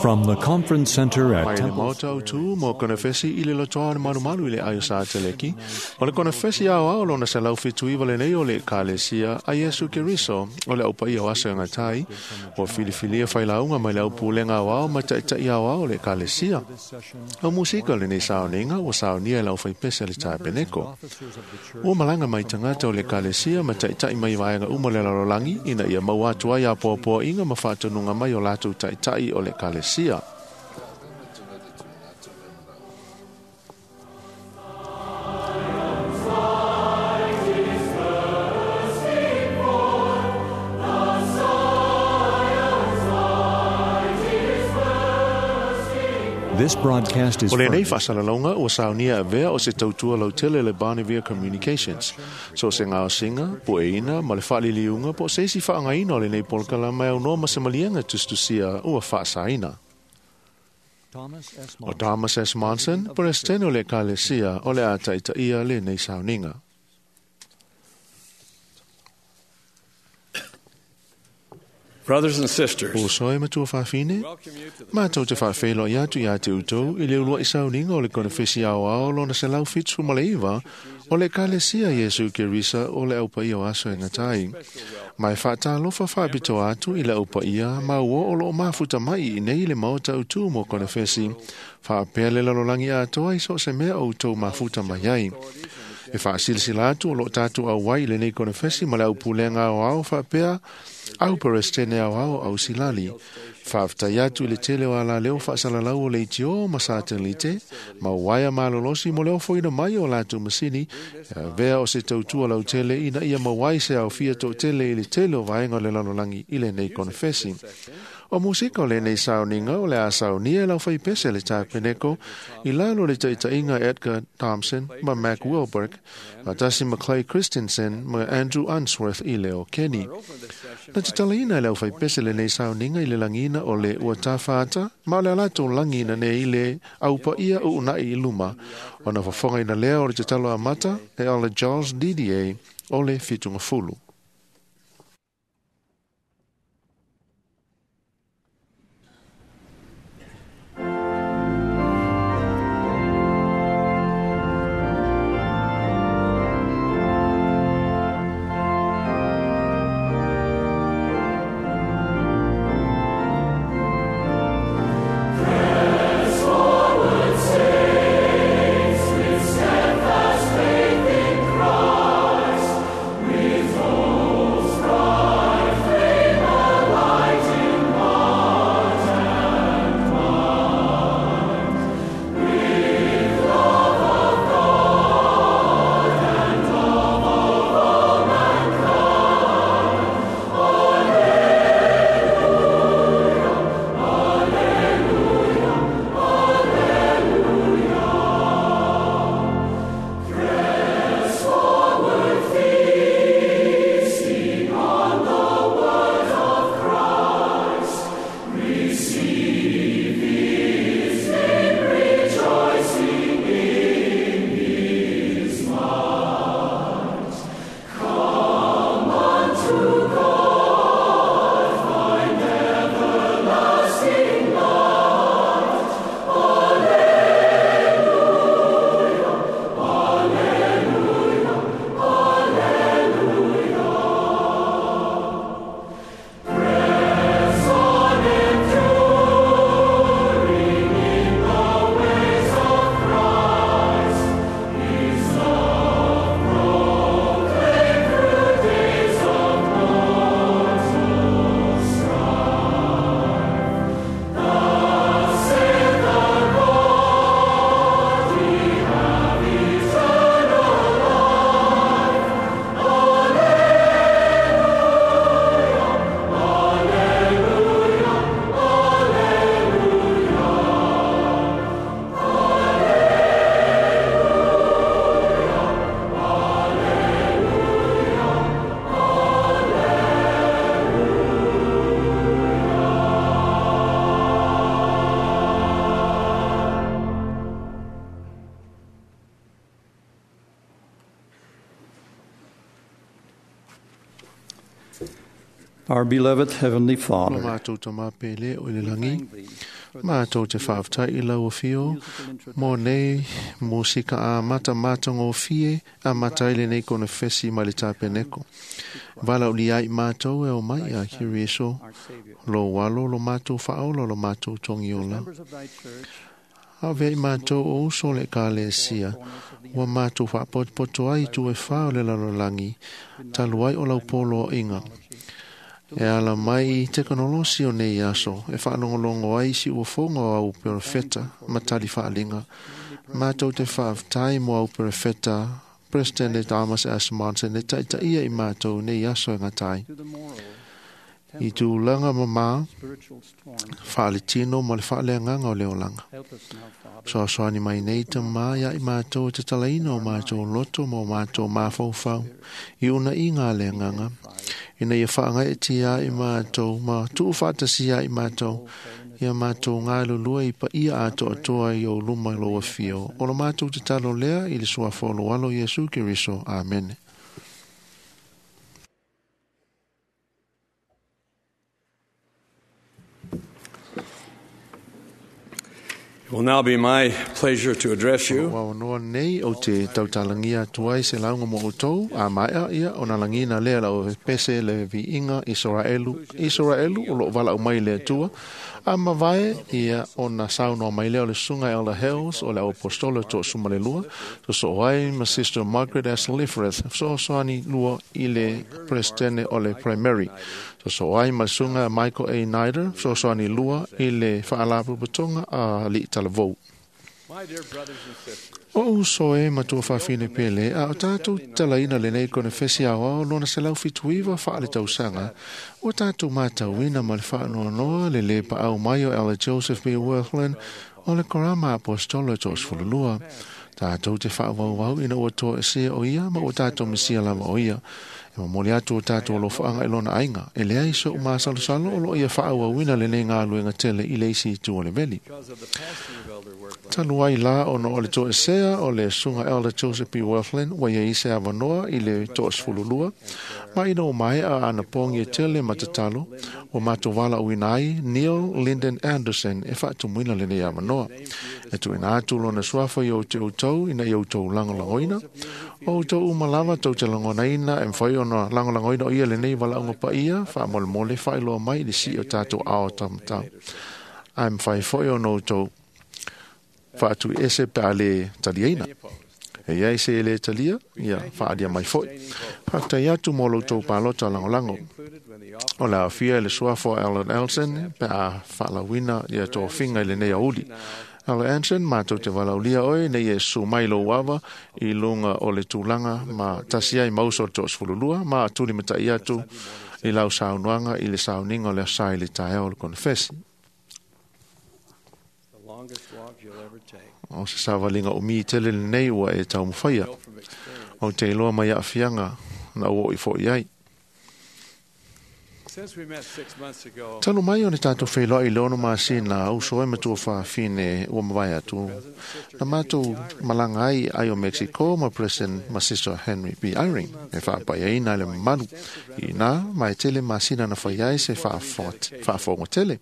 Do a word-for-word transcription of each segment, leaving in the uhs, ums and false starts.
From the Conference Center at Mai le Temple maota o tu mo konefesi i le lotoa malumalu i le aio sa teleki. O le konefesi ao ao lona se lau fitu iwa le nei o le kalesia a Iesu Keriso o le aupa ia o aso e ngatai. O filifilia whailaunga mai le au pulenga ao ao ma taitai ao ao le kalesia. O musika le nei saoninga o saonia e lau whaipese le tapeneko. Ua malanga mai tangata o le kalesia ma taitai mai vaenga uma le lalolagi ina ia mau atu ai a poapoa inga ma whaatanunga mai o lātou taitai o le kalesia. This broadcast is O le nei furnished whaasalalaunga o saunia avea o se tautua lautele le Barnevia Communications. So se ngā singa, po e ina, ma le whaaliliunga, po se isi whaangaina o le nei polkala mai au noa ma se malianga tustusia ua whaasaina. Thomas S. O Monson, Thomas S. Monson, presidente o le kalesia o le ataita ia le nei sauninga. Brothers and sisters, O soe matua whawhine, welcome you to the Mātou te whawhelo i atu i a te utou i le ulua i sauninga o le konefesi ao ao lona se lau fitu maleiva o le kalesia Iesu Kerisa o le aupa ia o aso e ngatai. Mai whaatalofa whaapito atu i le aupa ia ma ua o loo mafuta mai i nei le maota utu mo konefesi. Whaapea le lalolangi atoa i so se mea o utou mafuta mai ai. E whaasilisila atu o loo tātou au wai le nei konefesi ma le au pulenga au au whaapea au perestene au au au silali. Whaaftai atu i le tele o ala leo whaasalalau o le itio ma satelite, ma waia malolosi mo leo foina mai o lātou masini, e vea o se tautua lau tele ina ia mawai se au fia tō tele i le tele o vaenga o le lalolangi i le nei konefesi. O musika o le nei sauninga o le a saunia e lau whaipese le tāpeneko i lalo le taitainga Edgar Thompson ma Mac Wilberg, ma tasi ma Clay Christensen ma Andrew Unsworth i leo Kenny. Na te talaina e lau whaipese le nei sauninga i le langina o le ua tāwhata, ma o le alato langina ne i le aupa ia o unai i luma. O na whafonga ina lea o le te talo amata e ole Charles Didier o le fitunga fulu. Steadfast faith in Christ, with Our beloved Heavenly Lo Father, mātou ta māpele o le we langi, thank thee for this mātou te whaaftai i lau whio, musical introduction. mō nei musika a mata mata ngō fie a matai le nei kona fesi mai le tāpeneko. Vala uli ai mātou e o mai a Kiriso, Our Savior. lo walo lo mātou whaola lo mātou tongi As ola. members of thy church, A vei mātou o uso le ka le sia, corners of the ua mātou whaapotopoto ai tu e whao le lalolangi, talu ai o lau polo o inga. E ala mai i tekonolosi o nei aso, e whaalongolongo ai si uafonga o au perefeta, matali whaalinga. Mātou te whaaftai mo au perefeta, President Thomas S. Monson, e taita ia i mātou nei aso e ngatai. to the moral, I tūlanga mama, spiritual storms, whaalitino ma le whaaleanganga o le olanga. help us now, Father, Soasoani mai nei ta mā ia i mātou te talaina o mātou loto ma o mātou māwhauwhau. I una i ngā leanganga. Ina ia whaangai e tia i mātou, ma tuu whaatasia i mātou. Ia mātou ngā lulua i pa ia ato atoa i o luma i loa whio. O lo mātou te talo lea i le sua wholo alo Yesu Keriso. Amen. It will now be my pleasure to address you. Wa noa nei o te tautalangia tuai se launga mo outou, a maea ia o na langina lea lau pese le viinga Israelu, Israelu o lo wala o mai le atua, a mavae ia o na saunoa mai lea o le sunga Elder Hales o le apostolo to sumalelua, so so ai ma Sister Margaret S. Lifreth, so so ani lua i le presidente o le primary. So so ai ma sunga Michael A. Nider, so so ani lua i le whaalapupatonga a li talavou. My dear brothers and sisters, O uso e matua whawhine pele, a o tātou talaina le nei kone whesi au ao lona se lau fituiwa wha le tausaga, o tātou mātauina ma le whaanoanoa le le pa au mai o Ella Joseph B. Wirthlin o le korama apostolo to osfululua. Tātou te whaawau ina ua toa e o ia ma o tātou mesia lava o ia. E mamoli atu o tātou lo whaanga e lona ainga. E lea iso o māsalosalo o lo ia whaawauina le nei ngā luenga tele i leisi i tua le veli. because of the passing of Elder Workland, Talu ai la ono o le toesea o le sunga Elder Joseph B. Wirthlin wa ia ise avanoa i le toesefululua. Ma ina o mai a ana pongi e tele matatalo o mātou wala uina ai Neil Lyndon Anderson e whaatumuina le nei avanoa. E tuina atu lona suafa i o te outou ina i outou langolangoina. O outou umalava tau te langonaina e mwhai ona langolangoina o ia le nei wala unga pa ia whaamolemole whailoa mai le si o tātou ao tamatau. Ai mwhai foi ona outou whaatu ese pe a le taliaina. E iai se le talia, ia whaalia mai foi. Whaatai atu mō loutou pālota langolango. included when the O le afia le suafo Alan Elson pe a whaalawina ia tō finga i le nei auli. Alan Elson, mātou te walaulia oe, nei e su mai lo wawa i lunga o le tūlanga ma tasi ai mauso o tō sfululua, ma atuli matai atu i lau saunuanga i le sauninga o le asai le taea o le konfesi. the longest walk you'll ever take. O se savalinga o mi tele le nei ua e taumawhaia. Know from experience. O te iloa mai aafiaga na ua o i fo'i ai. Since we met six months ago, Talu mai o ne tātou whailoa i leono masina uso e matua whawhine ua mawai atu. Na mātou malanga ai ai o Mexico ma President ma Sister Henry B. Eyring. E whaapai ai nā le malu. I nā mai tele masina na whai ai se whaafongo tele.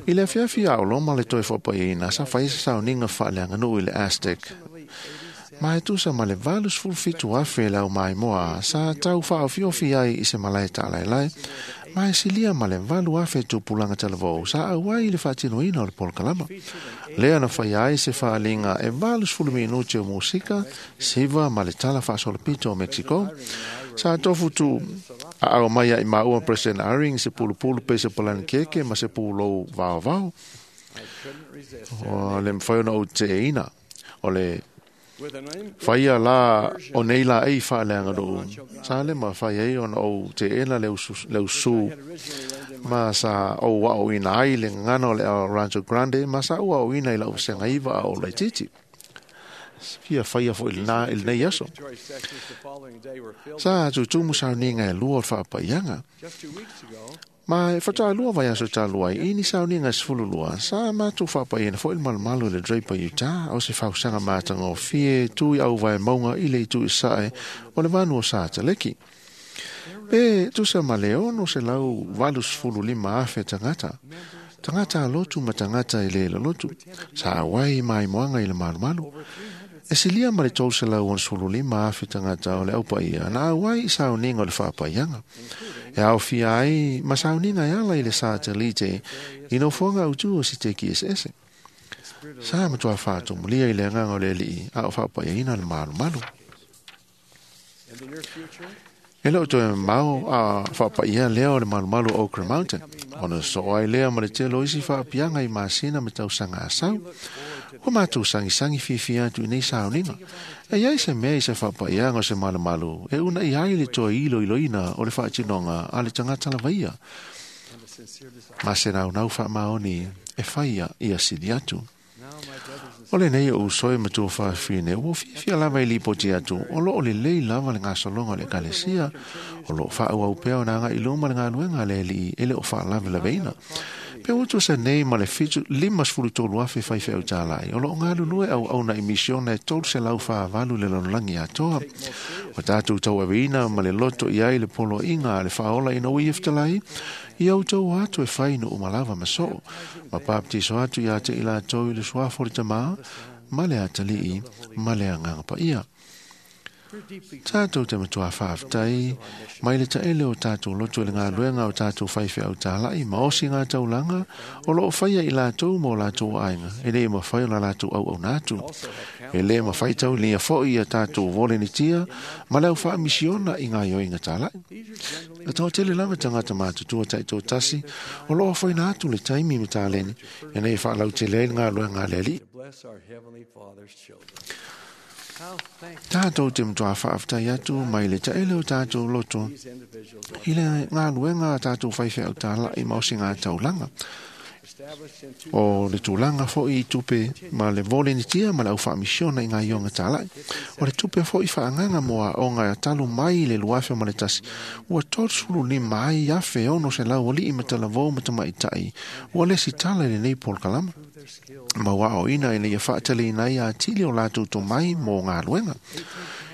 I le awhiawhi a oloma le toi whaapai ai nā sa whai se sauninga whaaleanga nui i le Aztec. Mai tusa ma le valus fulfitu afe lau mai moa sa tau whaawhiofi ai i se malae tālaelai. Mai silia ma le valu afe tupulanga talavou sa auai i le whaatinoina o le polokalama. Lea na whai ai se whaalinga e valus fulu minuti o musika, siva ma le tala whaasolopito o Mexico. Sa tofu tu a au mai ai maua President Eyring se pulupulu pe se polani keke ma se pulou vao vao. I couldn't resist. O le mwhai ona o te ina. O le With an im- Whaia la o nei la ei whaaleanga roo. Sa le ma whai ei ona o te ena le usu, le usu had originally learned in my ma sa o wa o ina ai le ngana o le ao Rancho Grande ma sa ua o ina i lau senga iwa a o laititi. Fia whaia fo i le nā i le nei aso. preparatory sections the following day were filled. Sa tutumu sa ninga e lua o whaapaianga. Just two weeks ago, Ma e whataa lua vai aso tā lua i ni sau ninga sefulu lua. Sa mātou whapai ina fo il malumalu le Draper Utah o se whausanga mātanga o fie tui au vai maunga i le tui sae o le vanu o sa taleki. Pe tusa ma le ono selau valu sefulu lima afe tagata. Tagata lotu ma tagata i le lotu. Sa auai maimoaga i le malumalu. E silia ma le tolu selau onosefulu lima afe tagata o le aupaia na auai i sauniga o le faapaiaga. E aofia ai ma sauniga e ala i le satelite i nofoaga autū o siteki eseese. Sa matuā faatomulia i le agaga o le Alii a o faapaiaina le malumalu. E le o toe mamao a faapaia lea o le malumalu o Ochre Mountain, ona sosoo ai lea ma le tele o isi faapiaga i masina ma tausaga asau. Ua matou sagisagi fiafia atu i nei sauniga. E iai se mea i se faapaiaga o se malumalu e unaʻi ai le toe iloiloina o le faatinoga a le tagata lavaia. Ma se naunau faamaoni e faia ia sili atu. O lenei o uso e matua faafine, ua fiafia lava i lipoti atu, o loo lelei lava le gasologa o le ekalesia, o loo faaauau pea ona agai i luma le galuega a le Alii e le o faalavelaveina. Pe ua tusa nei ma le fitu lima sefulu tolu afe faifeau talai, o loo galulue auauna i misiona e tolu selau faavalu le lalolagi atoa. O tatou tauaveina ma le loto i ai le poloaiga a le faaola ina ua ia fetalai, ia outou atu e fai no umalava ma soo, ma baptiso atu ia te i latou i le suafa o le Tamā, ma le Atalii, ma le Agaga Paia. Tatou te matuā faafetai mai le taele o tatou loto i le galuega o tatou faifeau talai ma osi ngā taulaga o loo faia i latou ma o latou aiga, e le mafai ona latou auauna atu. E le mafai taulia foi ia tatou volenitia ma le au faamisiona i ngā ioiga talai. E toatele lava tagata matutua taitoatasi o loo afoina atu le taimi ma taleni ina ia faalautele ai le galuega a le Alii. Tatou te matuā faafetai atu mai le taele o tatou loto i le galuega a tatou faifeau talai ma osi ngā taulaga. O le tulaga foi i tupe ma le volenitia ma le au faamisiona i ngā ioga talai. O le tupe foi faagaga mo aoga e talu mai i le luafe ma le tasi. Ua tolusefulu lima ai afe ono selau alii ma talavou ma tamaitai. Ua lesi tala i lenei polokalama. Ma ua aoina ina ia faateleina ai atili o latou tomai mo galuega.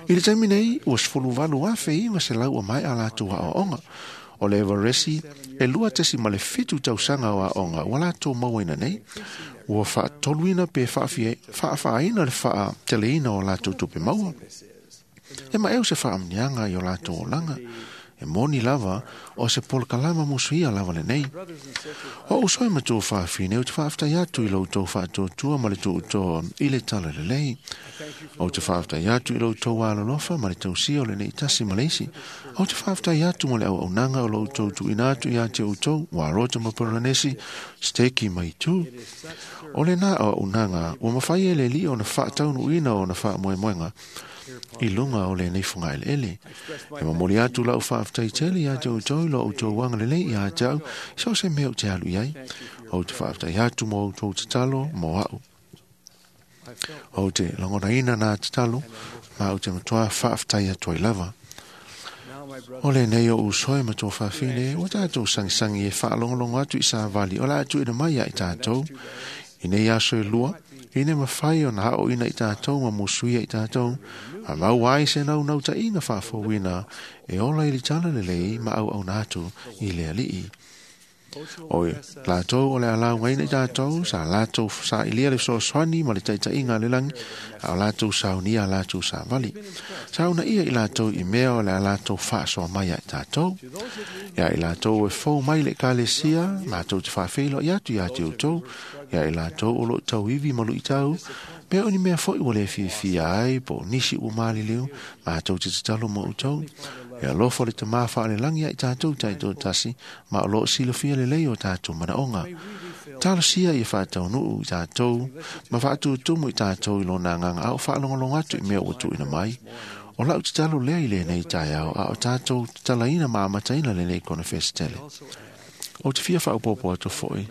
I le taimi nei, ua sefulu valu afe iva selau o maea latou aoaoga. O le Everesi, e lua tesi ma le fitu tausaga o aoga ua latou mauaina nei, ua faatoluina pe faafaaina le faateleina o latou tupe maua. E maeu se faamuniaga i o latou olaga. E moni lava o se polokalama musuia lava lenei. O uso e matua faafine o te faafetai atu i loutou faatuatua ma le tuutoa i le tala lelei. O te faafetai atu i loutou alolofa ma le tausia o lenei tasi ma le isi. O te faafetai atu mo le auaunaga o loutou tuuina atu ia te outou, ua rota ma Poronesi, steki mai tu. O lena auaunaga ua mafai e le Alii ona faataunuuina ona faamoemoega i luga o lenei fugaeleele. E momoli atu lau faafetai tele ia te outou i lo outou agalelei ia te au, so se mea ou te alu i ai. Ou te faafetai atu mo outou tatalo mo au. Ou te lagonaina nā tatalo, ma ou te matuā faafetai atu ai lava. O lenei o uso e matua faafine, ua tatou sagisagi e faalogologo atu i savali o le a tuuina mai ia i tatou. I nei aso e lua, ina mafai ona aoina i tatou ma musuia i tatou, a maua ai se naunautaiga faafouina e ola i le tala lelei ma auauna atu i le Alii. O latou o le a laugaina i tatou, sa latou sailia le fesoasoani ma le taitaiga a le lagi, a o latou saunia a latou savali. Sauna ia i latou i mea o le a latou faasoa mai ia i tatou. Ia i latou e fou mai le ekalesia, matou te faafeiloai atu ia te outou, ia i latou o loo tauivi ma luitau, pea o ni mea foi ua le fiafia ai po o nisi ua maliliu, matou te tatalo mo outou. E alofa le Tamā faalelagi ia i tatou taitoatasi, ma o loo silafia lelei o tatou manaoga. Talosia ia faataunuu i tatou, ma faatutumu i tatou i lona agaga a o faalogologo atu i mea ua tuuina mai. O lau tatalo lea i lenei taeao, a o tatou tatalaina ma amataina lenei konefesi tele. O te fia faaopoopo atu foi,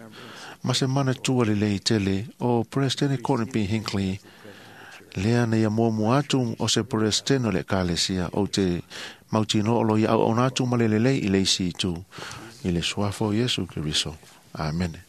ma se manatua lelei tele o Presidente Courtney B. Hinckley, lea na ia muamua atu o se Presidente o le ekalesia, ou te mautinoa o lo ia auauna atu ma le lelei i le isi itu, i le suafa o Iesu Keriso. Amene.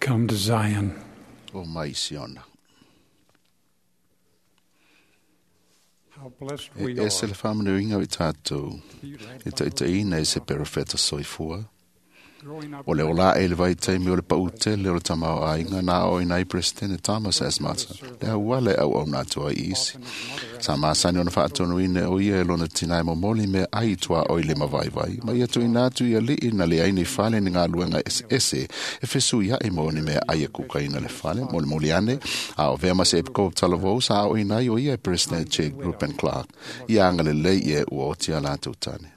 Come to Zion. O mai Siona. How blessed E we ese are le whamanuinga o i tātou, to be led e by taitaina e se perofeta soifua. growing up O le ola e le vai taimi o le pautele o le tamao ainga nā o inai President Thomas S. Mata. Le auale au au nātua i isi. Sa masani ona whaatonuine o ia e lona tinai momoli me ai tua o i le mavaivai. Ma ia tuina atu ia lii na le aini fale ni ngā luenga ese ese e fesu ia i moni me ai e kukaina le fale moli moli ane. A o vea mase epiko talavou sa o inai o ia e President J. Gruppen Clark. Ia anga le lei e ua oti a lātou tane.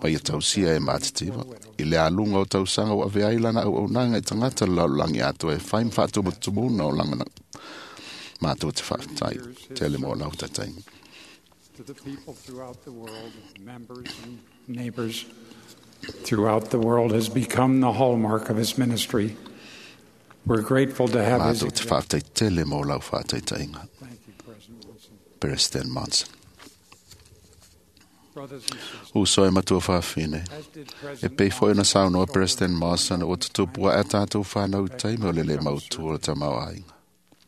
Ma ia tausia e mātitiva. I le alunga o tausanga o ave ai lana au au nanga i tangata le lalulangi atoa e whai mwhaatumatumuna o langa mātou te whaatai, te le mō lau tatai. to the people throughout the world, members and neighbors throughout the world, has become the hallmark of his ministry. We're grateful to have his Mātou te example. whaatai tele mō lau whaataitainga. Thank you, President Wilson. President Monson. Brothers and sisters, Uso e matua whaafine. as did E President pei foi na saunoa Monson, President Monson o tutupua e tātou whānau taimi o lele mautua o tamau ainga.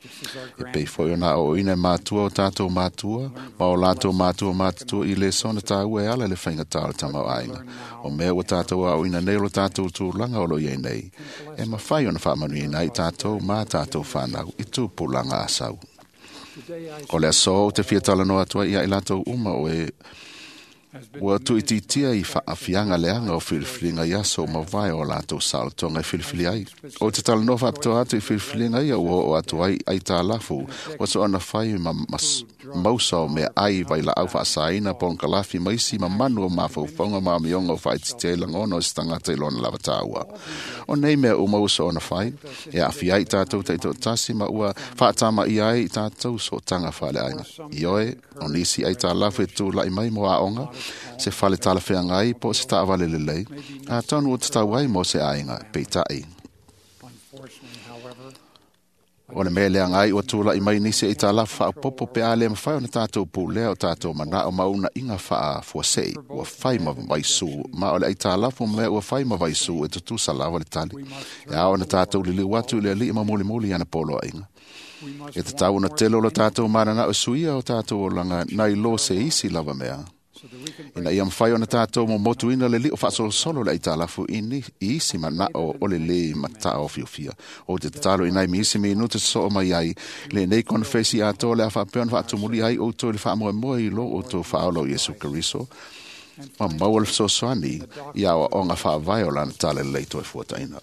just as our E pei foi ona o ina mātua o tātou mātua, ma o lātou mātua mātua i le sona tāua e ala le whainga tā o tamau ainga. O mea o tātou au ina nei o tātou tūlanga o lo iei nei. E mawhai ona whaamanu i nei tātou mā tātou whānau i tūpulanga a sau. Today I O le aso o te whiatala no atua ia i lātou uma o e has been ua tuititia i whaafianga leanga o whiriwhiringa i aso o mawai o lātou saotonga i whiriwhiri ai. O te tala noa whaapitoa atu i whiriwhiringa ia ua o atu ai ai tā lafu, ua so ana whai ma, mas, mausa o mea ai vai la au whaasaina pongkalafi maisi ma manu o mawhauwhaunga ma mionga o whaititia i langono o se tangata i lona lava tāua. O nei mea uma ua so ona whai, e awhi ai tātou teito tasi ma ua whaatama i ai i tātou so tanga whale ainga. I oe, o nisi ai tā lafu e tū lai mai mo aonga, se whale tala whianga ai po se taawale lelei, a tonu o te tau ai mo se ainga, peitai. Unfortunately, however, O le mea lea ngai ua tūla i mai nisi i tā lafu whaapopo pe a le mawhai o na tātou pūlea o tātou mana o mauna inga whaa fuasei, ua whai ma vaisu, ma o le ai tā lafu mea ua whai ma vaisu e tutusa lawa le tali. E ao na tātou lili watu le li ma moli moli ana polo inga. we must E te tau na tele o le tātou manana o suia o tātou o langa nai lo se isi lava mea. so that we can Ina ia mwhai o na tātou mo motu ina le li o whaasolosolo le aitalafu ini i isi mana o o le le mata o fiofia. O te tatalo inai mi isi mi inuta so o mai ai. Le nei konfesi ato le a whapeon whaatumuli ai o tō le whaamoe moe i lo o tō whaolo Yesu Kariso. Ma maua le fesoasoani i a o ngā whaavai o lana tale le toi fuataina.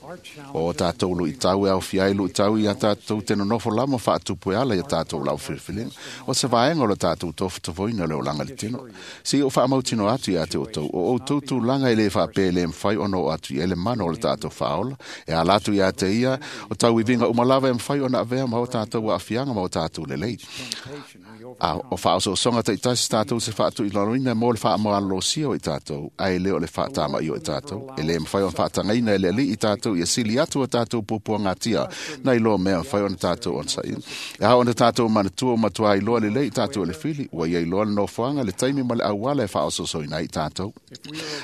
our O challenges tātou lu i tau e au fiai lu i tau i a tātou te nonofo lama whaatupu e ala i a tātou lau whiriwhiringa. O se vaenga o le tātou tōwhatafoina le o langa le tino. Si o whaamautino atu i a te o tau. O o tau langa e le whaapē le mwhai ono o atu i ele mana o le tātou whaola. E ala atu i a te ia o tau i vinga umalawa e mwhai ona avea ma o tātou a ma o tātou lelei. temptation we A o whaosoosonga te itasi tātou se whaatu i laloina mō le whaamalosia o i tātou, a e leo le whaatama i o i tātou, e le mwhai o whaatangaina e le li i tātou, i a sili atu o tātou pupua ngā tia, nei loa mea mwhai ona tātou on sain. E hao ona tātou manatua o matua i loa le lei i tātou le whili, ua iei loa le nofoanga le taimi ma le auala e whaososoina i tātou.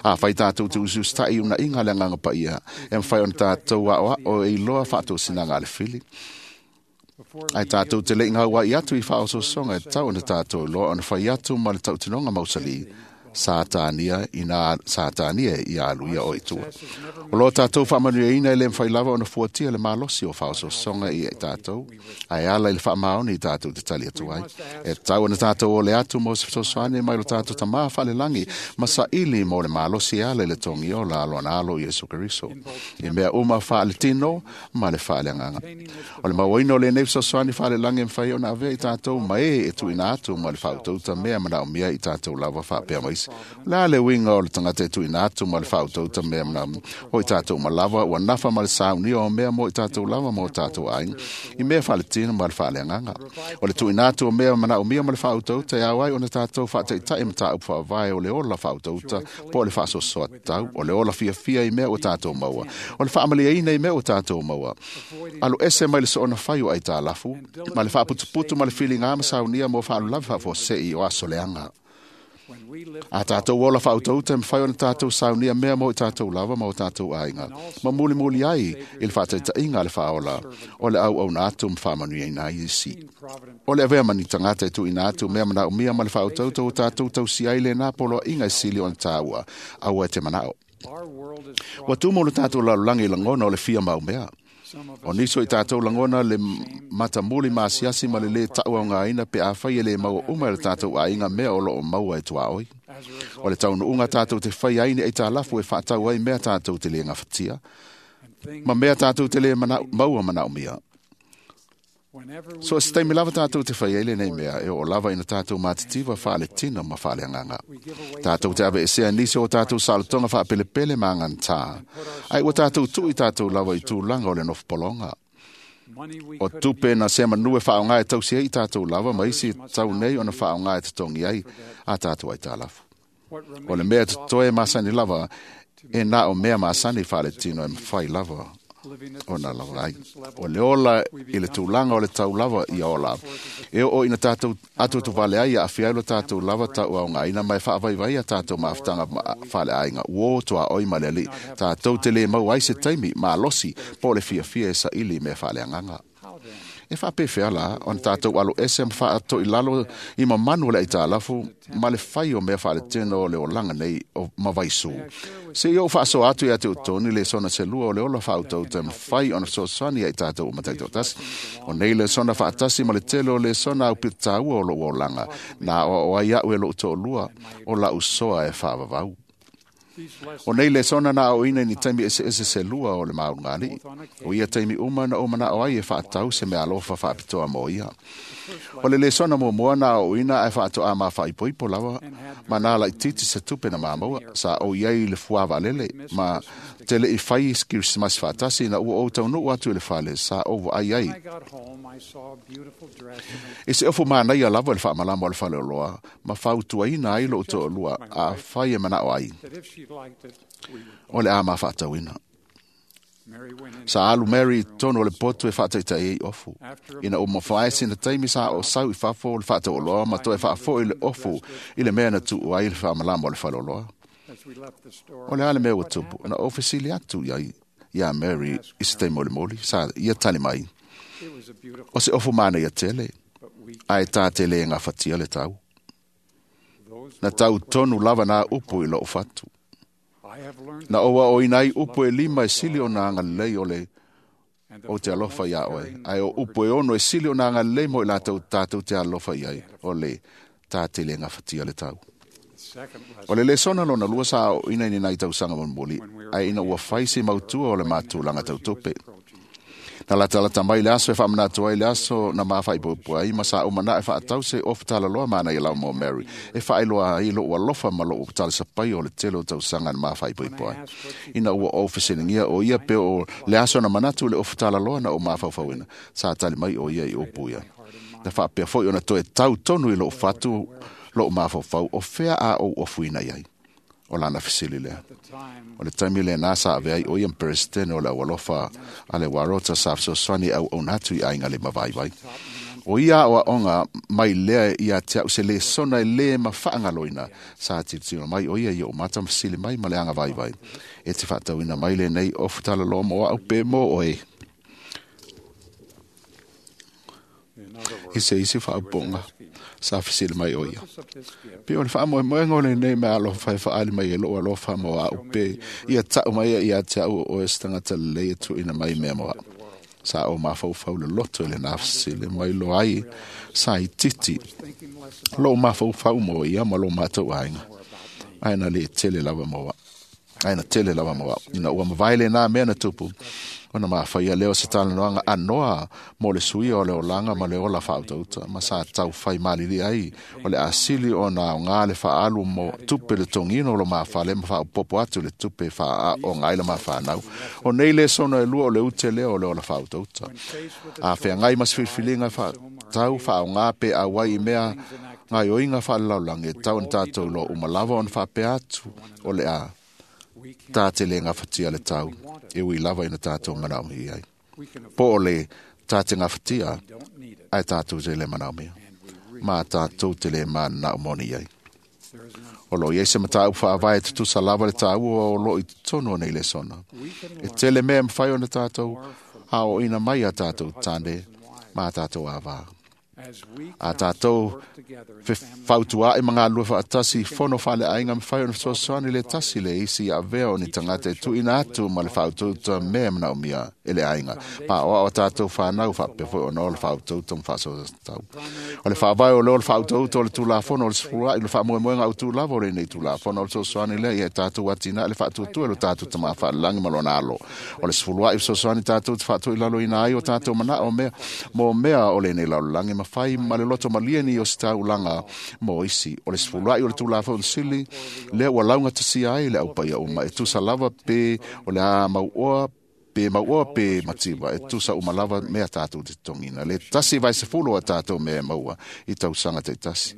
A whai tātou te usu stai una inga le nganga pa ia, e mwhai ona tātou a o e iloa whaatou sinanga le whili. before Ai tātou te leinga ua i atu i whaososonga e tau ona tātou loa ona whai atu ma le tautinonga mausali Sātānia i nā Sātānia i a aluia o i tua. O loa tātou whaamanu ina e le mwhai lava ona fuatia le malosi o whaososonga i e tātou, ai ala i le whaamaoni i tātou te tali atu ai. E tau ona tātou o le atu mo se fesoasoani mai lo tātou tamā whalelangi, ma sa ili mo le malosi e ala i le tongi o la alo ana alo Iesu Keriso. I mea uma whaale tino ma le whaale anganga. O le mauaina o le nei fesoasoani whaalelangi mwhai ona avea i tātou ma e e tuina atu ma le whautauta mea mana o mea i tātou lava whaapea maisi. La le winga o le tangata e tuina atu ma le whautauta mea mana o i tātou malawa ua nafa ma le sauni o mea mo i tātou lava mo tātou ainga. I mea whaale tino ma le whaale anganga. O le tuina atu o mea mana o mea ma le whautauta e au ai ona tātou whaataitai ma tāu whaavae o le ola whautauta po o le whaasosoa tau o le ola fiafia i mea o tātou maua. O le whaamalia ina i mea o tātou maua. Alo ese mai le soona whai o ai tā lafu, ma le whaaputuputu ma le whilinga ma saunia mo whaalulawi whaafosei o aso leanga. A tātou ola whautauta e mwhai ona tātou saunia mea mo i tātou lava ma o tātou aiga. Ma muli muli ai i le whātaitainga le whaola o le au au nā atu mwhamanui ai nā isi. O le avea mani tangata e tu ina atu mea mana o mea ma le whautauta o tātou tausi ai le nā polo inga e sili o tāua aua e te manao. Ua tumo le tātou lalulangi i langona o le fia mau mea. O niso i tātou langona le matamuli maasiasi ma le le tau au ngā ina pe awhai e le maua uma le tātou ainga mea o loo maua e tuaoi. O le taunu unga tātou te whai aine e tālafu e whaatau ai mea tātou te le ngawhatia. Ma mea tātou te le mana, maua mana umia. So se taimi lava tātou te whai eile nei mea e o lava ina tātou mātitiva whaale tina ma whaale anganga. Tātou te awe esea nisi o tātou salotonga whaapelepele ma angantā. Ai ua tātou tui tātou lava i tūlanga o le nofopolonga. O tupe na se manue whaonga e tausi ai tātou lava ma isi tau nei ona whaonga e te tongi ai a tātou ai tālafu. O le mea te toe masani lava e nā o mea masani whaale tino e mwhai lava o nā lava ai. O le ola i le tūlanga o le tau lava i ola. E o ina tātou atu tu wale ai a whiailo tātou lava tau au ngā ina mai whaavaivai a tātou maafutanga whale ainga. Uo toa oi maleli tātou te le mau ai se taimi mā losi po le fia fia e sa ili me whale anganga. E whaapewhea la, on tātou alo ese ma whaato i lalo i mamanu le aitālafu, ma le whai o mea whaale tino o le olanga nei o mawaisu. Se i o whaaso atu i ate o tōni le sona se lua o le ola whautau te mwhai ona sosani ai tātou o mataito tasi. O nei le sona whaatasi ma le tele o le sona au pitaua o lo olanga, nā o o ai au e lo tō lua o la usoa e whaavavau. O nei le sona na o ina ni taimi ese ese se lua o le maungani. O ia taimi uma na o mana o ai e whaatau se mea alofa whaapitoa mo ia. O le le sona mo moa na o ina e whaato a mā whaipoipo lawa. Ma nā lai titi se tupe na māmaua. Sa o iai le fuawa lele. Ma te le i whai Christmas whaatasi na ua o tau nuu atu i le whale. Sa o ai ai. E se ofu mānai a lava le whaamalama o le whale o loa. Ma whautuaina ai lo o lua a whai e mana o ai. O le a mā whaatauina. Sa alu Mary tono le potu e whaataitai ei ofu. Ina o mawhaesi na taimi sa o sau i whafo le whaatau o loa, ma toe whaafo i le ofu i le mea na tuu ai le whaamalama o le whale o loa. O le ale mea ua tupu, na o fesili atu iai ia Mary i se taimi o le moli, sa ia tali mai. O se ofu mana ia tele, ai tā tele e ngā whatia le tau. Na tau tonu lava nā upu i loo whatu. Na owa o inai upu e lima e sili o nā ngalei o le o te alofa ia oe. Ai o upu e ono e sili o nā ngalei mo i lātou tātou te alofa iai o le tā tele ngā whatia le tau. O le lesona lona lua sa o ina ni nai tausanga monmoli, ai ina ua whai se mautua o le mātūlanga tautope. Na lata lata mai le aso e whaamanatu ai le aso na maa whaipoipo ai, ma sa o mana e whaatau se ofu talaloa mana i lau mo Mary. E whaeloa ai lo alofa ma lo talisapai o le tele o tausanga na maa whaipoipo ai. Ina ua o whesilingia o ia pe o le aso na manatu le ofu talaloa na o maa whauwhauina. Sa tali mai o ia i opu ia. Na whaapea foi o na toe tau tonu i lo whatu lo maa whauwhau o whea a o ofuina iai. O lana fesili lea. O le taimi le nā sa avea i o ia mperesitene o le awalofa a le warota sa fesoasoani au aunatu i ainga le mavaivai. O ia o aonga mai lea ia te au se le sona e le ma whaangaloina sa tilotilo mai o ia i o mata fesili mai ma le anga vaivai. E te whaatauina mai le nei o futala loa mo au pe mo oe. I se isi whaaponga sa fesili mai o ia. Pe o le whaamoemoenga o le nei mea alofa e whaali mai e loo alofa mo a upe. Ia tau mai ia te au o e stangata lei e tuina mai mea moa. Sa o mawhaufau le loto e le nā fesili mai lo ai sa i titi. Lo mawhaufau mo ia ma lo mātou ainga. Aina le tele lava moa. Aina tele lava moa. Ina ua mavaile nā mea na tupu. Ona ma whaia leo se talanoanga anoa mo le suia o le olanga ma le ola whautauta. Ma sa tau whai malili ai o le asili o nā o ngā le whaalu mo tupe le tongino lo maa whale ma whaopopo atu le tupe whaa o ngā ila maa whanau. O nei le sono e lua o le ute leo o le ola whautauta. A whea ngai mas whilwhilinga wha tau wha o ngā pe a wai i mea ngā oinga whalalaulangi e tau na tātou lo umalawa ona whapea atu o le a tā te le ngā whatia le tau e ui lava ina tātou manaomi ai. Po o le tā te ngā whatia ai tātou te le manaomi. Mā tātou te le mā nā moni ai. O lo iai se mataupu faavae e tutusa lava le tāua o loo i totonu o nei lesona. E tele mea e mafai ona tātou aoaoina mai a tātou tāne ma a tātou āvā. A tātou fautuaʻi ma galulue faatasi i fono faaleaiga mafai ona fesoasoani le tasi le isi ia avea o ni tagata e tuuina atu ma le faautauta mea e manaomia e le aiga paoao a tatou fanau faapea foi ona o le faautauta ma faasoatau. O le faavae o lea o le faautauta o le Tulafono o le Sefuluaʻi le faamoemoega autū lava o lenei Tulafono o le fesoasoani lea ia tatou atinae le faatuatua i lo tatou Tamā Faalelagi ma lona alo. O le Sefuluaʻi fesoasoani tatou te faatoilaloina ai o tatou manao mea mo mea o lenei lalolagi ma fai ma le loto malie ni o se taulaga mo isi. O le Sefuluaʻi o le Tulafono sili lea ua laugatasia ai le aupaia uma e tusa lava pe o le a mauoa pe mauoa pe mativa e tusa uma lava mea tatou te togina. Le tasi vai sefulu a tatou mea e maua i tausaga taitasi.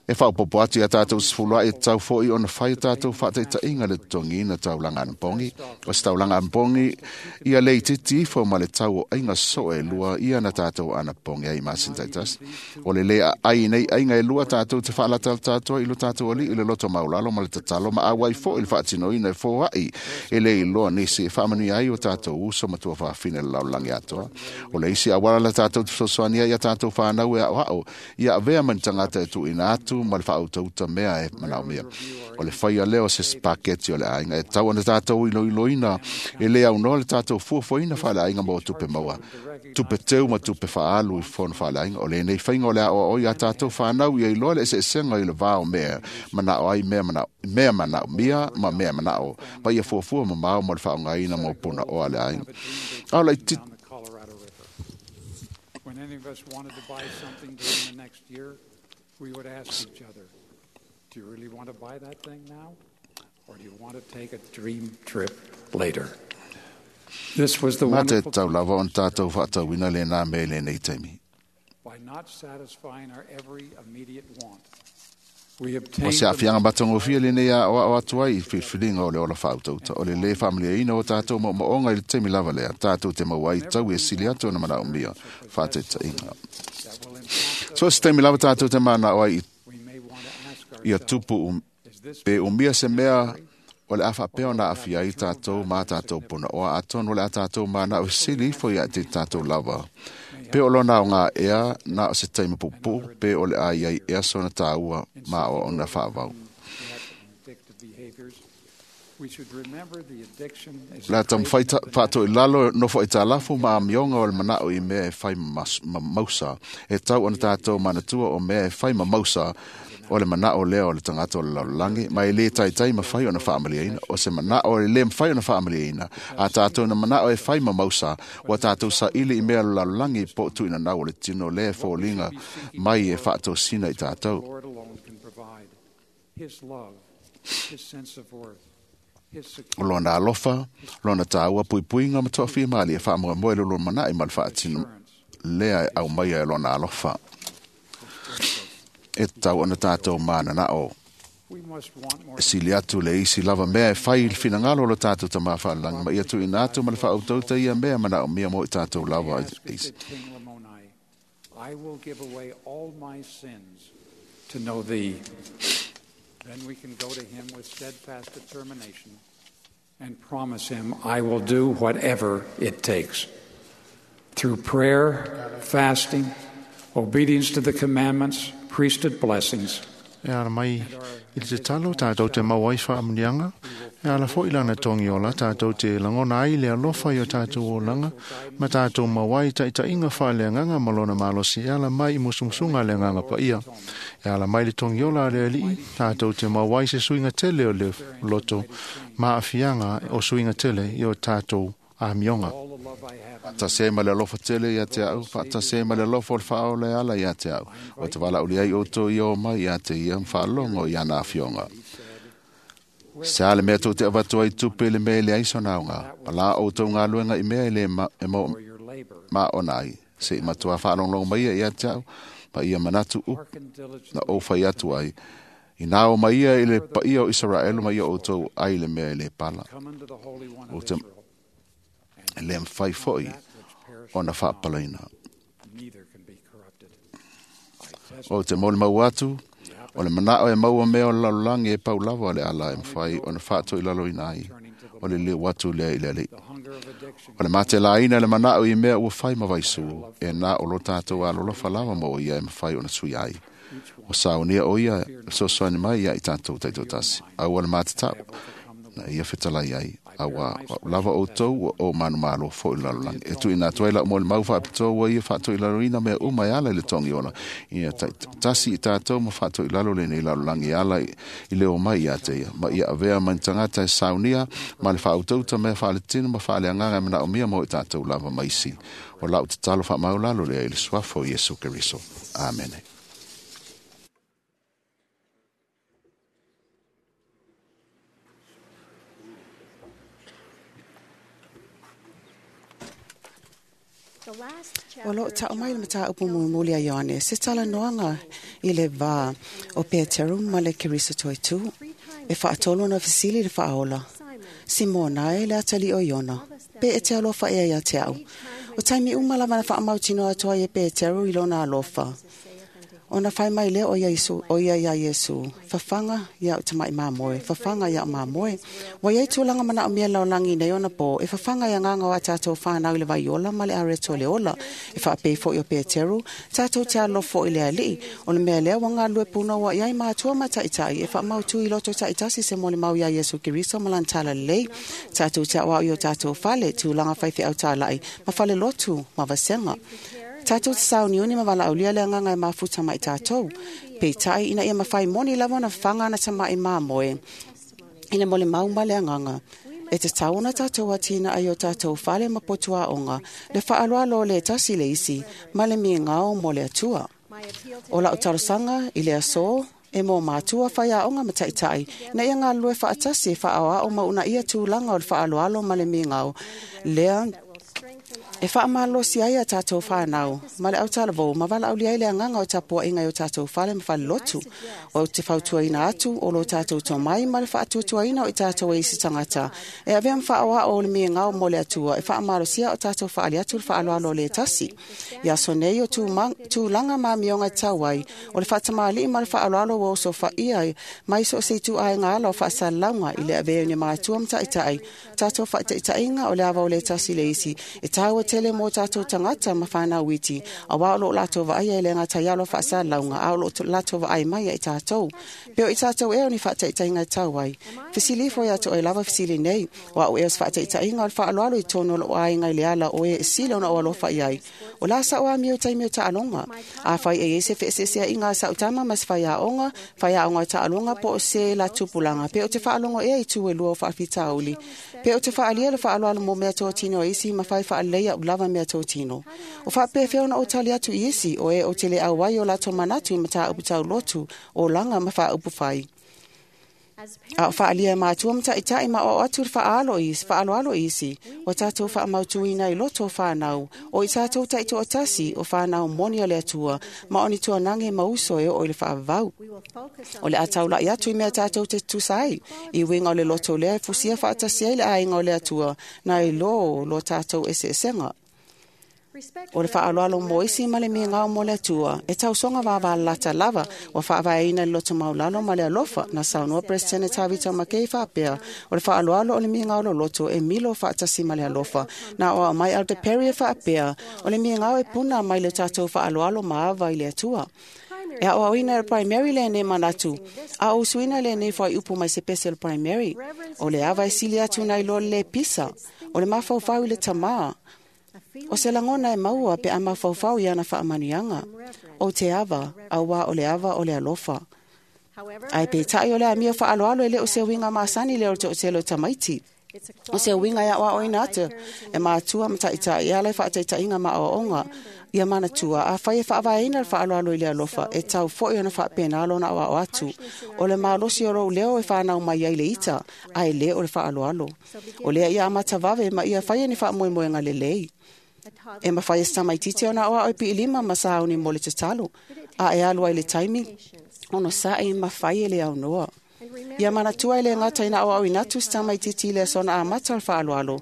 E faaopoopo atu ia tatou sefuluaʻi e tatau foʻi ona fai tatou faataitaiga le totogiina taulaga anapogi. O se taulaga anapogi ia le itiiti ifo ma le tau o aiga soo e lua ia na tatou anapogi ai i masina taitasi. O le lē aai nei aiga e lua tatou te faalatalata atu ai i lo tatou alii i le loto maulalo ma le tatalo ma auai foʻi le faatinoina e foaʻi e lē iloa nisi e faamanuia ai o tatou uso ma tuafafine le lalolagi atoa. O le isi auala la tatou te fesoasoani ai ia tatou fanau e aoao ia avea ma ni tagata e tuuina atu ma le faautauta mea e manaomia. O le faia lea o se spaketi o le aiga e tatau ona tatou iloiloina e lē aunoa le tatou fuafuaina faaleaiga mo tupe maua, tupe teu ma tupe faaalu i fono faaleaiga. O lenei faiga o le aoao ia tatou fanau ia iloa le eseesega i le va o mea manao ai mea manao mea manaomia ma mea manao ma ia fuafua mamao mo le faaaogaina mo punaoa a le aiga. A o laitiiti When any of us wanted to buy something during the next year, we would ask each other, do you really want to buy that thing now? Or do you want to take a dream trip later? This was the Ma te wonderful tau lava ona tatou faatauina lenā mea i lenei taimi. by not satisfying our every immediate want. We O obtained se aafiaga matagofie lenei aoao atu ai i filifiliga o le ola faautauta. O le lē faamaliaina o tatou maomaoga i le taimi lava lea tatou te maua ai tau e sili atu ona manaomia faataitaiga. that will impact So se taimi lava tatou te manao ai we may want to ask ia ourselves, tupu um, is this pe umia se mea o le a faapea ona aafia ai tatou ma tatou punaoa atonu o le a tatou manao e sili ifo ia te tatou lava. Pe o lona aoga ea na o se taimi puupuu pe o le a iai ea sona tāua ma o ona faavau. addictive behaviors? We should remember the addiction is Le a a taumafai craving of the faatoilalo nofo i tālafu ma amioga o le manao i mea e fai mas- ma mausa. E tau ona tatou manatua o mea e fai ma mausa o le manao lea o le tagata o le lalolagi ma e lē taitai mafai ona faamaliaina. O se manao e lē mafai ona faamaliaina. A tatou na manao e fai ma mausa, ua tatou saili i mea o le lalolagi po o tuuinanau o le tino lea e foliga mai e faatosina i tatou. Lord alone can provide. His love, his sense of worth, his O security, lona alofa, lona tāua puipuiga ma toafia malie e faamoemoe le lona manaʻi ma le faatino lea e aumaia e lona alofa. E tatau ona tatou mananao we must want more e sili atu le isi lava mea e fai i le finagalo o lo tatou Tamā Faalelagi ma ia tuuina atu ma le faautauta ia mea manaomia mo i tatou lava Ask isi. said King Lamoni, I will give away all my sins to know thee. Then we can go to him with steadfast determination and promise him, I will do whatever it takes. Through prayer, fasting, obedience to the commandments, priesthood blessings, E ala mai i le tatalo tatou te maua ai faamuniaga. E ala foʻi lana togiola tatou te lagona ai le alofa i o tatou olaga ma tatou maua ai taitaiga faaleagaga ma lona malosi e ala mai i musumusuga a le agaga paia. E ala mai le togiola a le alii tatou te maua ai se suiga tele o le loto ma aafiaga o suiga tele i o tatou amioga. all the love I have in Faatasi ma le alofa tele ia te au, faatasi ma le alofa o le faaola e ala ia te au. O te valaaulia ai outou ia o mai ia te ia ma faalogo i ana afioga. Se a le mea tou te avatu ai tupe le mea e leai sona aoga. Palā outou galuega i mea e lē ma, e mo, for your labor. ma ona ai. Se i matua faalogologo mai ia ia te au, ma ia manatu upu Hearken diligently na ou fai atu ai. I nā o mai ia i le paia o Isaraelu ma ia outou ai le mea e lē pala. come unto the Holy One O of te Israel, e lē mafai foʻi that which perisheth ona not, faapalaina. neither can be corrupted. I O te molimau atu, O le manao e maua mea o le lalolagi e pau lava o le ala e mawhai o na whaato i lalo ina ai. O le leo atu lea i le alii. O le matelaina le manao i mea ua whai mawaisu e nā o lo tātou alolofa lava mo ia e mawhai o na sui ai. O saunia o ia sosoani mai ia i tātou taito tasi. Au o le matatau na ia fetalai ai. Aua lava o tau o manu malo fo i lalolagi. E tui nā tuai lau mo le mau whaapitoa ua ia whaato i lalo ina mea uma e ala i le tongi ona. Ia tasi i tātou ma whaato i lalo le nei lalolagi ala i leo mai ia te ia. Ma ia avea mai tangata e saunia ma le whautauta mea whaaletino ma whaaleanganga mena o mea mo i tātou lava maisi. O lau te talo whaamau lalo lea i le suafo Iesu Keriso. Amene. O loo tau mai le mataupu mulimuli a Ioane, se talanoaga i le vā o Peteru ma le Keriso toetū, e faatolu ona fesili le faaola. Simona e le atali o Iona, pe e te alofa ea ia te au. O taimi uma lava na faamautinoa atu ai e Peteru i lona alofa. Ona fai mai lea o ia Iesu, o ia ia Iesu, fafaga ia o tamai mamoe, fafaga ia o mamoe. Ua iai tulaga manaomia lalolagi nei ona po, e fafaga i agaga o a tatou fanau i le vaiola ma le areto le ola. E faapei foʻi o Peteru, tatou te alofo i le alii, o le mea lea ua galulue punoua i ai matua ma taʻitaʻi, e faamautu i loto taʻitasi se molimau iā Iesu Keriso ma lana talalelei. Tatou te aʻoaʻo i o tatou fale, tulaga faifeau talaʻi, ma fale lotu ma vasega. Tātou te sauniuni ma valaaulia le agaga e mafuta mai tātou. Peitai ina ia mawhai moni lava na whanga na tamai māmoe. I le mole mau ma le agaga. E te tauna tātou atina ai o tātou whale ma potua onga. Le whaaloalo le tasi le isi, ma le mi ngao mo le atua. O lau tarosanga i le aso, e mō mātua whai a onga mataitai, na ia ngā lue whaatasi e whaoa o mauna ia tūlanga o le whaaloalo ma le mi ngao. Lea, e whaamalosi ai a tātou whānau, ma le autalavou, ma valauli ai le agaga o tapuaʻiga i o tātou fale ma falelotu. O te fautuaina atu o lo tātou tomai ma le faatuatuaina o i tātou e isi tagata. E avea ma faaoao o le migao mo le Atua, e faamalosia o tātou faali atu le faaaloalo le tasi. I aso nei o tulaga ma amioga e tau ai, o le faatamāliʻi ma le faaaloalo ua osofaia ai, mai so o se ituaiga ala o faasalalauga i le avea o ni matua ma taʻitaʻi. Tātou faataʻitaʻiga o le ava o le tasi le isi, e taua tele mo tātou tagata ma whānau iti, a wā o lo lato vaai e le ngā taialo whaasalauga, a o lo lato vaai mai i tātou. Peo i tātou e o ni whaataitainga tau ai. Fesili fo ia to e lava fesili nei, wa o e os whaataitainga o le whaaloalo i tonu o lo ainga i le ala o e e sile ona o alofa i ai. O la sa o a mio taimi o taalonga. A whai e ese whaesesea i ngā sa utama mas whai a onga, whai a onga taalonga po o se la tupulanga. Peo te whaalongo e i tū e lua o whaafitauli. Peo te whaalia le whaaloalo mo mea tōtino isi ma whai whaalea o lava mea tōtino. O whaapewhea ona o tali atu i isi o e o te le auai o lato manatu i mata upu tau lotu o langa ma whaaupu whai. A o whaalia mātua mataʻitaʻi ma o atu le whaalo isi, whaaloalo isi, o tātou whaamautuina i loto o whānau, o i tātou taitoatasi o whānau moni o le Atua, ma o ni tuanage ma uso e o i le whaavau. O le ataulai atu i mea tātou te tusa ai, i winga o le loto lea e fusia whaatasi ai le ainga o le Atua, na i lo lo tātou eseesenga. O le whaaloalo mo isi ma le migao mo le Atua, e tausonga vāvālata lava, wa whaavaeina le loto maulalo ma le alofa, na saunoa President Tavita Makei whaapea, o le whaaloalo o le migao lo loto e milo whaatasi ma le alofa, na o mai Alde Perry e whaapea, o le migao e puna mai le tātou whaaloalo maava i le Atua. E a oaoina le primary le nei manatu, a o usuina le nei whai upu mai se pese le primary, o le ava e sili atu nei lo le pisa, o le mafaufau i le tamā. O se langona e maua pe a mafaufau i ana faamanuiaga. O te ava, auā o le ava o le alofa. Ae peitai o le amio faaloalo e le o se uiga masani le o le toʻatele o tamaiti. O se uiga e aʻoaʻoina atu e matua ma taʻitaʻi e ala e faataitaʻiga ma aoaoga ia manatua a fai e faavaeina le faaloalo i le alofa e tau foʻi ona faapena lona aoao atu. O le malosi o lou leo e whanau mai ai le ita, ae le o le faaloalo. O lea ia amata vave ma ia fai e ni faamoemoega lelei. E mawhai e samaititi ona oa o piilima ma sauni mo le tatalo. A e alua i le taimi, ono sa e mawhai e le au noa. Ia manatua i le ngata ina oa o inatu samaititi le sona a mata o le faaloalo.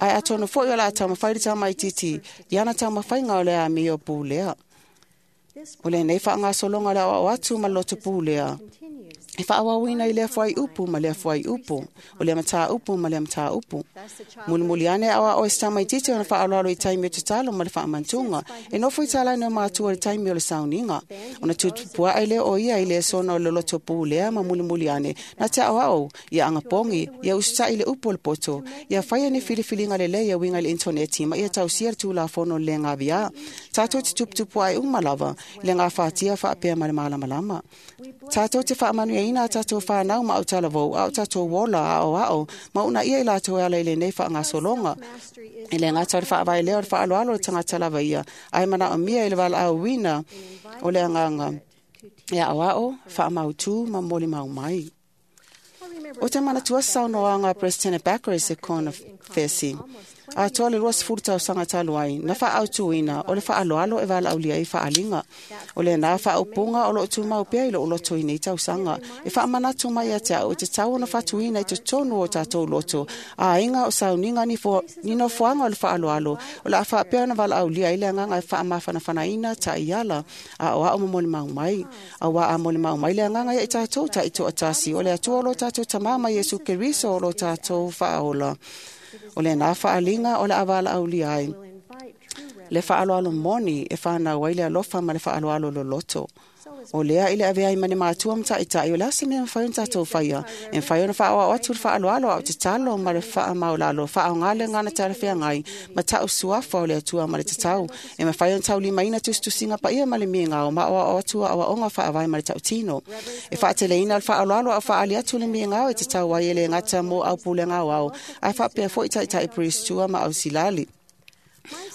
Ai atono foi o la taumawhai le tamaititi, i ana taumawhai ngā o le a mio pūlea. O lenei faagasologa o le aoao atu ma le loto pulea e faaauauina i lea fuaiupu ma lea fuaiupu, o lea mataupu ma lea mataupu. Mulimuli ane aoao e se tamaitiiti ona faaaloalo i taimi o tatalo ma le faamantuga. E nofo i talaane o matua i le taimi o le sauniga. Ona tutupuae lea o ia i le sona o le loto pulea ma mulimuli ane na te aoao ia agapogi, ia usitai le upu o le poto, ia faia ni filifiliga lelei e uiga i le intaneti ma ia tausia le tulafono le gavia. Tatou te tuputupuae uma lava i le gafatia faapea ma le malamalama. Tatou te faamanuiaina a tatou whanau ma au talavou, au tatou ola, ao ao, ma una ia i latou e ala i lenei faagasologa. E le gata o le faavae lea o le faaaloalo o le tagata lava ia, ae manaomia i le valaauina o le agaga e aoao, faamautu ma molimau mai. O te manatua saunoaga a President Baker i se kona fesi. Atoa le luasefulu tausaga talu ai, na faaautuina o le faaaloalo e valaaulia ai faaliga. O lena faaupuga o loo tumau pea i lou loto i nei tausaga. E faamanatu mai ia te au e tatau ona fatuina i totonu o tatou loto. Aiga o sauniga ni, fo, ni nofoaga o le faaaloalo. O le a faapea ona valaaulia ai le agaga e faamafanafanaina taiala aoao ma molimau mai. Auā a molimau mai le agaga ia i tatou taitoatasi. O le Atua o lo tatou Tamā ma Iesu Keriso o lo tatou faaola. O lena faaliga o le a valaaulia ai le faaaloalo moni e whanau ai le alofa ma le faaaloalo loloto. O lea i le avea ai ma ni matua ma taitai, o le a se mea mafai ona tatou faia. E mafai ona faaoao atu le faaaloalo ao tatalo ma le faamaulalo, faaoga le gana talafeagai ma tau suafa o le Atua ma le tatau. E mafai ona taulimaina tusitusiga paia ma le migao ma aoao atu aoaoga faavae ma le tautino. E faateleina le faaaloalo ao faaali atu le migao e tatau ai e le gata mo au pulega aoao, ae faapea foi taitai priestua ma ausilali.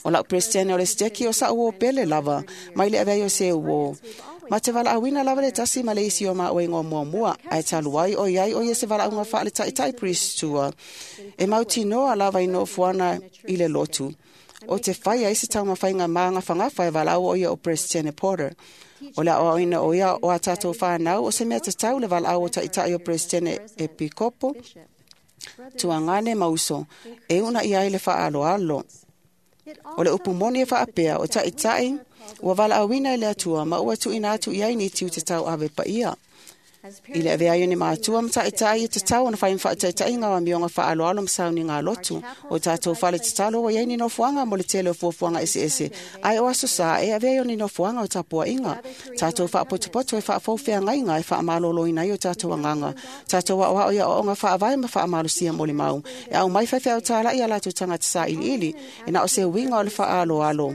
O lau presidente o le steki o sa uo pele lava, mai le avea o se uo. Ma te valaauina lava le tasi ma le isi o ma oe ngō muamua, ae talu ai o iai o ia se valaauga faale taitai priestua. E mautinoa lava i nofoana i le lotu. O te whai ai se taumawhainga maangawhangafa e valaau o ia o President Porter. O le aoaoina o ia o a tātou whanau o se mea tatau le valaau o taitai o President Epikopo, tuangane mauso, e una ia ai le whaaloalo. O le upu moni e whaapea o taitai, ua valaauina i le Atua ma ua tuuina atu i ai ni tiu te tau ave paia. I le avea ai o ni matua ma taitai e tatau ona whai mawhaataitaiga o amioga faaaloalo ma sauniga lotu. O tātou fale tatalo ua iai ni nofoaga mo le tele o fuafuaga eseese. Ae o aso sa e avea ai o ni nofoaga o tapuaiga. Tātou faapotopoto e faafoufeagaiga e faamaloloina ai o tātou agaga. Tātou aoao ia aoaoga faavae ma faamalosia molimau. E au mai faifeau talai a latou tagata sailiili. E na o se uiga o le faaaloalo.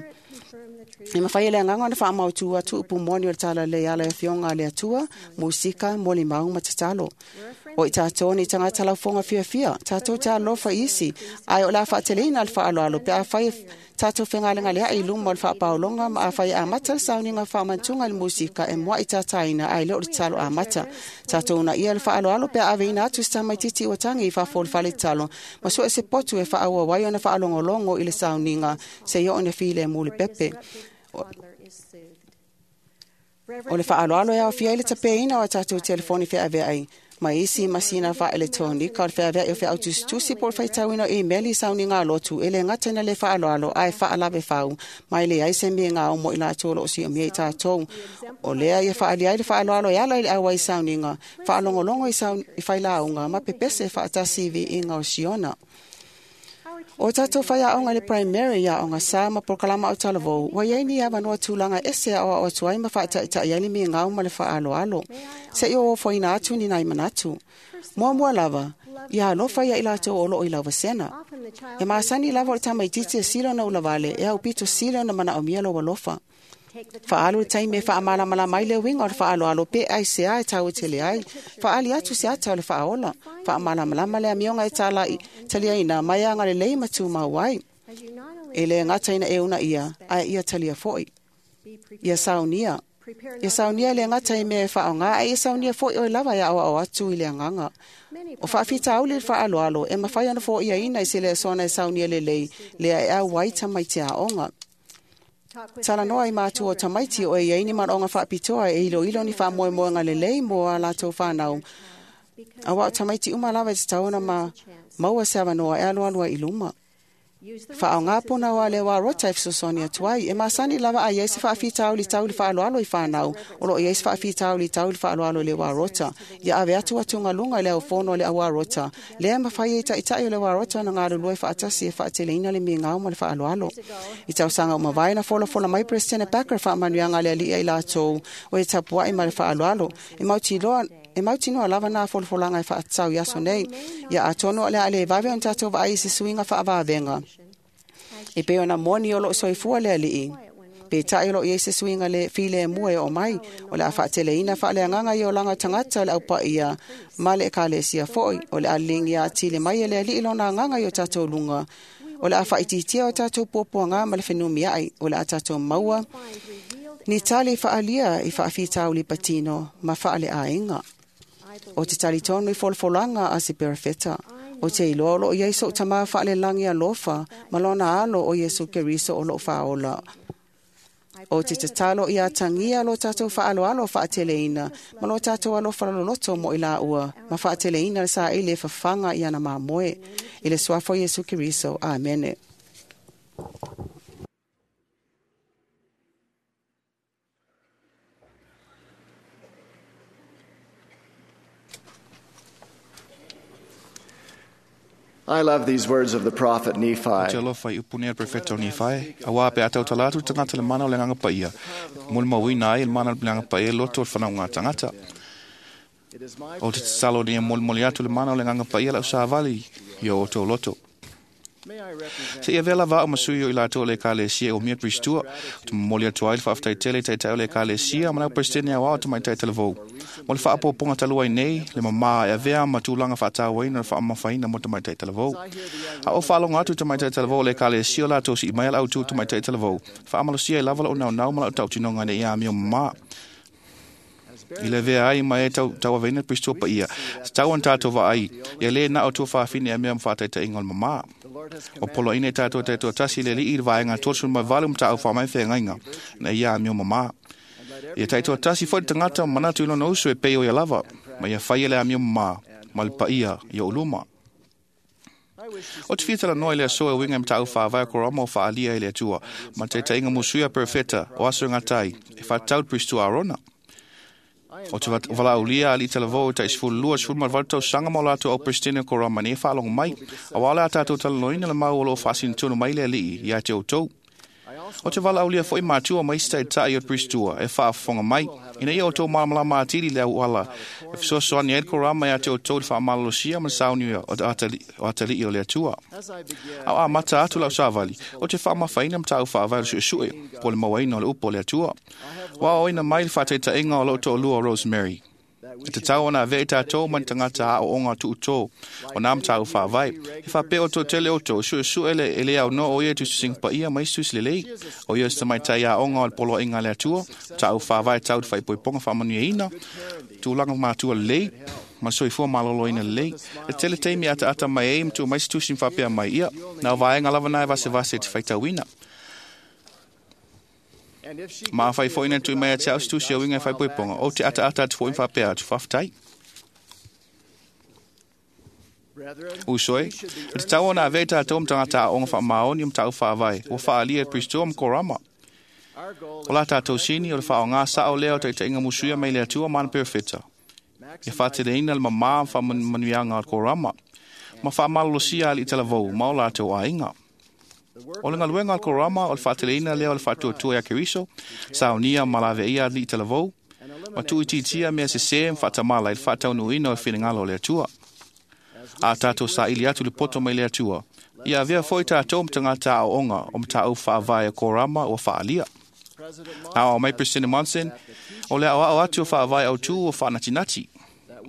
E mawhai e le agaga ona faamautu atu upu moni o le talalelei ala e afioga a le Atua, musika, molimau ma tatalo. O i tātou ni tagata laufoga fiafia, tātou te alofa isi, ae o le a faateleina le faaaloalo pe afai e tātou fegalegaleai i luma o le faapaologa ma afai e amata le sauniga faamantuga i le musika e muai tataina ae le o le tatalo amata. Tātou unaia le faaaloalo pe a aveina atu se tamaitiiti ua tagi i fafo o le fale tatalo, ma sue se potu e faaauau ai ona faalogologo i le sauniga seia oo ina filemu le pepe. O le faaaloalo e aofia ai le tapeina o a tatou telefoni feaveai ma isi masina faaeletonika o le feaveai o feautusitusi po o le faitauina o imeli i sauniga lotu e le gata ina le faaaloalo ae faalave fau ma e leai se migao mo i latou o loo siomia i tatou. O lea ia faaali ai le faaaloalo e ala i le auai sauniga, faalogologo i, saun, i failauga ma pepese faatasi i viiga o Siona. O tātou whaiaonga le primary aoga sa ma polokalama au talavou, ua iai ni avanoa tulaga ese aoao atu ai ma faataitai ai le migao ma le faaaloalo. Se'i o ofoina atu ni nai manatu. Muamua lava, ia alofa ia i latou o loo i lauvasena. E masani lava o le tamaitiiti e sila ona ulavale, e aupito sila ona manaomia lou alofa. Faalu le taimi e faamalamalama ai le uiga o le faaaloalo pe ai se a e tauetele ai. Faaali atu se ata o le faaola. Faamalamalama le amioga e talai, taliaina mai agalelei ma tumau ai. E le gata ina e una ia, ae ia talia foi. Ia saunia. Ia saunia le gata i mea e faaoga, ae ia saunia foi oe lava e aoao atu i le agaga. O faafitauli le faaaloalo e mafai ona foaiaina i se le asoana e saunia lelei, lea e auai tamaiti aoga. Talanoa i matua o tamaiti o e iai ni manaoga faapitoa e iloilo ni faamoemoega lelei mo a latou whanau. Auā o tamaiti uma lava e tatau ona ma maua se avanoa e alualu ai i luma. Whaonga puna wa le wa rota e fesoasoani atu ai. E masani lava a iai se faafitauli tau i le faaaloalo i whanau. O lo o iai se faafitauli tau i le faaaloalo i le wā rota. Ia ave atu atugaluga i le aufono o le auā rota. Lea mafai ai taitai o le wā rota na galulue faatasi e faateleina le migao ma le faaaloalo. I tausaga o mavae na folafola mai President Packer faamanuiaga a le alii ai latou o e tapuai ma le faaaloalo. E mautiloa E mautinoa lava nā folafolaga e faatatau i aso nei. Ia atonu o le a le vave ona tatou vaai i se suiga faavavega. E pei ona moni o loo soifua le alii. Peitai o loo iai se suiga le filemu e oo mai. O le a faateleina faaleagaga i olaga o tagata o le aupaia ma le ekalesia foi. O le a liligia atili mai e le alii lona agaga i o tatou luga. O le a faaitiitia o tatou puapuaga ma le fenumiai. O le a tatou maua ni tali faalia i faafitauli patino ma faaleaiga. O te talitonu i folafolaga a se perofeta. O te iloa o loo iai sou tamā faalelagi alofa ma lona alo o Iesu Keriso o loo faaola. O te tatalo ia tagia lo tatou faaaloalo faateleina ma lo tatou alofa loloto mo i laua ma faateleina le saili e fafaga i ana mamoe. I le suafa o Iesu Keriso. Amene. I love these words of the prophet Nephi. Te alofa i upu nei a le profeta o Nifai, a wā pe atau talatu tangata le mana o le nganga paia. Muli mauina ai le mana o le nganga paia loto o le whanau ngā tangata. O te tatalo ni e moli moli atu le mana o le nganga paia lau sāvali i o tō loto. Se ia vela vao masui o i latou le ekalesia o mia pristua, o te momoli atu ai le faafetai tele i taitai o le ekalesia ma lau presidente au ao te maitai talavou. Mo le faapopoga talu ai nei, le mamā e avea ma tulaga faatauaina o le faamafaina mo tamaitai talavou. A o faalogo atu tamaitai talavou o le ekalesia o latou sii mai a le autū tamaitai talavou. Faamalosia ai lava lou naunau ma lau tautinoga ina ia amio mamā. I le vea ai ma e tau, tauaveina le pristua paia. Tau ona tatou vaai, ia lē na o tua faafine a mea ma faataitaiga o le mamā. O poloaina i tatou taitoatasi le alii i le vaega tolusefulu ma valu ma taau faamai feagaiga na ia amio mamā. Ia taitoatasi foi le tagata ma manatu i lona uso e pei o ia lava, ma ia faia le amio mamā ma le paia i ou luma. O te fia talanoa i le aso e uiga i mataupu faavae o korama o faaalia i le Atua, ma le taitaiga musuia a perofeta o aso e gatai e faatatau le pristua Arona. O te valaaulia alii talavou e tai sefulu lua sefulu ma le valu tausaga ma o latou au Peresetene o Korama nei e faalogo mai, auā le a tatou talanoaina le mau o loo faasinotonu mai le alii ia te outou. O te valaaulia foi matua ma isi taitai o le pristua e faafofoga mai, ina ia outou malamalama atili le auala e fesoasoani ai le Korama ia te outou i le faamalolosia ma le saunia o atalii o le Atua. A o amata atu lau savali, o te faamafaina mataupu faavae o le suesue, po o le mauaina o le upu o le Atua. Ua aoaoina mai le faataitaiga o lou toalua o Rosemary. E tatau ona avea i tatou ma ni tagata aoaoga tuutō o nā mataupu faavae. E faapea outou tele outou, suesue le e le aunoa o ia i tusitusiga paia ma isi tusi lelei. O ia o se tamaitai aoga o le poloaiga a le Atua, mataupu faavae tau i le faaipoipoga faamanuiaina, tulaga matua lelei, ma soifua maloloina lelei. E tele taimi e ataata mai ai ma tuu mai se tusi ma faapea mai, ia, na o vaega lava na e vasevase e te faitauina. Ma afai foi na tui mai a te au se tusi o uiga e faaipoipoga, ou te ataata atu foi ma faapea atu, faafetai. Uso e, e tatau ona avea i tatou ma tagata aoga faamaoni o mataupu faavae, ua faaalia e Pristua ma Korama. O la tatou sini o le faaaoga sao lea o taitaiga musuia mai le Atua ma ana perofeta. Ia faateleina le mamā ma faamanuiaga o le Korama, ma faamalolosia alii talavou ma o latou aiga. O le galuega a le Korama o le faateleina lea o le faatuatua ia Keriso, saunia ma laveia alii talavou, ma tuuitiitia mea sesē ma faatamala i le faataunuuina o le finagalo o le Atua. A tatou saili atu le poto mai le Atua, ia avea foi tatou ma tagata aoaoga o mataupu faavae o Korama ua faaalia. A o mai President Monson, o le aoao atu o faavae autū o faanatinati.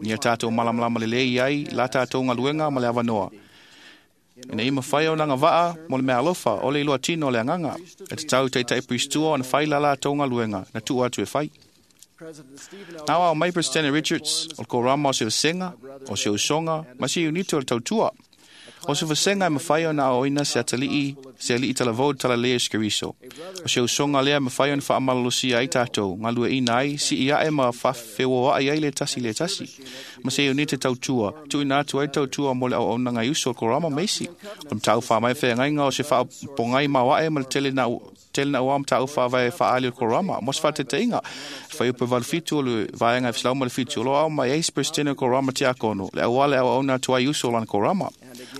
Ia tatou malamalama lelei ai la tatou galuega ma le avanoa. Ina ia mafai ona agavaa mo le meaalofa o le iloa tino o le agaga, e tatau i taitai pristua ona fai la latou galuega na tuu atu e fai. Na aoao mai President Richards o le Korama o se vasega, o se usoga ma se iunite o le tautua. O se vasenga e mawhai o na oina se atalii, se alii talavou talalea i Keriso. O se usonga lea mawhai o na whaamalalosia ai tātou, ngā lua ina ai, si i ae ma whawhewa ai ai le tasi le tasi. Ma se ione te tautua, tuina atu ai tautua mo le au au ngai uso o korama meisi. O mtau wha mai whea ngainga o se whaapongai mawae ma le tele na tele na uam tau wha vai whaali o korama. Mos wha te te inga. Whai upe valu fitu o le vaenga e wsilau ma le fitu. O lo au mai eis presidente o korama te akono. Le awale au au na tuai uso o lana korama.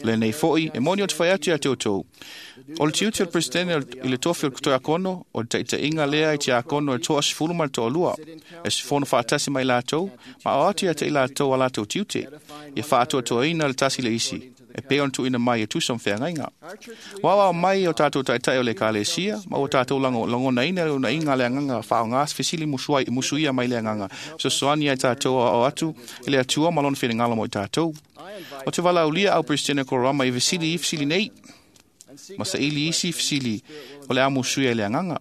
Le nei foi, e moni o te whai atu ia te otou. O le tiuti o le presidente i le tofi o le kutoe akono, o le teita inga lea i te akono e toa sifulu ma le toa lua. E sifono whaatasi mai lātou, ma o atu ia te i lātou a lātou tiute. Ia whaatua toa ina le tasi le isi. E pe on tuina mai e tusa mwhea ngainga. Wawa mai o tātou taitai o le kalesia, ma o tātou lango, langona ina le una inga le anganga whaonga fisili musuai, musuia mai le anganga. So soani ai tātou o atu, i le atua malon whiringala mo i tātou. O te wala ulia au presidente korama i vesili i fisili nei, ma sa ili isi fisili o le amu suia le anganga.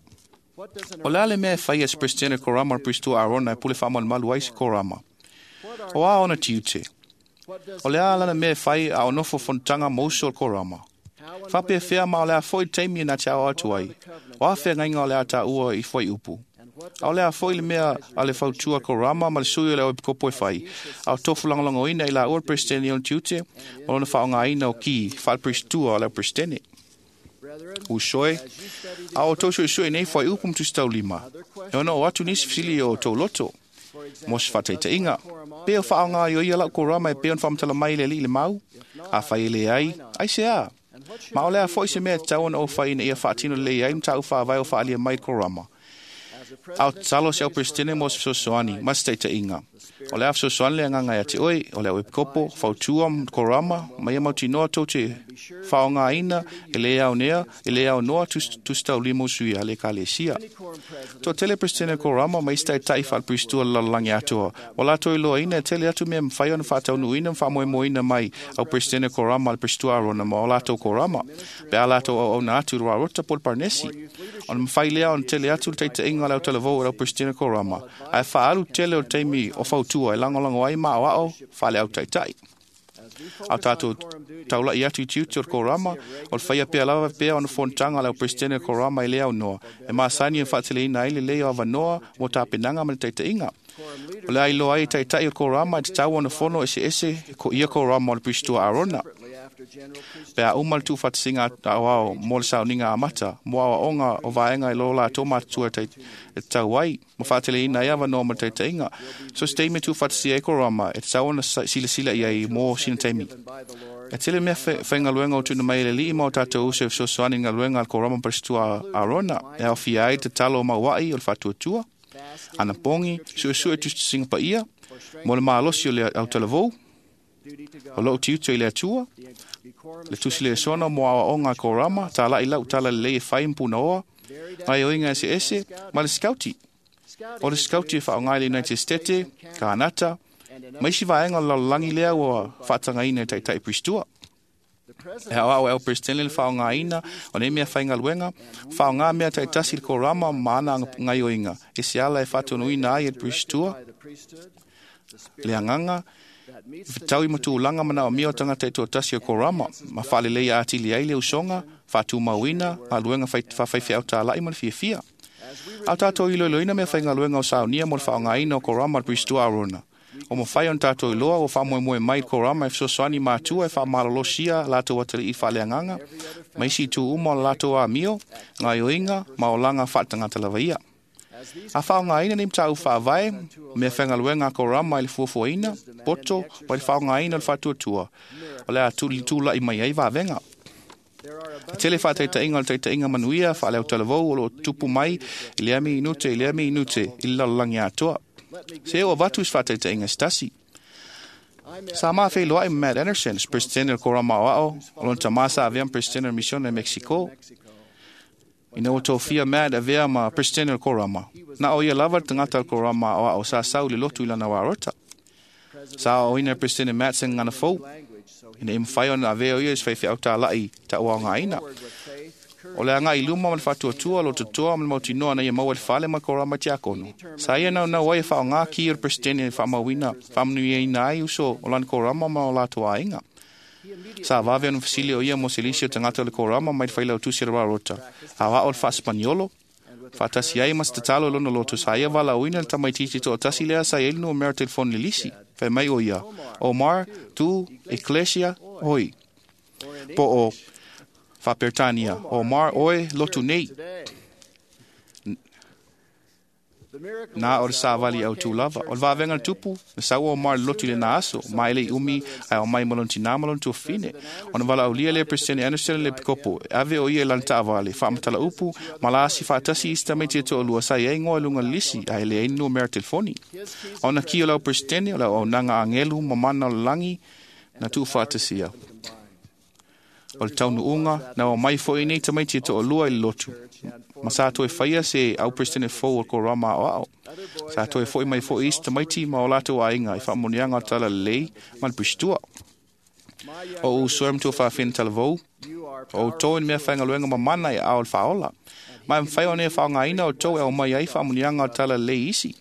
O le ale mea e whai as presidente korama o pristua Arona e pule whamal malu ai se korama. O a ona tiute. O le a lana mea whai a onofo fontanga mouso o korama. Whape whea ma o le a foi teimi na te ao atu ai. O a whea ngainga o le a tā ua i whai upu. A o le a foi le mea a le fautua korama ma le sui o le oepikopo e whai. A o tofu langolongo ina i la ua presidente i on tiute, o lona whaonga ina o ki, whaal prestua o le presidente. Usoe, a o tau sui nei whai upu mtu stau lima. E ona o atu nisi fisili o tau loto. Mos whataita inga. Peo whaonga i o ia lau korama e peo whamtala mai le li le mau. A whai le ai, ai se a. Ma o lea foi se mea tau ona o whai ina ia whaatino le ai mtau whaavai o whaalia mai korama. Au talo se au presidente mo se fesoasoani, ma se taitaiga. O le a fesoasoani le agaga ia te oe, o le au epikopo, fautua ma korama, ma ia mautinoa tou te faaaogaina e lē aonea, e lē aonoa tusitaulima usui a le ekalesia. Toatele presidente korama ma isi taitai faaleperistua le lalolagi atoa. Ua latou iloaina e tele atu mea mafai ona faataunuuina ma faamoemoeina mai au presidente korama le peristua Arona ma o latou korama. Pe a latou auauna atu i le rarota po le parnesi. Ona mafai lea ona tele atu le taitaiga o le autalavou e lau presidente korama. Ae faaalu tele o le taimi o fautua e lagolago ai ma aoao faale autaitai. Au tātou taulai atu i tiute o le korama, o le whaia pea lava pea ona fontanga le au presidente korama i le au noa. E maasani e whaateleina ai le lei o avanoa mo tāpenanga ma le taitaiga. O le ailoa ai taitai o le korama e te tau ona fono ese ese ko ia korama o le pristua Arona. Pe a uma le tūwhatisinga au ao mō le sauniga amata, mō aoaoga o vaenga i lo lātou mātua e tau ai, ma whaateleina ai avanoa ma le taitaiga. So se taimi tūwhatisia e korama, e te tau ona silasila i ai mō sina taimi. E tele mea whaingaluenga o tuna mai le lii ma o tātou use o fesoasoani ngaluenga al korama pristua Arona, e awhia ai te talo o mauai o le whatuatua, ana pongi, suesue tusitusinga paia, mō le mālosi o le autalavou, o lou tiute i le atua, le tusi le sona mo aoaoga korama, tālai lau tala lelei e whai mpuna oa, ngai oinga ese ese, ma le skauti. O le skauti e whaongai le United States, Kānata, ma isi vaenga o le lalolagi lea ua whaatangaina e taitai pristua. E hao au e au presidente le whaongaina o nei mea whaingaluenga, whaonga mea taitasi le korama ma ana ngai oinga. E se ala e whaatonuina ai e le pristua, le anganga, Whitau i matūlanga mana o mio tangata e tuatasi o korama, ma whaalelei a atili ai le usonga, whātūmauina, ngā luenga whawhaiwhi au tālai ma le fiafia. Au tātou iloiloina mea whai ngā luenga o saunia mo le whaongaina o korama le pristua Arona. O mo whai on tātou iloa o whaamoemoe mai korama e fesoasoani mātua e whaamalolosia lātou atali i whaaleanganga, ma isi tū uma o lātou a mio, ngā ioinga, ma o langa whaatangata lava ia. A whaongaina ni mtau whaavae, mea whangaluenga korama i le fuafuaina, poto, pa le whaongaina o le whatuatua. O le a tuli tūla i mai ai vāvenga. A tele whātaitainga o le taitainga manuia, whaaleo talavou o lo tupu mai, i le ami inute, i le ami inute, i le lalolagi atoa. Se o avatu is whātaitainga stasi. Sa maa whailoa i Matt Anderson, presidente o korama o ao, o lona tamasa avea presidente o misione Mexico. Ina o tōwhia Matt avea ma presidente o korama. Na o ia lava tangata o korama o ao sa sau le lotu i lana warota. Sa o ina presidente Matt sen ngana fou. Ina im whai ona avea o ia is whaiwhi au tā lai ta ua ngā ina. O le anga i luma ma le whatuatua lo totoa ma le mautinoa na ia maua le whale ma korama te akono. Sa ia nau nau ai e whao ngā ki o le presidente whaamauina, whaamanuiaina ai uso o lana korama ma o lātou ainga. Sa vave ona fesili o ia mo se lisi o tagata o le korama mai le failautusi o le Rarota. Aoao le Faasepaniolo, faatasi ai ma se tatalo i lona loto sa ia valaauina le tamaitiiti toatasi lea sa i ai le numera telefoni le lisi. Fai mai o ia, Omar tu Ecclesia oi. Po o Faaperetania, Omar oe lotu nei. Na o le savali au tū lava. O le vavenga le tupu, na sau o Omar le lotu i le na aso, ma ele i umi ai o mai malon tina malon tuafine. Ona vala aulia le Presidente Anderson le pikopo, ave o ia lan taavale, faamatala upu, malasi faatasi isi tamaiti e toalua sa i ai ngoa i luga le lisi, a ele ai numera telefoni. Ona ki o lau Presidente, o lau aunaga angelu mamana o le lagi, na tuufaatasia. O le taunuuga, na o mai foi nei tamaiti e toalua i le lotu. Ma sa toe whaia se au president fou o ko rama o ao. Sa toe foi mai foi isi tamaiti ma o latou aiga i faamoniaga o tala lelei ma le pistua. O u suem tua whaawhina talavou, o tou i mea whaingaluenga mamana i ao le whaola. Ma e mwhai o nea whaongaina o tou e o mai ai faamoniaga o tala lelei isi.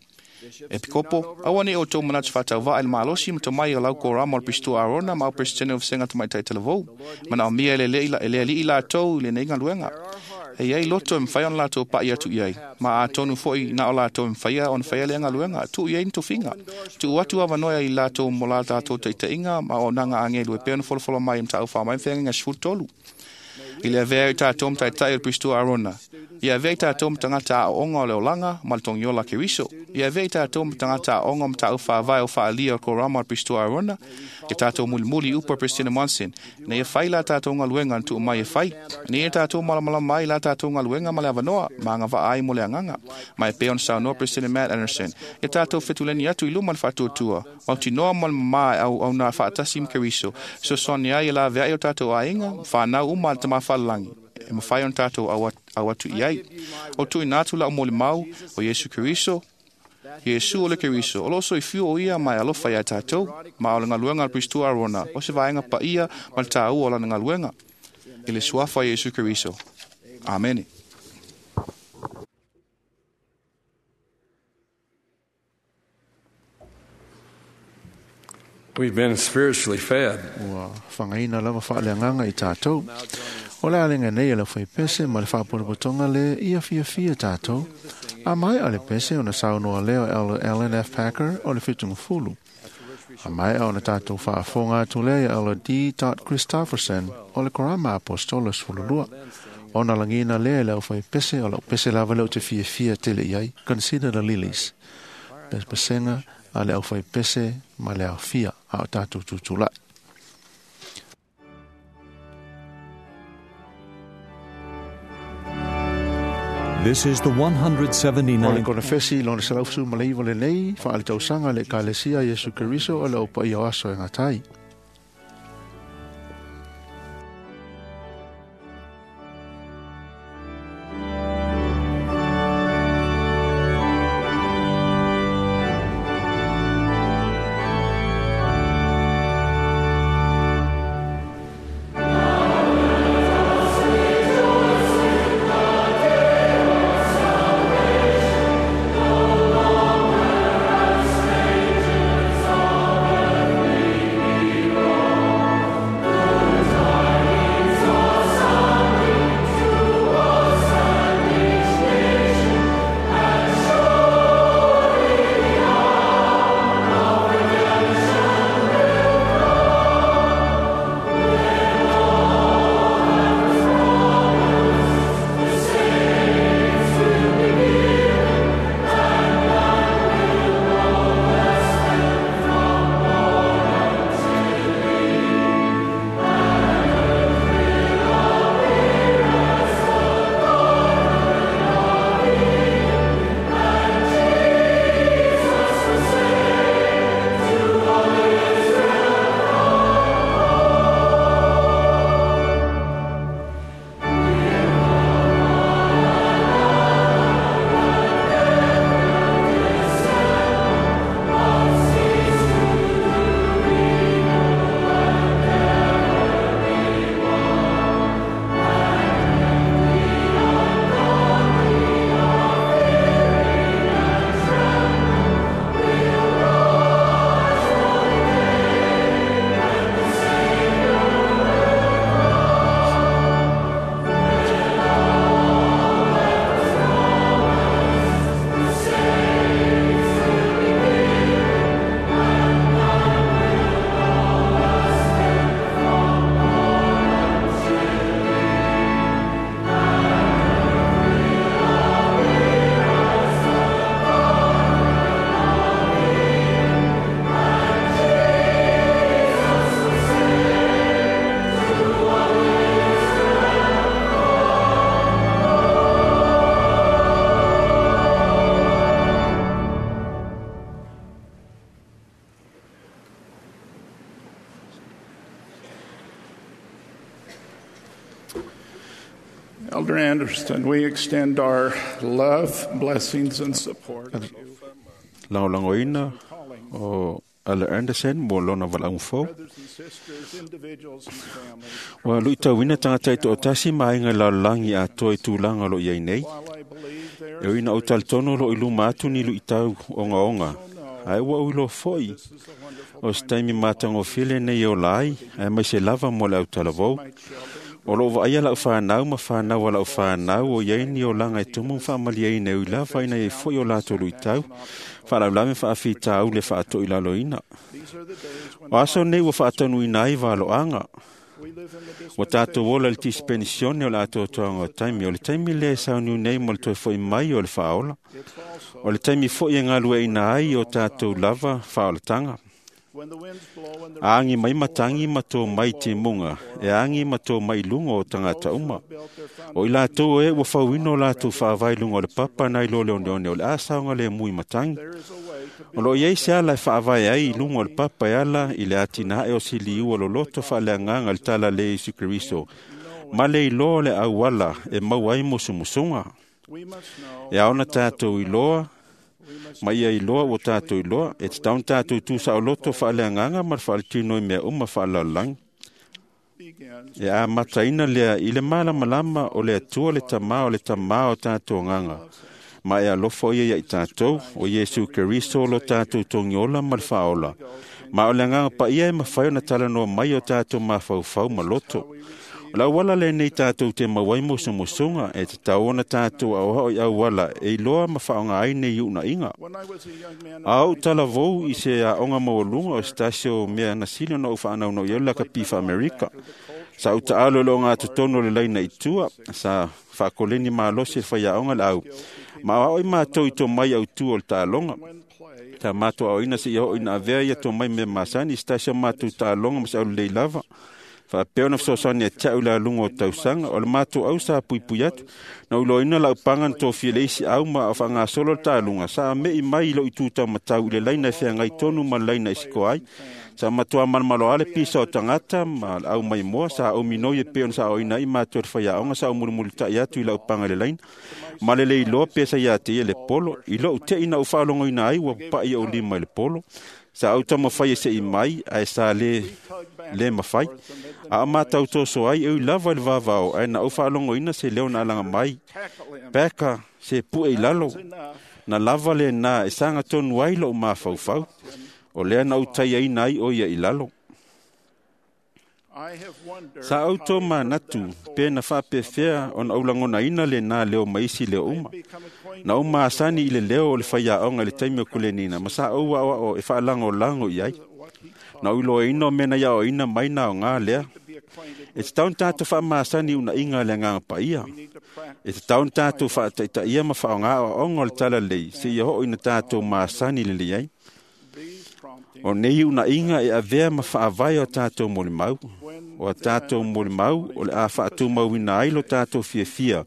E pikopo, aua ne o tou manatu whatauvaa i le malosi ma tomai o lau ko rama o le pistua Arona ma au president o Senga Tamaitai Talavou. Mana o mia e le le alii la tou i le nei galuega. E iai loto e mwhai ona latou pa'i atu i ai. Ma a tonu foi na o latou e mwhaia ona whaia le galuega. Tu i ai ni tofiga. Tu atu avanoa i latou mo la tatou taitaiga ma o nanga angelu e pea ona folofolo mai mtau wha mai whenga sefulu tolu. I le avea i tātou mataitai o le Pristua Arona. I avea i tātou matangata a onga o le olanga ma le tongiola Keriso. I avea i tātou matangata a onga matau whaavae o whaalia o korama o le Pristua Arona. I tātou mulimuli upa President Monson. Nei e whai la tātou ngaluenga na tuu mai e whai. Nei e tātou malamalama mai la tātou ngaluenga ma le avanoa ma anga vaai mo le anganga. Ma e pea ona saunoa President Matt Anderson. I tātou fetuleni atu i luma le whaatuatua. Mautinoa ma le mama au au nā whaatasi ma Keriso. So soni ai e la vea i o tātou ainga, whanau uma le tama whalalangi. E mawhai on tātou au atu i ai. O tui nātu la o moli mau o Yesu Keriso. Yesu o le Keriso. O loso i fiu o ia mai alofa ia tātou. Ma o le ngaluenga al Pristua Arona. O se vaenga pa ia ma le tāua o lana ngaluenga. I le suafa Yesu Keriso. Amene. We've been spiritually fed. Ua whangaina lava whaaleanganga i tātou. O le alenga nei e le whai pese ma le whaaporopotonga le ia fia fia tātou. A mai a le pese o na saunoa leo Ellen F. Packer o le whitunga fulu. A mai a o na tātou whaafonga atu lea ia Ella D. Christofferson o le korama apostolos fululua. O na langina lea le au whai pese o lau pese lava leo te fia fia tele iai. Consider the lilies. Pesenga a le au whai pese ma le au fia a o tātou tutulai. This is the one hundred O le seventy-nine konafesi lona selau malaiva lenei, whaale tausanga le kalesia Yesu Keriso o le opa i o aso e ngatai. Thank Anderson, we extend our love, blessings, and support. Lagolagoina o Elder Anderson mo lona valaau fou. Ua luitauina tagata i toatasi ma aiga lalolagi atoa i tulaga o lo o i ai nei. E ui ina ou talitonu o loo i luma atu ni luitau ogaoga, ae ua ou iloa foi o se taimi matagofie lenei e ola ai, aemaise lava mo le autalavou. O loo vaaia lau fanau ma fanau a lau fanau o i ai ni olaga e tumu ma faamalieina e ui lava ina iai foi o latou luitau, faalavelave ma faafitauli e faatoilaloina. O aso nei ua faataunuuina ai valoaga. Ua tatou ola i le tisipenisione o le atoatoaga o taimi. O le taimi lea e sauniu nei mo le toe fo'i mai o le faaola. O le taimi foi e galueaina ai o tatou lava faaolataga. Agi mai matagi ma tō mai timuga, e agi ma tō mai luga o tagata uma. O i latou e ua fauina o latou faavae i luga o le papa nai lo le oneone o le asaoga le mui matagi. O loo i ai se ala e faavae ai i luga o le papa e ala i le atinae o siliu o loloto faaleagaga i le tala le Iesu Keriso, ma le iloa o le auala e maua ai musumusuga. E ao ona tatou iloa ma ia iloa ua tatou iloa, e tatau ona tatou tusaoloto faaleagaga ma le faaletino i mea uma faalelalolagi. E amataina lea i le malamalama o le Atua le Tamā o le Tamā o tatou agaga, ma e alofa ia ia i tatou, o Iesu Keriso lo tatou togiola ma le faaola. Ma o le agaga paia e mafai ona talanoa mai o tatou mafaufau ma loto. O le auala lenei tatou te maua ai musumusuga, e tatau ona tatou aoao i auala e iloa ma faaaoga ai nei uunaiga. A ou talavou i se aoga maualuga o se tasi o mea na sili ona ou faanaunau i ai o le lakapi faa-Amerika. Sa ou taalo i le ogatotonu o le laina i tua, sa faakoleni malosi e le faiaoga le au, ma aoao i matou i tomai autu o le taaloga. Sa matou aoaoina seia oo ina avea ia tomai mea masani i se tasi o matou taaloga ma se aulelei lava. Faapea ona fesoasoani ia te au i le aluga o tausaga, o le matou au sa puipui atu, na ou iloaina lau paga na tofia e le isi au ma o faagasolo le taluga, sa me'i mai i lou itu taumatau i le laina e feagai tonu ma le laina e sikoa ai. Sa matua malomaloa le pisa o tagata ma le au maimoa, sa ou minoi e pei ona sa aoaoina ai matou e le faiaoga, sa ou mulimulitai atu i lau paga i le laina. Ma le le iloa pe sa ia te ia le polo, i lou te'i na ou faalogoina ai ua papa'i ou lima i le polo. Sa ou taumafai e se'i mai, ae sa le, le mafai. A o matau toso ai, e ui lava i le vavao, ae na ou faalogoina se leo na alaga mai. Peka, se pue i lalo. Na lava lena e saga tonu ai lou mafaufau. O lea na ou taiaina ai o ia i lalo. Sa ou tō manatu, pe na faapefea ona ou lagonaina lena leo ma isi leo uma. Na ou masani i le leo o le faiaoga i le taimi o kulenina, ma sa ou aoao e faalagolago i ai. Na ou iloaina o mea na iaoaina mai na aoga lea. E tatau ona tatou faamasani i unaiga a le agaga paia. E tatau ona tatou faataitaia ma faaaoga aoaoga o le talalelei seia oo ina tatou masani lelei ai. O nei unaiga e avea ma faavae o tatou molimau. O a tatou molimau o le a faatumauina ai lo tatou fiafia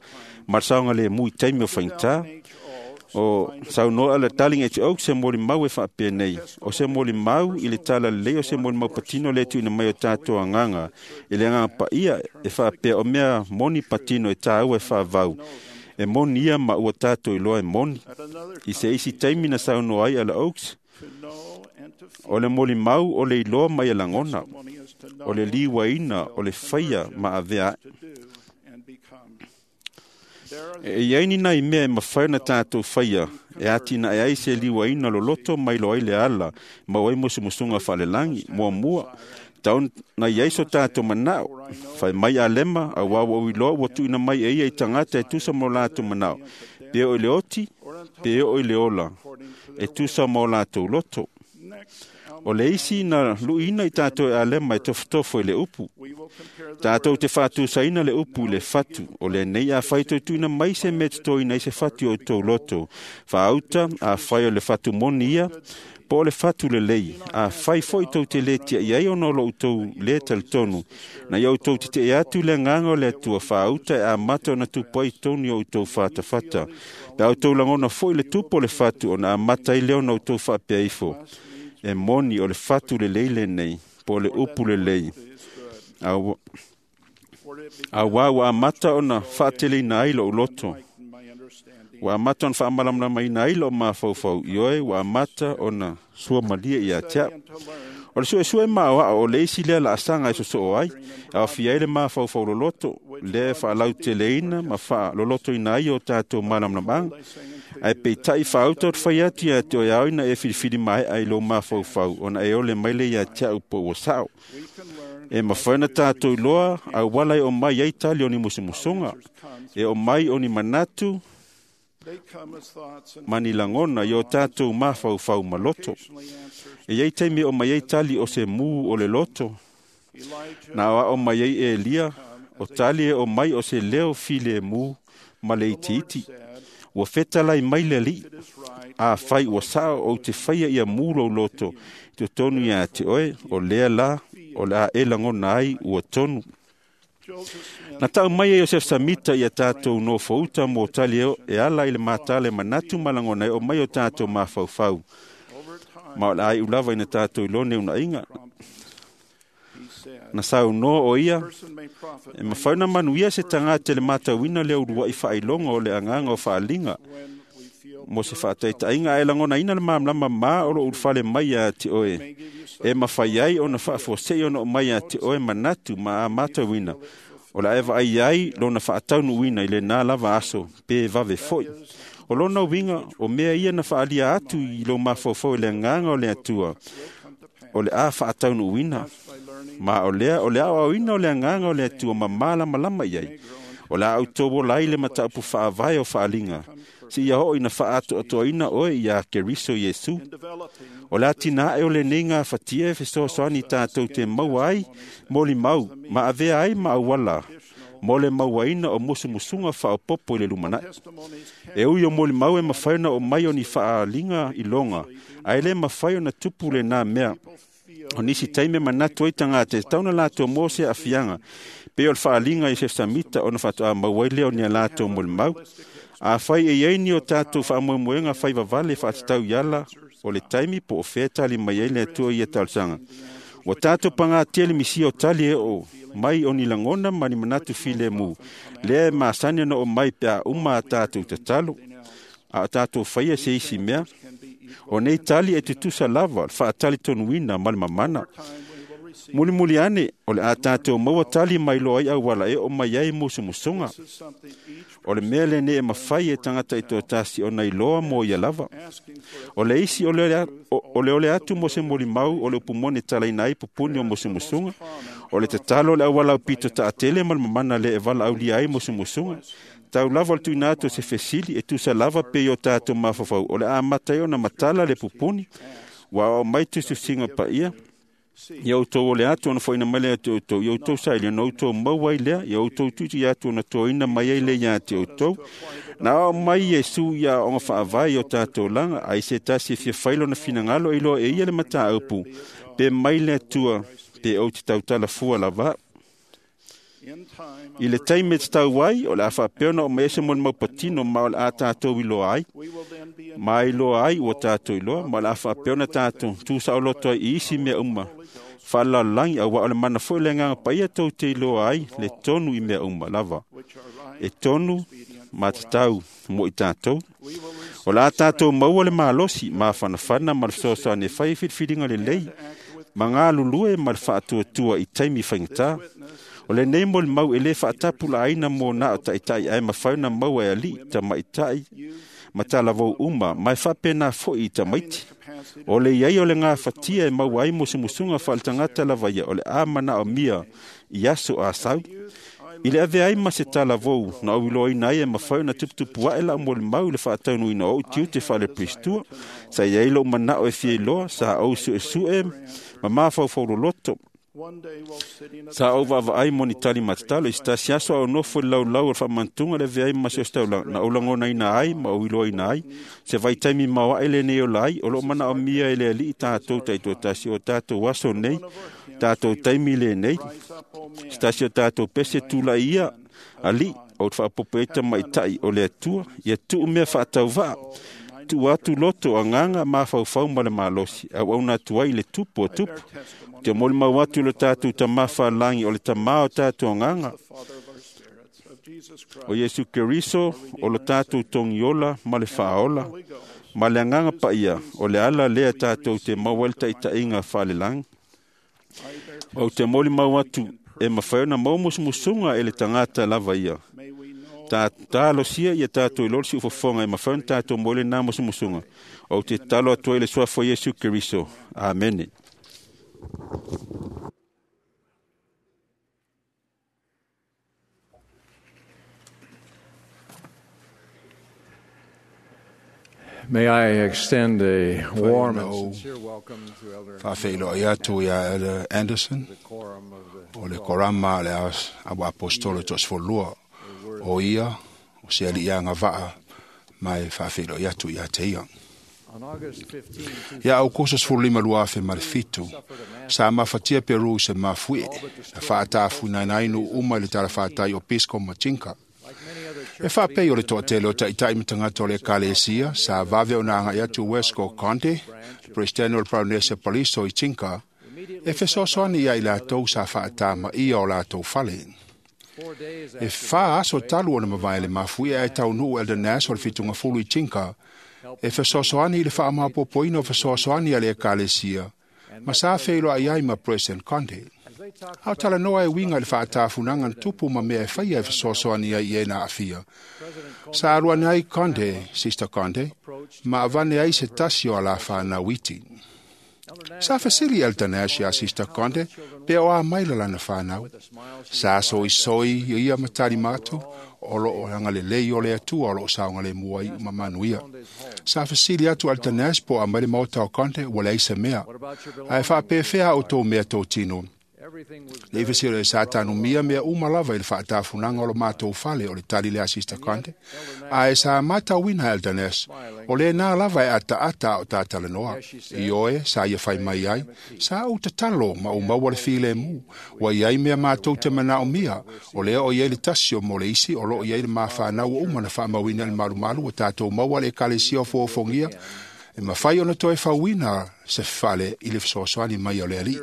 ma le saogalemu i taimi o faigata. O saunoa le Darling H. Oaks se molimau e faapea nei, o se molimau i le talalelei o se molimau patino le tuuina mai o tatou agaga i le agaga paia e faapea o mea moni patino e tāua e faavau. E moni ia ma ua tatou iloa e moni. I se isi taimi na saunoa ai Elder Oaks, o le molimau o le iloa mai e lagona, o le liuaina, o le faia ma avea ae. E i ai ni nai mea e mafai ona tatou faia e atinae ai se liuaina loloto mai loa ai le ala maua ai musumusuga faalelagi. Muamua, tau na i ai so tatou manao. Fai mai Alema, auā ua ou iloa ua tuuina mai e ia i tagata e tusa ma o latou manao. Pe oo i le oti, pe oo i le ola, e tusa ma o latou loto. O le isi na luiina i tatou e Alema e tofotofo i le upu. Tatou te faatusaina le upu i le fatu. O lenei afai toe tuuina mai se mea e totoina ai se fatu i o outou loto. Faauta, afai o le fatu moni ia, po o le fatu lelei. Afai foi tou te le tiai ai ona o lo outou le talitonu, na ia outou tetee atu i le agaga o le Atua faauta e amata ona tupu ai tonu i o outou fatafata. Pe a outou lagona foi le tupu o le fatu, ona amata ai lea ona outou faapea ifo. E moni o le fatu lelei lenei, po o le upu lelei. Au, Auā ua amata ona faateleina ai lo'u loto, ua amata ona faamalamalamaina ai lo'u mafaufau, ioe ua amata ona suamalie ia te a'u. O le suesue maoa'o o le isi lea laasaga e sosoo ai, e aofia ai le mafaufau loloto, lea e faalauteleina ma faalolotoina ai o tatou malamalamaga. Ae peitai faauta o te fai atu ia te oe ao ina e filifili mae'a i lou mafaufau, ona e ole mai lea ia te a'u po ua sa'o. E mafai ona tatou iloa auala e oo mai ai tali o ni musumusuga, e oo mai o ni manatu ma ni lagona i o tatou mafaufau ma loto. E iai taimi e oo mai ai tali o se mū o le loto, na aoao mai ai Elia, o tali e oo mai o se leo filemu ma le itiiti. Ua fetalai mai le Alii, afai ua sa'o ou te faia ia mū lou loto i totonu iā te oe, o lea la o le a e lagona ai ua tonu. Na ta'u mai e Iosefa Samita ia tatou nofouta mo tali e ala i le matala e manatu ma lagona e oo mai o tatou mafaufau, ma o le a iu lava ina tatou iloa neuna'iga. Na saunoa o ia, e mafai ona manuia se tagata i le matauina le ulua'i faailoga o le agaga o faaliga mo se faataita'iga, ae lagonaina le malamalama mā o lo'u ulufale mai iā te oe, e mafai ai ona faafuase'i ona oo mai iā te oe manatu ma a matauina, o le a e vaai ai lona faataunuuina i lenā lava aso pe vave fo'i. O lona uiga, o mea ia na faaalia atu i lou mafaufau i le agaga o le Atua, o le a faataunuuina, ma o lea o le aoaoina o le agaga o le Atua ma malamalama i ai. O le a outou ola ai le mataupu faavae o faaliga, seia oo ina faaatoatoaina oe iā Keriso Iesu. O le atina'e o lenei gafatia e fesoasoani tatou te maua ai molimau ma avea ai ma auala mo le mauaina o musumusuga faaopopo i le lumana'i. E ui o molimau e mafai ona oo mai o ni faaliga iloga, ae lē mafai ona tupu lenā mea. O nisi taimi e manatu ai tagata e tatau ona latou mo se aafiaga, pei o le faaliga i Sesamita ona faatoa maua ai lea o ni a latou molimau. Afai e iai ni o tatou faamoemoega faivavale faatatau i ala o le taimi po o fea tali mai ai le Atua i ia talosaga, ua tatou pagatia le misia o tali e oo mai o ni lagona ma ni manatu filemu, lea e masani ona oo mai pe a uma a tatou tatalo, a o tatou faia se isi mea. O nei tali e tutusa lava le faatalitonuina ma le mamana. Mulimuli ane, o le a tatou maua tali mai loa ai auala e oo mai ai musumusuga. O le mea lenei e mafai e tagata i toatasi ona iloa mo ia lava. O le isi o le, o le ole atu mo se molimau o le upu moni e talaina ai pupuni o musumusuga. O le tatalo o le auala aupito taatele ma le mamana le e valaaulia ai musumusuga. Tau lava o le tuuina atu o se fesili e tusa lava pei o tatou mafaufau, o le a amata ai ona matala le pupuni, ua aoao mai tusitusiga paia. Ia outou ole atu ona fo'ina mai lea ia te outou, ia outou saili ona outou maua ai lea, ia outou tuitui atu ona toaina mai ai lea iā te outou. Na aoao mai Iesu ia aoaoga faavae i o tatou laga, ai se tasi e fia fai lona finagalo e iloa e ia le mataupu, pe mai le Atua, pe ou te tautala fua lava. I le taimi e tatau ai, o le a faapea ona oo mai ai se molimau patino ma o le a tatou iloa ai. Ma iloa ai ua tatou iloa, ma o le a faapea ona tatou tusaoloto ai i isi mea uma faalalalagi, auā o le mana foi o le Agaga Paia tou te iloa ai le tonu i mea uma lava, e tonu ma tatau mo i tatou. O le a tatou maua le malosi mafanafana ma le fesoasoani e fai ai filifiliga lelei ma galulue ma le faatuatua i taimi faigata. O lenei molimau e lē faatapulaaina mo na o taʻitaʻi, ae mafai ona maua e alii, tamaitaʻi ma talavou uma, ma e faapena foʻi i tamaiti. O le iai o le gafatia e maua ai musumusuga faaletagata lava ia, o le a manaomia i aso asau. I le avea ai ma se talavou na ou iloaina ai e mafai ona tuputupu aʻe laʻu molimau i le faataunuuina o ou tiute faalepeisitua, sa i ai loʻu manaʻo e fia iloa, sa ou suʻesuʻe ma mafaufau loloto. Sa ou vaavaai mo ni tali matatalo i se tasi aso a o nofo i le laulau o le faamantuga le avea ai ma se ositaulaga, na ou lagonaina ai ma ou iloaina ai se vaitaimi maoaʻe lenei ola ai o loo manaomia e le Alii tatou taitoatasi o tatou aso nei, tatou taimi lenei. Se tasi o tatou pese tula'i ia Alii, ou te faapopo ai tamaitaʻi o le Atua, ia tuu mea faatauvaa, tuu atu loto agaga mafaufau ma le malosi, auauna atu ai i le tupu o tupu. Ou te molimau atu i lo tatou Tamā faalagi o le Tamā o tatou agaga, o Iesu Keriso o lo tatou togiola ma le faaola, ma le agaga paia o le ala lea tatou te maua ai le taitaiga faalelagi. Ou te molimau atu e mafai ona maua musumusuga e le tagata lava ia. Ta talosia ia tatou iloa le siufofoga e mafai ona tatou maua ai lena musumusuga. Ou te tatalo atu ai i le suafa o Iesu Keriso. Amene. May I extend a warm and sincere welcome to Elder Faafeiloai atu ia Elder Anderson o le korama le auaapostolo toasefululua o ia o se aliʻi agavaa ma e faafeiloai atu ia te ia. On August fifteenth, Ia Aukuso sefululima lua afe ma le fitu, sa mafatia Peru i se mafuie, na faatafuinaina ai nuu uma i le talafatai o Pisco ma Tinka. E faapei o le toatele o taʻitaʻi ma tagata o le ekalesia, sa vave ona agai atu Wesco Conte, le Peresetene o le Polynesia Paliso i Tinka, e fesoasoani ia i latou sa faatamaia o latou fale. E fā aso talu ona mavae le mafuie ae taunuu Elder Nash o le fitugafulu i Tinka, e fesoasoani i le faamaopoopoina o fesoasoani a le ekalesia, ma sa feiloai ai ma President Conte. A o talanoa e uiga i le faatafunaga na tupu ma mea e faia e fesoasoani ai i e na aafia. Sa alu ane ai Conte, Sister Conte, ma avane ai se tasi o alafanau iti. Sa fesili Elder Nash iā Sister Conte pe o a mai la lana fanau. Sa soisoi ia ia ma talima atu o loo agalelei o le Atua o loo saogalemu ai ma manuia. Sa fesili atu Elder Nash po o aumai le maota o Conte ua leai se mea. Ae faapefea a outou mea totino. Le fesili o sa tanumia mea uma lava i le faatafunaga o lo matou fale o le tali lea a Sister Conte. Ae sa matauina Elder Nash, o lena lava e ataata a o tatalanoa. Ioe, sa ia fai mai ai, sa ou tatalo ma ou maua le filemu, ua iai mea matou te manaomia, o lea o iai le tasi o mo le isi o loo iai le mafanau ua uma na faamauina i le malumalu ua tatou maua le ekalesia o fuafuagia, e mafai ona toe fauina se fale i le fesoasoani mai o le Alii.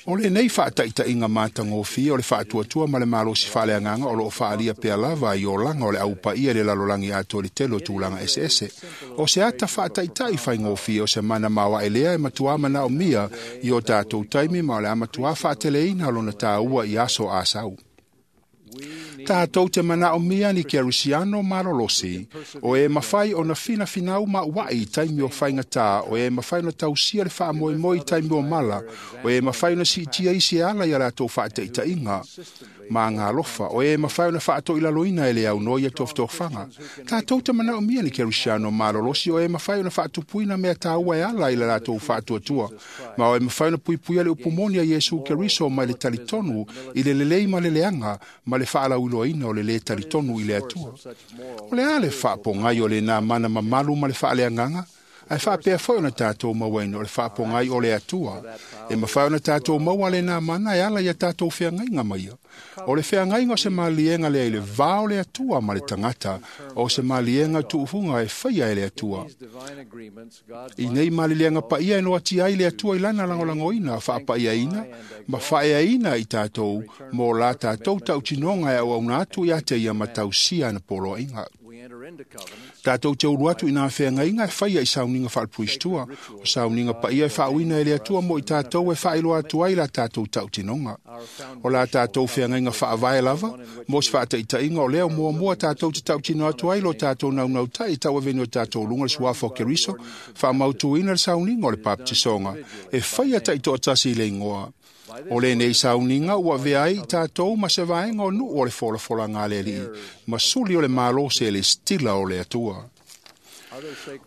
O lenei faataitaiga matagofie o le faatuatua ma le malosi faaleagaga o loo faaalia pea lava i olaga o le aupaia i le lalolagi atoa i le tele o tulaga eseese. O se ata faataitai faigofie o se mana maoae lea e matuā manaomia i o tatou taimi ma o le a matuā faateleina lona tāua i aso asau. Tatou te manaomia ni kerisiano malolosi, o e mafai ona finafinau mauaʻi i taimi o faigatā, o e mafai ona tausia le faamoemoe i taimi o mala, o e mafai ona siitia isi e ala ia latou faataitaiga ma agalofa, o e mafai ona faatoilaloina e le aunoa ia tofotofaga. Tatou te manaomia ni kerisiano malolosi, o e mafai ona faatupuina mea taua e ala i le latou faatuatua, ma o e mafai ona puipuia le upumoni a Iesu Keriso mai le talitonu i le lelei ma le leaga ma le faalauiloaina o le lē talitonu i le Atua. O le a le faapogai o lenā mana mamalu ma le faaleagaga, ae faapea foi ona tatou mauaina o le faapogai o le Atua. E mafai ona tatou maua lenā mana e ala ia tatou feagaiga ma ia. O le feagaiga o se maliega lea i le va o le Atua ma le tagata, o se maliega tuufuga e faia e le Atua. I nei maliliega paia e noatia ai le Atua i lana lagolagoina, faapaiaina ma faaeaina i tatou mo la tatou tautinoga e auauna atu ia te ia ma tausia ana poloaiga. Tatou te ulu atu i nā feagaiga e faia i sauniga faalepuisitua, o sauniga paia e faauina e le Atua mo i tatou e faailoa atu ai la tatou tautinoga. O la tatou feagaiga faavae lava, mo se faataitaiga o lea o muamua tatou te tautino atu ai lo tatou naunautai i tauaveni o tatou luga le suafa o Keriso, faamautuina le sauniga o le papatisoga, e faia taitoatasi i le igoa. O lenei sauniga ua avea ai tatou ma se vaega o nuu o le folafolaga a le Alii, ma suli o le malo selestila o le Atua.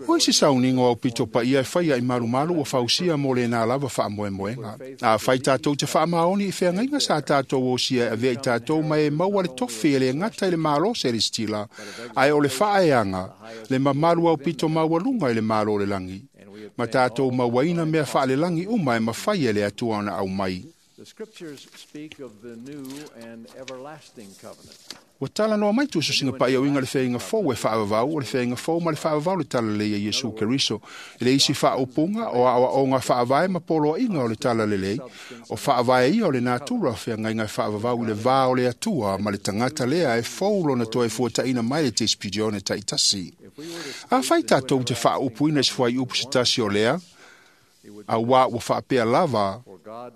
O isi sauniga o aupito paia e faia i malumalu ua fausia mo lenā lava faamoemoega. Afai tatou te faamaoni i feagaiga sa tatou osia e avea i tatou ma e maua le tofi e le gata i le malo selestila, ae o le faaeaga, le mamalu aupito maualuga i le malo o le lagi, ma tatou mauaina mea faalelagi uma e mafai e le Atua ona aumai. Ua talanoa mai tuususiga paia uiga le feaiga fou e faavavau o le feaiga fou ma le faavavau le talalelei a Iesu Keriso i le isi faaupuga o aoaoga faavae ma poloaiga o le talalelei o faavae ia o le natura o feagaiga e faavavau i le vā o le Atua ma le tagata lea e fou lona toe fuataina mai le tesipidione taitasi. Afai tatou te faaupuina i se fuaiupu se tasi o lea, auā ua faapea lava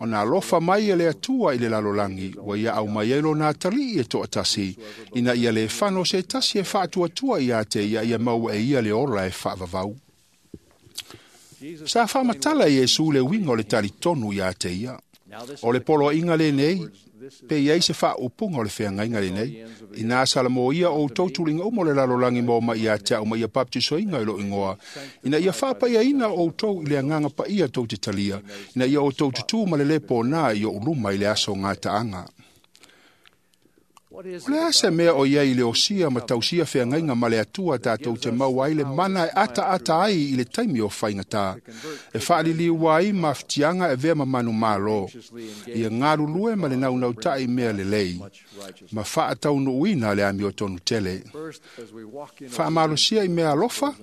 ona alofa mai e le Atua i le lalolagi ua ia aumai ai lona atalii e toatasi ina ia lē fano se tasi e faatuatua iā te ia ia maua e ia le ola e faavavau. Sa faamatala e Iesu le uiga o le talitonu iā te ia. O le poloaiga lenei pe iai se faaupuga o le feagaiga lenei inā salamoia outou tuliga uma o le lalolagi ma omai ia te au ma ia papatisoina i lou igoa ina ia faapaiaina outou i le agaga paia tou te talia ina ia outou tutū ma le lē pōnā i oʻu luma i le aso gataaga. O le a se mea o iai i le osia ma tausia feagaiga ma le Atua tatou te maua ai le mana e ataata ai i le taimi o faigata e faaliliu ai mafatiaga e vea ma manumalo ia galulue ma le naunautai mea lelei ma faataunuuina le amiotonu tele. Faamalosia i mea alofa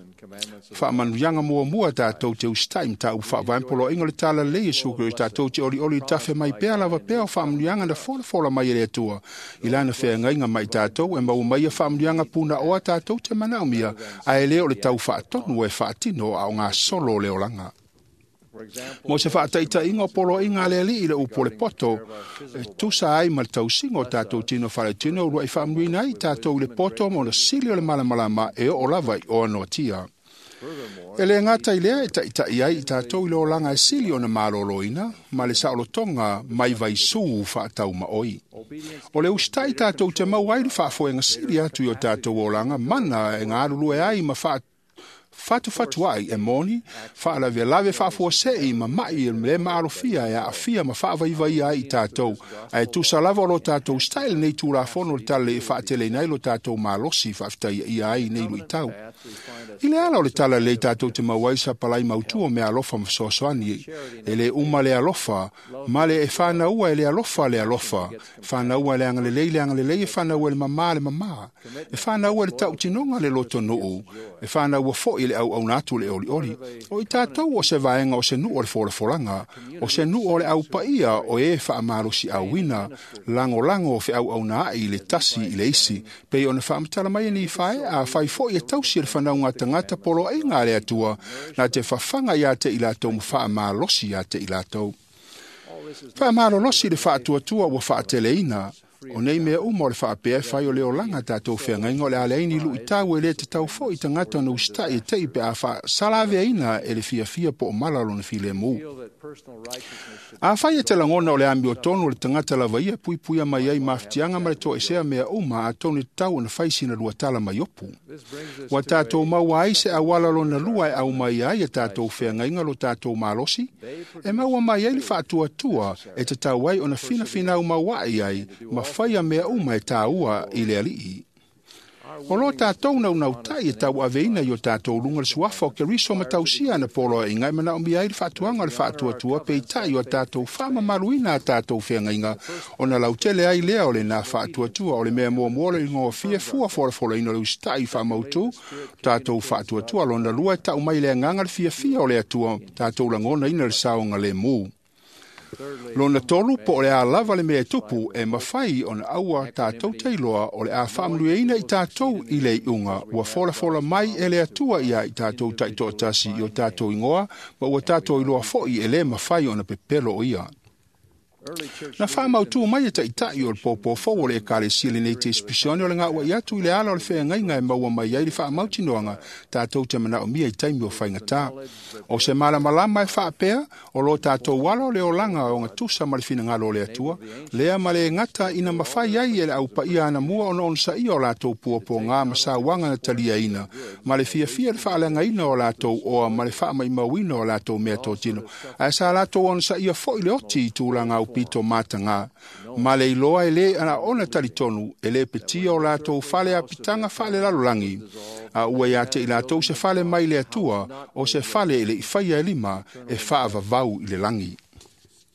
faamanuiaga muamua tatou te usitai mataupu faavae ma poloaiga o le talalelei Iesu Keriso tatou te olioli i tafe mai pea lava pea o faamanuiaga na folafola mai e le Atua i lana feagaiga ma i tatou e maua mai ia faamanuiaga punaoa tatou te manaomia ae lē o le tau faatonu e faatino a o gasolo o le olaga. Mo se faataitaiga o poloaiga a le alii i le upu o le poto e tusa ai ma le tausiga o tatou tino faletino uluai faamanuiina ai tatou i le poto ma ona sili o le malamalama e oo lava i oanoatia. E lē gata i lea e taʻitaʻi ai i tatou i le olaga e sili ona malōlōina ma le saolotoga mai vaisū faataumaʻoi. O le usitaʻi tatou te maua ai le faafoega sili atu i o tatou olaga mana e galulue ai ma faa fatufatu ai e moni faalavelave faafuaseʻi ma maʻi le maalofia e aafia ma faavaivaia ai i tatou ae tusa lava o lo tatou usitaʻi lenei tulafono o le talalelei e faateleina ai lo tatou malosi faafetaiaʻia ai nei luitau. I le ala o le talalelei tatou te maua ai sapalai mautū o mea alofa ma fesoasoani e lē uma le alofa ma le e fanaua e le alofa le alofa fanaua e le agalelei le agalelei e fanaua e le mamā le mamā e fanaua e le tautinoga le lotonuu e fanaua foʻi le auauna atu le olioli. O i tatou o se vaega o se nuu o le folafolaga o se nuu o le aupaia o e faamalosiauina lagolago o feauauna ai i le tasi i le isi pei ona faamatala mai e Nifae afai foʻi e tausi e le fanauga tagata poloaiga a le Atua na te fafaga iā te i latou ma faamalosi iā te i latou. Faamalolosi le faatuatua ua faateleina o nei mea uma o le faapea e fai o le olaga tatou feagaiga o le a leai ni luitau e lē tatau foʻi tagata ona usitaʻi e teʻi pe a faasalaveaina e le fiafia po o mala lona filemu. Afai e te lagona o le amiotonu o le tagata lava ia e puipuia mai ai mafatiaga ma le toesea mea uma atonu e tatau ona fai sina lua tala mai opu. Ua tatou maua ai se auala lona lua e aumai ai e tatou feagaiga lo tatou malosi e maua mai ai le faatuatua e tatau ai ona finafinau mauaʻi ai ma faia mea uma e tāua i le alii. O lo tatou naunautai e tauaveina i o tatou luga le suafa o Keriso ma tausia ana poloaiga e manaomia ai le faatuaga o le faatuatua peitai o a tatou faamamaluina a tatou feagaiga ona lautele ai lea o lenā faatuatua o le mea muamua o le igofie fua folafolaina o le usitaʻi faamautū tatou faatuatua lona lua e taʻu mai le agaga le fiafia o le Atua tatou lagonaina le saogalēmū. Lona tolu po o le a lava le mea e tupu e mafai ona aua tatou tailoa o le a faamanuiaina i tatou i le iuga ua folafola mai e le Atua iā i tatou taitoatasi i o tatou igoa ma ua tatou iloa foʻi e lē mafai ona pepelo o ia. Na faamautū mai e taʻitaʻi o le pōpō fou o le Ekalesia lenei tesipisione o le gauaʻi atu i le ala o le feagaiga e maua mai ai le faamautinoaga tatou te manaomia i taimi o faigatā. O se malamalama e faapea o lo tatou ala o le olaga o gatusa ma le finagalo o le Atua lea ma le gata ina mafai ai e le aupaia anamua ona onosaia o latou puapuagā ma sauaga na taliaina ma le fiafia le faaleagaina o latou oa ma le faamaumauina o latou mea totino ae sa latou onosaia foʻi le oti i tulaga aupito matagā ma le iloa e lē ona talitonu e lē petia o latou fale apitaga faalelalolagi a ua iā te i latou se fale mai le Atua o se fale e leʻi faia e lima e faavavau i le lagi.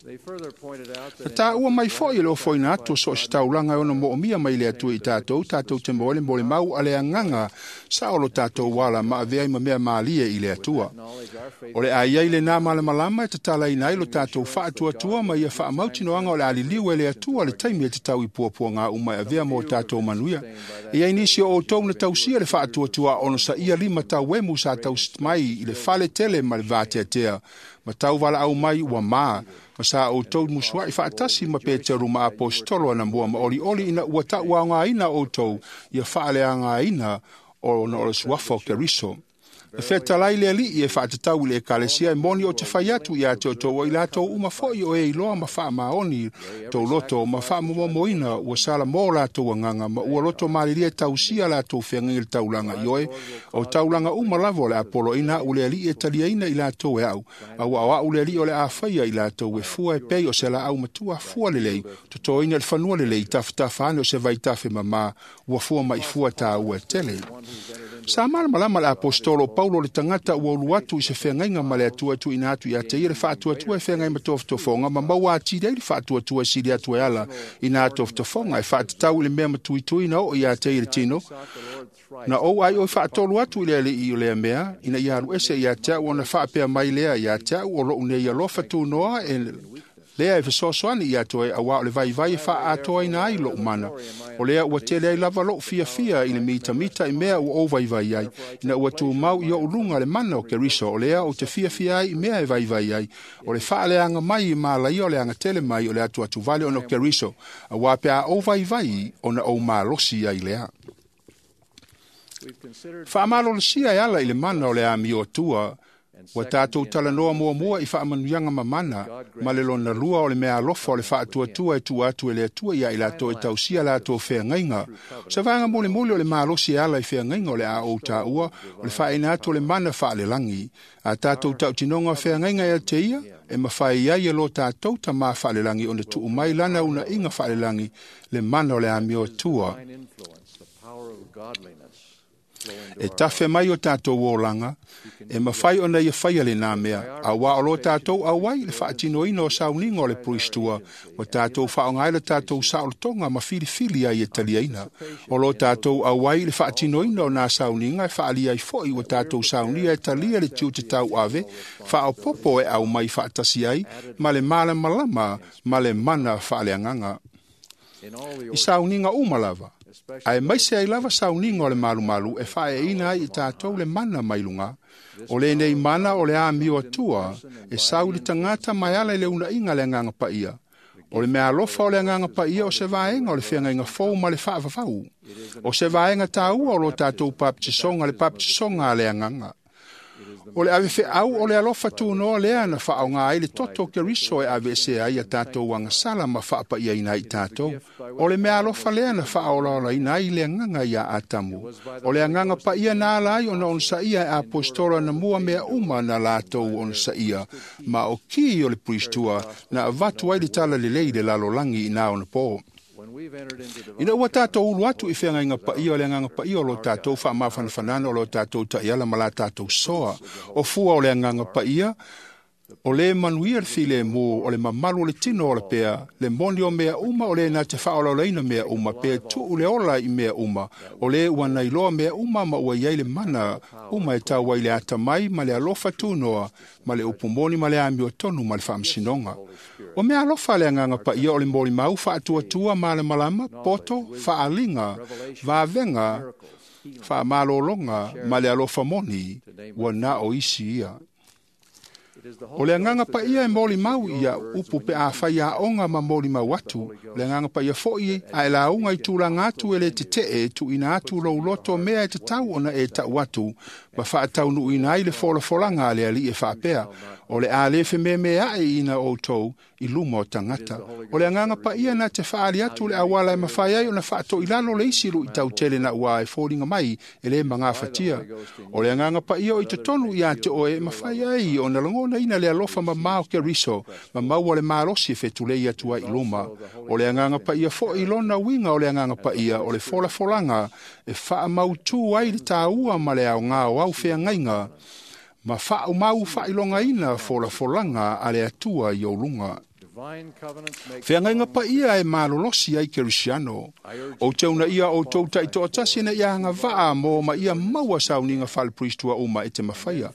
Na tā ua mai foi e le ofoina atu so o se taulaga e ono moomia mai le Atua i tātou, tātou te moe le mole mau a le agaga sa o lo tātou ala ma avea i ma mea mālie i le Atua. O le ai ai le nā malamalama e tatalaina ai lo tātou faatuatua ma ia faamautinoaga o le aliliu e le Atua le taimi e te tau i puapuaga uma e avea mo tātou manuia. E ai nisi o outou na tausia le faatuatua ono sa ia lima tau emu sa tausi mai i le fale tele ma le vateatea. Ma tau wala au mai ua mā, ma sa outou musuai whaatasi ma Peteru ma apostolo ana mua ma oli oli ina ua tau ngā ina outou ia whaalea ngā ina o na o le suafa o Keriso. E whetalai le alii e whaatatau i le ekalesia e moni o te whai atu i a te o tō i lātou uma foi o e iloa ma whaamaoni tō loto ma whaamomomoina ua sala mō lātou anganga ma ua loto maalilia tausia lātou whengangi le taulanga i oe o taulanga uma lavo le apolo ina u le alii e taliaina i lātou e au a ua au au le alii o le āwhaia i lātou e fua e pei o se la au matua fua lelei totoina le fanua lelei tafatafa ane o se vaitafe mama ua fua mai fua tā ua tele. Sa malamalama le apostolo Paulo le tagata ua ulu atu i se feagaiga ma le Atua tuuina atu ia te ia le faatuatua e feagai ma tofotofoga ma maua atili ai le faatuatua e sili atu e ala i nā tofotofoga e faatatau i le mea matuituina oo ia te ia le tino. Na ou ai oi faatolu atu i le alii o lea mea ina ia alu ese ia te au ona faapea mai lea ia te au o lou nei alofa tunoa e lea e fesoasoani ia toe auā o le vaivai e faaatoaina ai lou mana. O lea ua tele ai lava lou fiafia i le mitamita i mea ua ou vaivai ai, ina ua tumau i ou luga le mana o Keriso, o lea ou te fiafia ai i mea e vaivai ai, o le faaleaga mai i malaia o le agatele mai o le atuatuvale ona o Keriso, auā pe a ou vaivai ona ou malosi ai lea. Faamalolosia e ala i le mana o le amio atua, ua tātou talanoa muamua i faamanuiaga mamana, ma le lona lua o le mea alofa o le faatuatua e tua atu e le Atua ia i latou e tausia latou feagaiga. O se vaega molimoli o le malosi e ala i feagaiga o le a ou tāua, o le faaina atu o le mana faalelagi. A tātou tautinoga o feagaiga e te ia, e mawhai ai e lo tātou tamā faalelagi ona tuu mai lana unaiga faalelagi le mana o le amio atua. E tafe mai o tātou olanga, e mawhai ona ia whaia le nā mea, a wā o lo tātou awai le whaatinoina o sauniga o le puristua, o tātou whaongai le tātou saolotonga ma whiliwhili ai e taliaina. O lo tātou awai le whaatinoina o nā sauniga e whaalia i foi o tātou saunia e talia le tiu te tau ave, whaopopo e au mai whaatasi ai, ma le malamalama, ma le mana whaaleanganga. I sauniga uma lava, ae maise ai lava sauniga o le malumalu e faaeina ai i tātou le mana mai luga. O lenei mana o le amio atua e sau i le tagata mai ala i le unaiga le agaga paia. O le mea alofa o le agaga paia o se vaega o le feagaiga fou ma le faavavau. O se vaega tāua o lo tātou papatisoga le papatisoga a le agaga. O le avefeau o le alofa tunoa lea na faaoga ai le toto o Keriso e aveesea ai a tātou agasala ma faapaiaina ai tātou. O le mea alofa lea na faaolaolaina ai le agaga ia Atamu. O le agaga paia na ala ai ona onosaia e apostolo na mua mea uma na latou onosaia, ma o ki o le puristua na avatu ai le tala lelei le lalolagi i nā ona pō. Ina ua tātou ulu atu i feagaiga paia o le agaga paia o lo tātou faamafanafanaga o lo tātou taiala ma la tātou soa. O fua o le agaga paia, o le manuia le filemu, o le mamalu o le tino o le pea, le moni o mea uma o le na te faaolaolaina mea uma, pe tuu le ola i mea uma, o le ua nailoa mea uma ma ua iai le mana uma e tau ai le atamai ma le alofa tunoa, ma le upu moni ma le amiotonu ma le faamasinoga. O mea alofa le agaga paia o le molimau faatuatua malamalama, poto, faaliga, vavega, faamalologa ma le alofa moni, ua na o isi ia. O le agaga paia e molimau ia upu pe a whai aonga ma molimau atu. O le agaga paia foi a e lauga i tulaga atu e le tetee tuuina atu lou loto mea e tatau ona e tau atu ma faataunuuina ai le folafolaga a le alii e faapea. O le a le fememeae ina outou i luma o tagata. O le agaga paia na te faali atu le auala e mafai ai ona faatoilalo le isi luitautele na ua e foliga mai e le magafatia. O le agaga paia o i totonu ia te oe e mafai ai ona lagona ina le alofa mamā o Keriso ma maua le malosi e fetulei atu ai i luma. O le agaga paia foi lona uiga o le agaga paia o le folafolaga e faamautū ai le tāua ma le aogā o au feagaiga ma faaumau faailogaina folafolaga a le Atua i ou luga. Feagaiga paia e malolosi ai Kerisiano. O te una ia o tou taitoatasi na ia agavaa mo ma ia maua sauniga faalepuristua uma e te mafaia.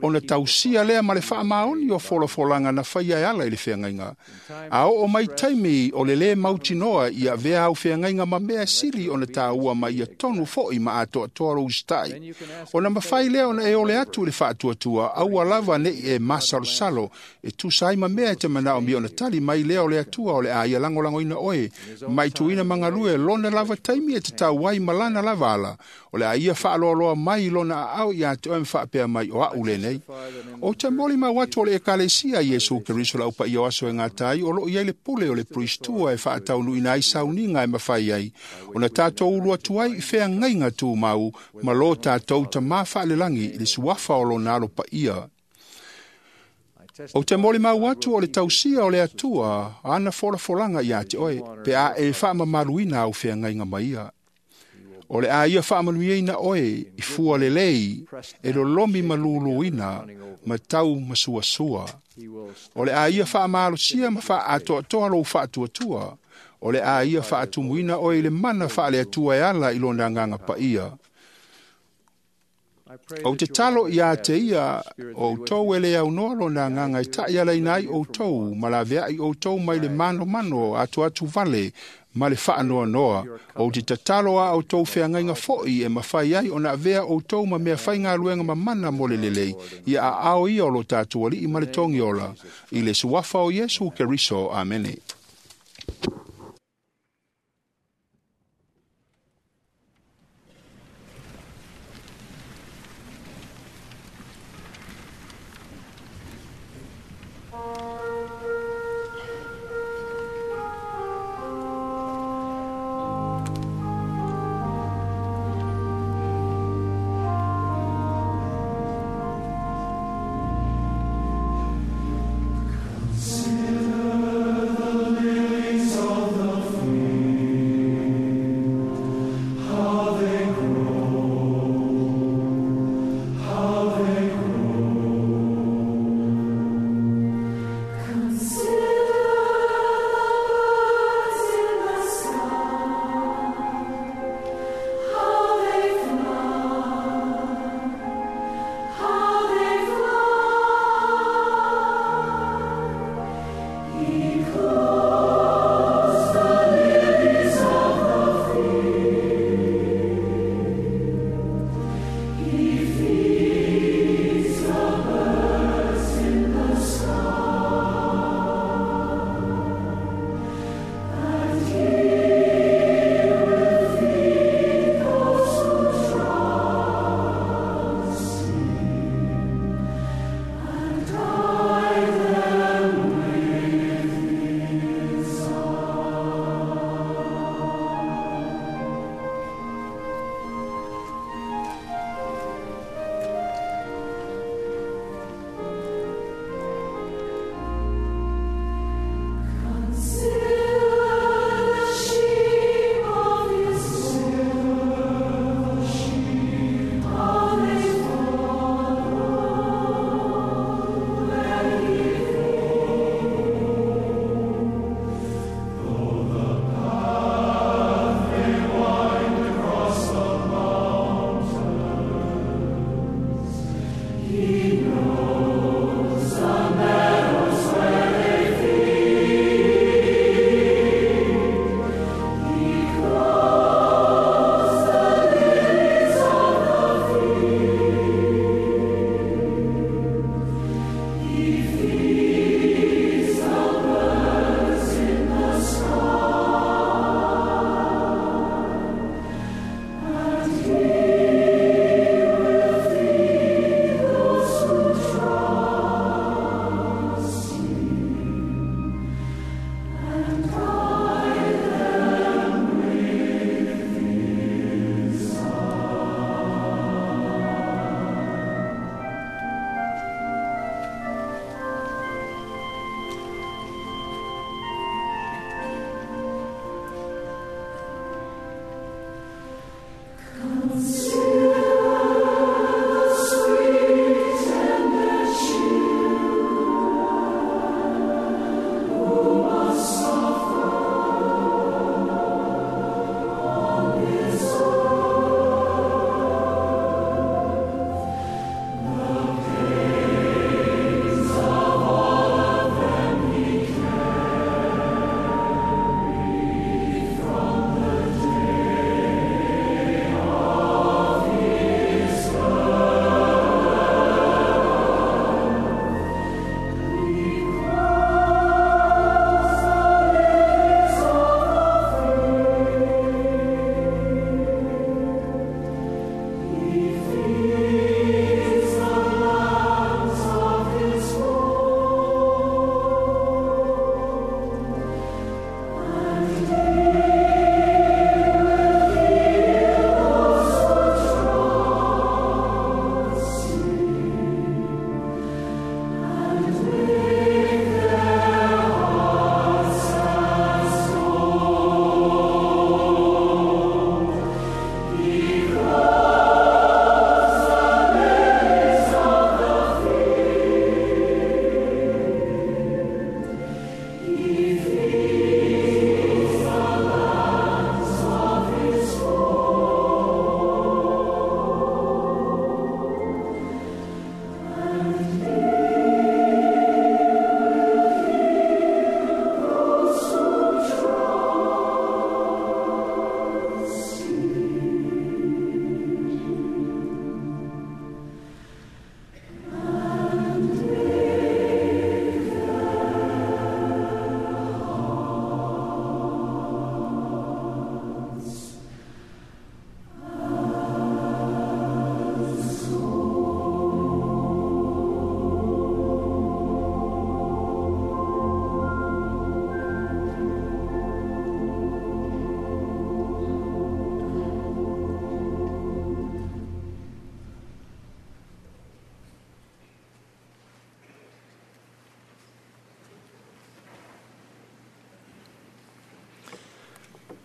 Ona tausia lea ma le faamaoni o folafolaga na faia e ala i le feagaiga. A oo mai taimi o le lē mautinoa ia avea au feagaiga ma mea sili ona tāua ma ia tonu fo'i ma atoatoa lou usitai. Ona mafai lea ona e ole atu i le faatuatua aua lava ne'i e masalosalo e tusa ai ma mea e te manaomia ona tali mai lea o le Atua o le a ia lagolagoina oe mai tuuina magalue lona lava taimi e tatau ai ma lana lava ala o le a ia faaloaloa mai lona aao iā te oe ma faapea mai o a'u lenei. O te molimau atu o le Ekalesia Iesu Keriso le aupaia o aso e gata ai o loo i ai le pule o le puristua e faataunuuina ai sauniga e mafai ai ona tatou ulu atu ai i feagaiga tumau ma lo tatou Tamā faalelagi i le suafa o lona alo paia. O te molimau atu o le tausia o le Atua ana folafolaga iā te oe pe a e faamamaluina au feagaiga ma ia. O le a ia faamanuiaina oe i fua lelei e lolomi ma luluina ma tau masuasua. O le a ia faamalosia ma faaatoatoa lou faatuatua. O le a ia faatumuina oe i le mana faale-Atua e ala i lona agaga paia. Ou te talo iā te ia o outou e le aunoa lona agaga e taʻialaina ai outou ma laveai outou mai le manomano atuatu vale ma le faanoanoa. Ou te tatalo a outou feagaiga fo'i e mafai ai ona avea outou ma mea faigaluega mamana mo le lelei ia aao ia o lo tatou Alii ma le Togiola i le suafa o Iesu Keriso. Amene. Consider the lilies.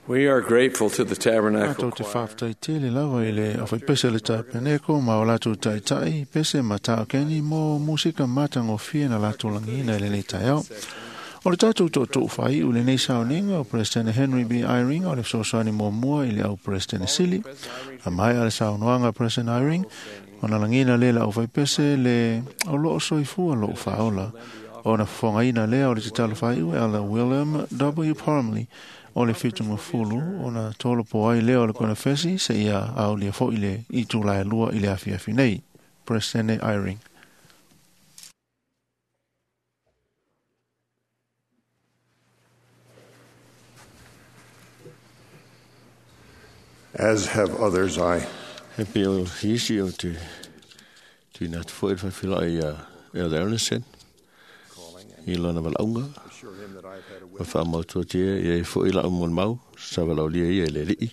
We are grateful to the Tabernacle Tātou te whāwhtai tele lava i le awhai pese le tāpeneko ma o lātou taitai pese ma tākeni mō musika mātangofia na lātou langina i le nei taiao. O le tātou tō whai u le nei saoninga o President Henry B. Eyring o le fesoasoani muamua i le au President Sili. A mai a le saunoaga President Eyring o na langina le la au whaipese le o loo soifua loo whaola. O na whangaina lea o le te talo whai u ala William W. Parmley o le whitunga fulu o na tolo po ai lea o le kona fesi se ia au lia fo i le i tūlai lua i le afi afi nei. President Eyring. As have others, I He pe o hisi o te tuina atu foi le whawhila i a Elder Ernestson i lona walaunga ma whaamautua tia i e foi la umon mau sa walaulia ia i le lii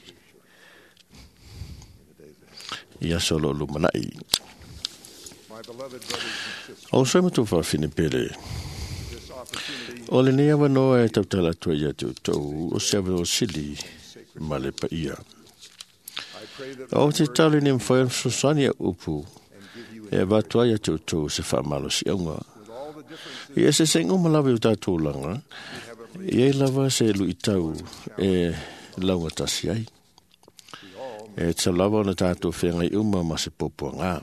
i aso lo lumanai. O soi matu whawhine pere. O le nei awanoa e tautala atua ia te utou o se awa o sili ma le paia. O te tali ni mwhai sosani a upu e vatua ia te utou se whaamalo si aunga. I ese se ngoma lava i o tātou langa, i ei lava se lui tau e launga tasi ai. E te lava o na tātou whengai uma ma se popoa ngā.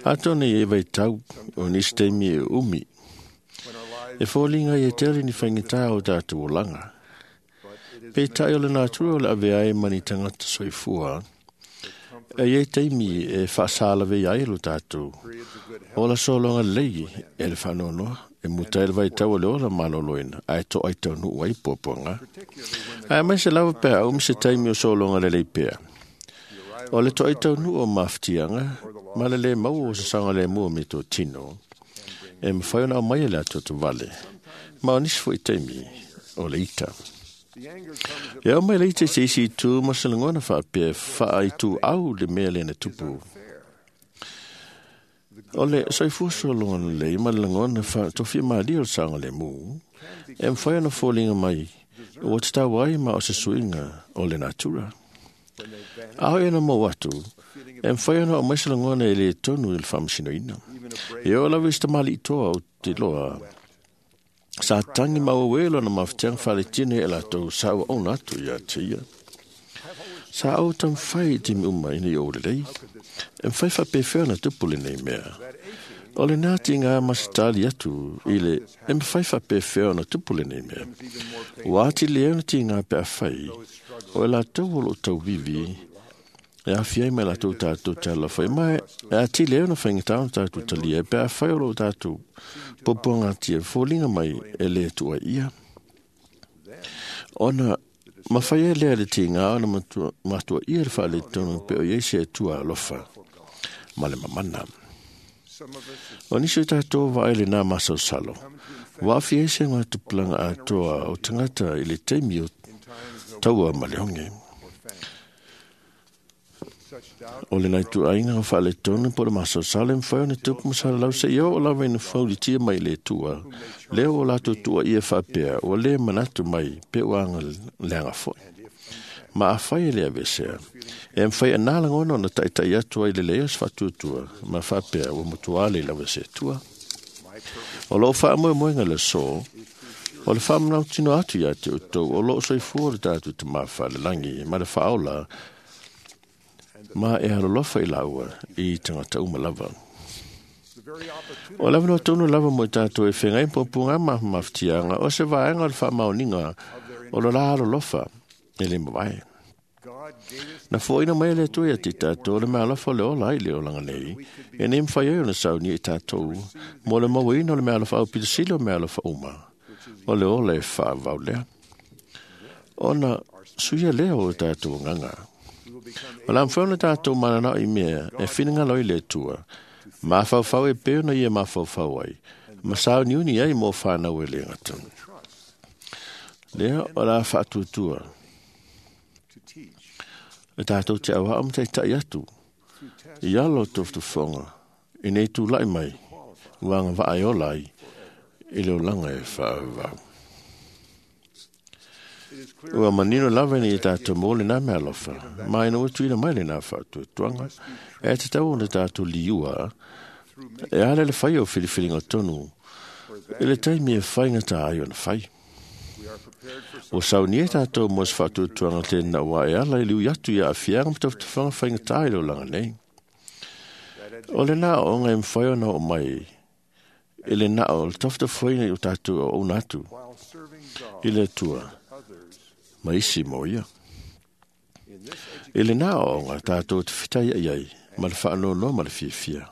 Atone i e vai tau o nisi teimi e umi. E fōlinga i e tere ni whaingitā o tātou o langa. Pe tai o le nātura o le ave ai mani tangata soifua, e iei teimi e whaasalawe ai lo tātou. O la solonga lei e le whanonoa, e muta e le vai tau o le ola maloloina, ai to ai tau nuu ai popoanga. Ai mai se lava pea, umi se taimi o solonga le lei pea. O le to ai tau nuu o mawhitianga, ma le le mau o se sanga le mua me tō tino, e mwhai ona o mai e le atoto vale. Ma o nisi fo i taimi o le ita. E au mai leite se isi itu ma se lagona faapea faaitū au le mea lena tupu. O le soifua sologa lelei ma le lagona faatofia malia o le saogalemu, e mafai ona foliga mai ua tatau ai ma o se suiga o le natura. A hoi ona mau atu, e mafai ona aumai se lagona e lē tonu i le faamasinoina. E oo lava i se tamaliʻitoa o te loa sa tangi mau e lona mafutiaga faletino e latou sa ua ona atu ia te ia. Sa au tamawhai i timi uma ina i o lelei. E mwhai whapewhea na tupu le nei mea. O le nā ti ngā masitali atu i le e mwhai whapewhea na tupu le nei mea. Wā ti leo na ti ngā pea whai o e latou o lo tau vivi e awhi ai mai latou tātou tala whai mai e a ti leo na whaingatau na tātou talia e pea whai o lo tātou popoanga tia fōlinga mai e le tua ia. Ona mawhai e lea le ti ngā ona matua, matua ia le whaale tonu pe o iei se tua alofa ma le mamana. O nisi o tātou wa ele nā masausalo. Wa awhi e se ngā tupulanga atoa o tangata i le teimi o taua ma le honge. O le nai tu ainga o whaale tonu po le masausalo mwhai o ne tupu masala lau se i o lawa ina whauritia mai le tua. Leo o lātou tua ia whapea o le manatu mai pe o anga leanga foi. Ma a whai e lea vesea. E mwhai a nā langono na taitai atua i le lea se whatuatua ma whapea o mutuale i lawa se tua. O loo wha moe moenga le so, o le whamanau tino atu ia te utou, o loo soifua le tātou te mawha le langi, ma le whaola, ma e halolofa i laua i tangata uma lava. O lava no tonu lava mo tātou e whengai pōpūngā mawhitianga o se vaenga o le whaamaoninga o lo la halolofa e le mawae. Na fōina mai le tui a te tātou le mealofa le ola i le olanga nei, e ne mwhai ai o na sauni i tātou, mo le mauina o le mealofa au pitasili o mealofa uma, o le ola e whaavau lea. Ona suia lea o tātou nganga. O la mwhai o na tātou manana i mea e whininga loi le tua, mawhauwhau e peo na ia mawhauwhau ai, ma sauni uni ai mō whānau e le ngata. Lea o la whaatuatua. E tātou te awa am taitai atu. I alo toftofonga, i nei tūlai mai, wanga vaai ola ai, i leo langa e whaavau. Ua manino lava ni i tātou mō le nā mea alofa, ma ina ua tuina mai le nā whaatuatuanga, e te tau o le tātou liua, e ala le whai o whiriwhiringa tonu, i le taimi e whainga tā ai ona whai. O saunia tātou mō se whaatuatuanga tēnā wā e ala i liu atu ia awhianga matawhatawhanga whainga tā i langa nei. O le nā o ngai mwhai ona o mai, i le nā o le tawhatawhainga i o tātou o ona atu, i le tua, ma isi mo ia. I le nā o ngā tātou te whitai ai ai, ma le whaanonoa ma le fiafia.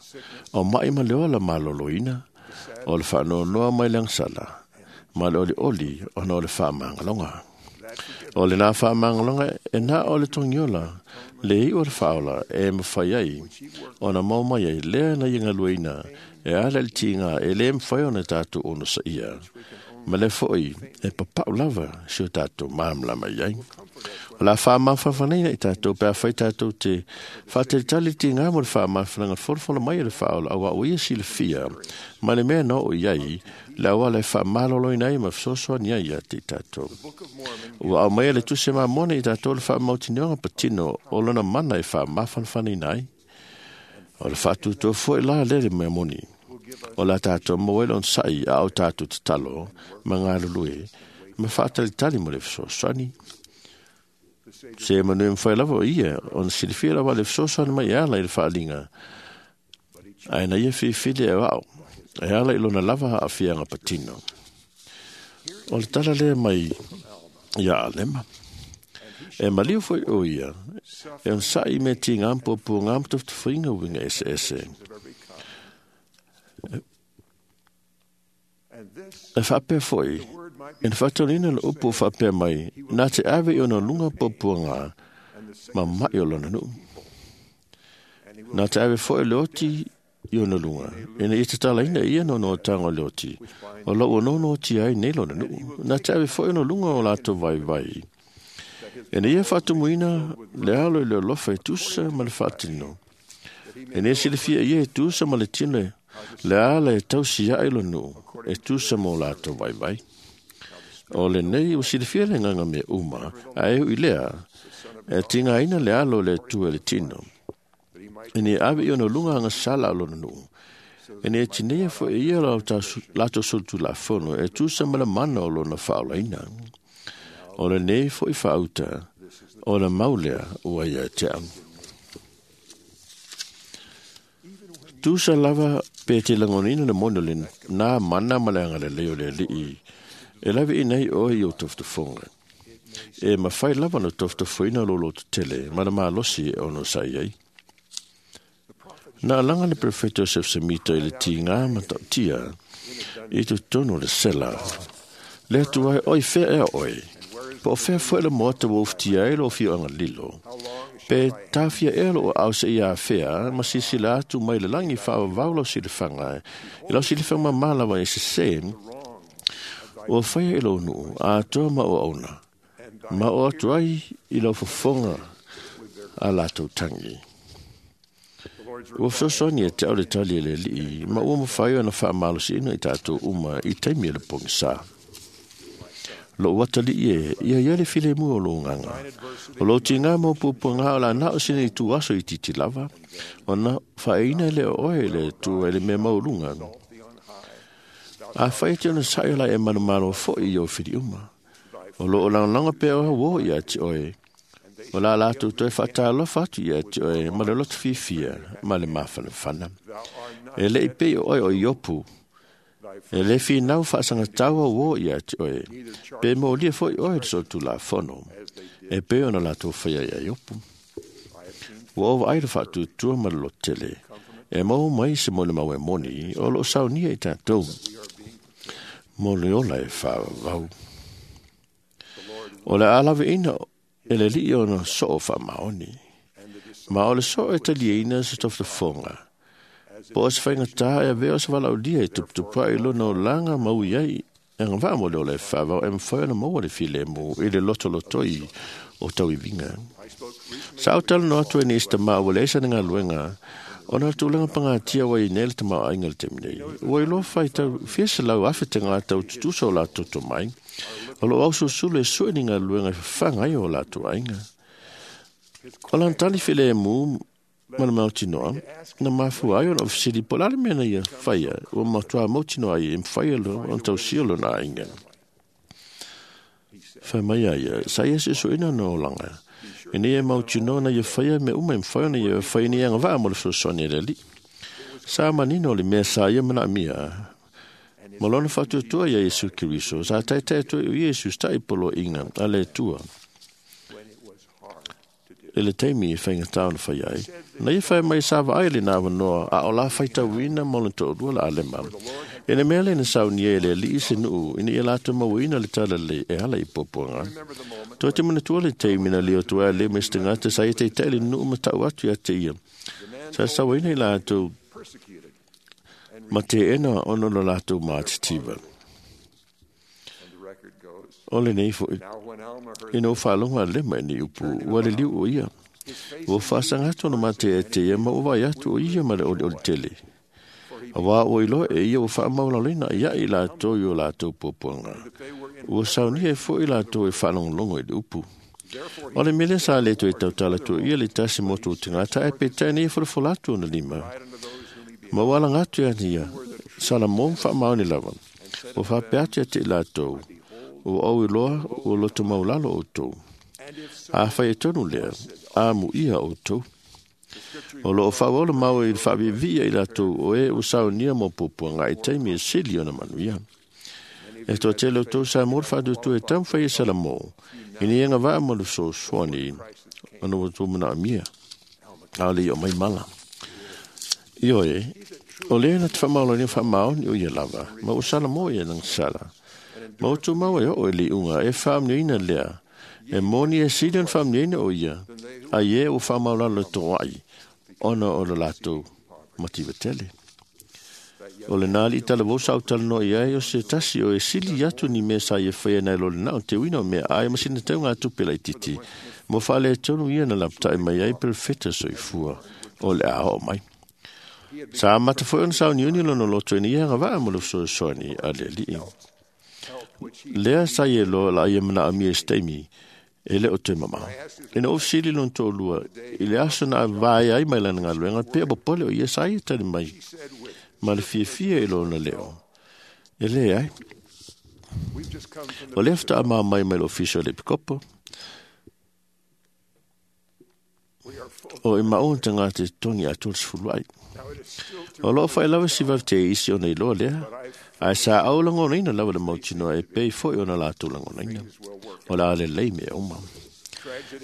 O mai ma le ola maloloina, o le whaanonoa mai le angsala, ma le oli oli o na o le whaamangalonga. O le nā whaamangalonga e nā o le tongiola, le i o le whaola e mwhai ai, o na mau mai ai lea na inga luaina, e ala le tinga e le mwhai o na tātou ono sa ia. Ma le foi e papau lava si o tātou māmlama iai. O la whaamawhawhanina i tātou, pea whai tātou te whāteritali te ngā mo le whaamawhananga whorofola mai e le whaola awa o ia si le fia, ma le mea no o iai, le awa le whaamaloloina ai ma whasosoa ni ai te tātou. Ua au mai le tuse mā mone i tātou le whaamautinionga patino o lona mana e whaamawhanawhanina ai. O le whaatutua foi la lele mea moni. O la tātou mawele on sai a o tātou te talo, ma ngā lulue, ma whaatalitali mo le whasosoani. Se manu e mwhai lava o ia, on silifia lava le whasosoani mai e ala i le whaalinga. Aina ia whiwhili e wao, e ala i lona lava a whianga patino. O le tala lea mai ia alema. E maliu foi o ia, e on sai me ti ngā mpopo ngā mtofutawhinga winga ese ese. E whapea foi, e whatonina le upu whapea mai, nā te ave i ona lunga popua ngā, ma mai o lona nuu. Nā te ave foi le oti i ona lunga, ina i te talaina ia no no tango le oti, o lau o nono oti ai nei lona nuu. Nā te ave foi ona lunga o lātou vai vai. Ina ia whatumuina le alo i le alofa e tusa ma le whaatino. Ina ia silifia ia e tusa ma le tino e le ala e tausi ia ilo nuu, e tusa mō lātou vai vai. O le nei o silifia le nganga me uma, a e ui lea, e tinga ina le alo le tua le tino. Ina e ave i ona lunga anga sala o lona nuu. Ina e tinea fo e ia lātou sulutu la fono, e tusa ma le mana o lona whaolaina. O le nei fo i whaauta, o le maulea ua ia te au. Tusa lava pe te langonina le mono le nā mana ma le anga le leo le lii. E lawe i nei oe i o toftofonga. E mawhai lava no toftofoina lo loto tele, mana malosi e ono sai ai. Nā langa le prefeto Joseph Smith i le tīngā matautia i tu tono le sela. Le atu ai oi whea ea oi. Po o whea fue le moata wo uftia e lo whio anga lilo. Pe tāwhia e lo o au se ia whea, ma sisi la atu mai le langi wha wau lau silifanga. I lau silifanga malawa e se se, o whaia i lau nuu, a toa ma o auna. Ma o atu ai i lau fofonga a lātou tangi. Ua fesoasoani e te au le tali e le lii, ma ua mawhai ona whaamalosi ina i tātou uma i taimi e le pongisa. Lo watali e, ia ia le file mua o lo nganga. O lo tinga mo pupu ngā o la nao sina i tu aso i titi lava, o na whaeina le oe le tu e le mea maulunga. A whai te ona sai la e manumalo fo i o whiri uma. O lo o langalanga pea oa wo i ati oe. O la lātou toe whaatalofa atu i ati oe, ma le lotu whiwhia, ma le mawhanawhana. E le i pei o oe o iopu, e le whinau whaasangataua wo i ati oe, pe mōlia foi oe le sotu la fono, e pe ona lātou whaia i iopu. Ua owa ai le whaatutua ma le lotele, e mau mai se mole mau e moni, o lo saunia i tātou. Mo le ola e whaawau. O le alawe ina e le lii ona soo wha maoni. Ma o le soo e taliaina se toftofonga. Po o se whainga tā e avea o se walaulia e tuputupa i lona o langa mau iai e ngā vaa mo le ole whawau e mwhai ona maua le file mo i le loto lotoi o tau i vinga. Sa au tala no atu e ni ista maa wale esa ngā luenga Ona le tulaga pagatia ua i nei le tamaoaiga le taimi nei. Ua iloa faitau fia selau afe tagata o tutusa o latou tomai, o loo ausulusulu e sue ni galuega e fafaga ai o latou aiga. O lana tali filemu ma le mautinoa, na mafua ai ona fesili po o le a le mea na ia faia, ua matuā mautinoa ai e mafai ona tausia lona aiga. Fai mai a ia, sa ia suesueina ona olaga, ina ia mautinoa na ia faia mea uma e mafai ona ia fai ni agavaa mo le fesoasoani a le Alii. Sa manino le mea sa ia manaomia, ma lona faatuatua ia Iesu Keriso, sa taitai atu ai o Iesu ta'i poloaiga a le Atua. I le taimi e faigata ona fai ai, na ia fai mai sa vaai lena avanoa a o la faitauina ma lona toalua la alema. E le mea lea na saunia e le Alii se nuu ina ia latou mauaina le talalelei e ala i puapuaga. Toe te manatua le taimi na lio atu ai le ma se tagata sa ia taitai le nuu ma tau atu ia te ia. Sa sauaina i latou ma teena ona o lo latou matitiva. O lenei foi, ina ua faalogo a Lema i nei upu, ua liliu o ia. Ua faasaga atu ona matea e te ia ma ua vaai atu o ia ma le olioli tele. Auā ua iloa e ia ua faamaulaloina ia i latou i o latou puapuaga. Ua saunia ai foi latou e faalogologo i le upu. O le mea lea sa le toe tautala atu ia le tasi motu o tagata ae peitai nei folafola atu ona lima. Ma ua alaga atu ia ia, Salamo ma faamaoni lava. Ua faapea atu ia te i latou, ua ou iloa ua loto maulalo outou. A fai e tonu lea, a muia outou. O loo faaauau le mau i le faaviivii i latou o e ua saunia mo puapuaga i taimi e sili ona manuia. E toatele outou sa mo le faatuatua e taumafai e Salamo, ina ia agavaa ma le fesoasoani ona ua outou manaomia, a o le i oo mai mala. Ioe, o lea na te faamaulania faamaoni o ia lava, ma ua Salamo ia nagasala. Ma ua tumau e oo i le iuga e faamanuiaina lea, e moni e sili ona faamanuiaina o ia, ai e ua faamaulalo toai, ona o lo latou mativa tele. O lena alii talavou sa utalanoa i ai o se tasi o e sili atu ni mea sa ia faia nai lo lena o te uina o mea ai ma sina tauga tupe laititi, mo faaletonu ia na lapatai mai ai perofeta soifua o le a oo mai. Sa amata foi ona sauniuni lona loto ina ia agavaa mo le fesoasoani a le Alii. Lea sa ia loa la ia manaomia i se taimi e le o toe mamao. Ina ua fesili lona toalua i le aso na vaea ai mai lana galuega, pea popole o ia sa ia tali mai ma le fiafia i lona leo. E leai. O lea faatoa mai mai le ofisa o le epikopo. O i maua tagata e totogi atoa le sefulu ai. O loo faailawa si vave te isi ona iloa lea, ae sa au lagonaina lava le mautinoa e pei foi ona latou lagonaina. O le a lelei mea uma.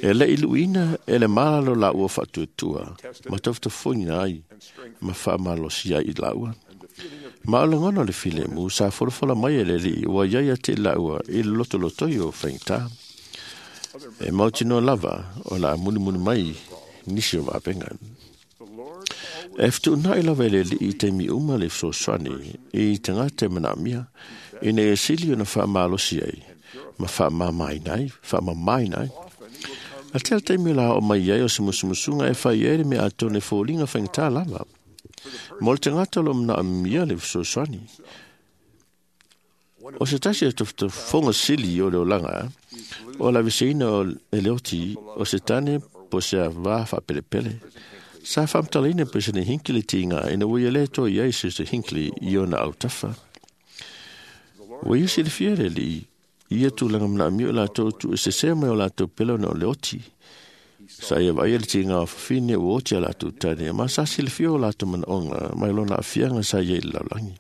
E le i luina e le malalo laua faatuatua, ma tafutafoina ai, ma faamalosia ai i laua. Ma o lagona o le filemu sa folafola mai e le Alii ua iai ia te i laua i le lotolotoi o faigata. E mautinoa lava o le a mulimuli mai nisi o vavega. E fetuunai lava e le Alii i taimi uma le fesoasoani i tagata e manaomia, ina ia sili ona faamalosi ai, ma faamamaina ai, faamamaina ai. A tele taimi o la oo mai ai o se musumusuga e fai ai le mea atonu e foliga faigata lava. Mo le tagata o lo manaomia le fesoasoani. O se tasi o tafutafoga sili o le olaga, o le aveseina o e le oti o se tane po o se avā faapelepele. Sa faamatalaina Peresene Hinckley le tiga ina ua ia le toa i ai Sister Hinckley i ona autafa. Ua ia silafia le Alii ia tulaga manaomia o latou tuuesesea mai o latou pele ona o le oti. Sa ia vaaia le tiga o fafine ua oti a latou tane, ma sa silafia o latou manaoga mai lona aafiaga sa ia i le lalolagi.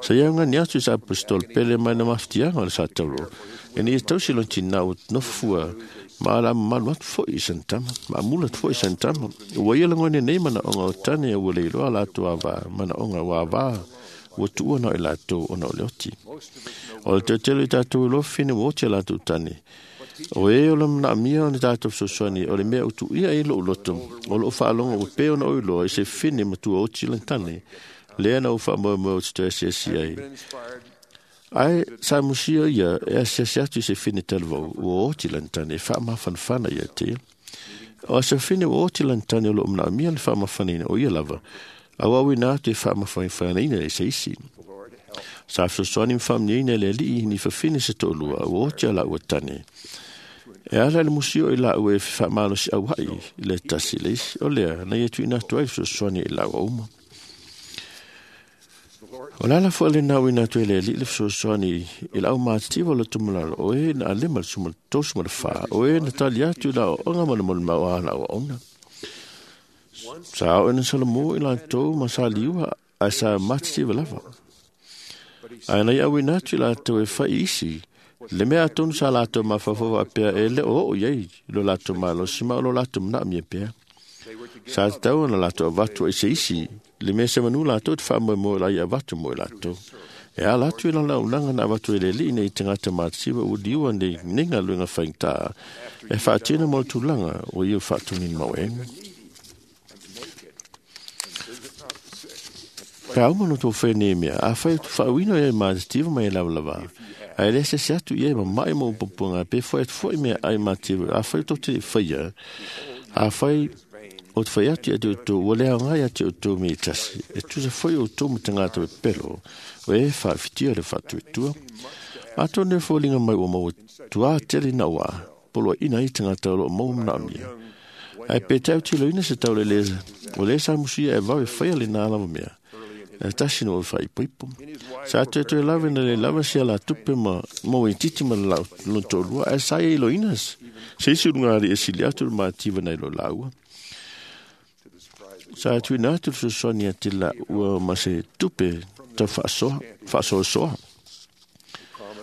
Sa ia augani atu i sa apostolo pele mai na mafatiaga o le Sataulo, ina ia tausi lona tinā ua nofofua ma ala mamalu atu foi i sana tama, ma amula atu foi i sana tama. Ua ia lagona nei manaoga o tane ua le iloa latou avā, manaoga ua avā, ua tuua na o i latou ona o le oti. O le teutelu i tatou iloa fafine ua oti a latou tane. O e o le manaomia ona tatou fesoasoani, o le mea ua tuuia ai lou loto, o loo faalogo ua pei ona ou iloa i se fafine matua oti lana tane, lea na ou faamoemoe ou te toe asiasi ai. Ae sa musia ia e asiasi atu i se fine talavou ua oti lana tane e faamafanafana ia te ia. O a safine o oti lan tane o lo mna mia le whaamawhanina o ia lava. A wawi nā te whaamawhanina e se isi. Sa fesoasoani mfaamniaina le alii ni fafine se to'olua ua oti a la'ua tane. E ala le musio i la'ua e fa'amalosi aua'i le tasi le isi o lea na ia tu'uina atu ai le fesoasoani i la'ua uma. O le ala fo'i lenā uina atu ai le alii le fesoasoani i la'au matitiva o le tumalalo o e na alema le suma tosu ma le fā o e na tali atu i la'ao'oga ma le molimau a la'au aoga. Sa o'e na salomō i latou ma sa liua ae sa matitiva lava. Ae na ia auina atu i latou e fai isi le mea atonu sa latou mafaufau faapea e le o oo i ai lo latou malosi ma o lo latou manaomia pea. Sa tatau ona latou avatu ai se isi le mea semanu latou te faamoemoe la ia avatu mo i latou. E ala atu i lana auaunaga na avatu e le alii nei tagata matitiva ua liua nei nei galuega faigata e faatino mo le tulaga ua ia faatogina mauega. Pe a uma ona tou fai nei mea, afai faauina ia e matitiva ma ia lavalava, ae le asiasi atu ia e mama'i ma upupuaga pe fo'i atu fo'i mea ai matitiva, afai tou te faia, afai o te fai atu ia te outou, ua le aoga ia te outou me i tasi, e tusa foi outou ma tagata pepelo, o e faafitia le faatuatua. Atonu e foliga mai ua maua tuā tele na ua, poloaina ai tagata o loo maua manaomia. Ae pe tautiloina se taulelē o lē sa musuia e vave faia lenā lava mea. E tasi no o whaipoipo. Sa toe toe lava na le lava se ala tupe ma mo i titi ma la lo tolua e sa i loinas. Se isi lunga ali e sili atu le mativa nei lo laua. Sa atu ina atu le fesoasoani a te la ua ma se tupe tau faasoa, faasoasoa.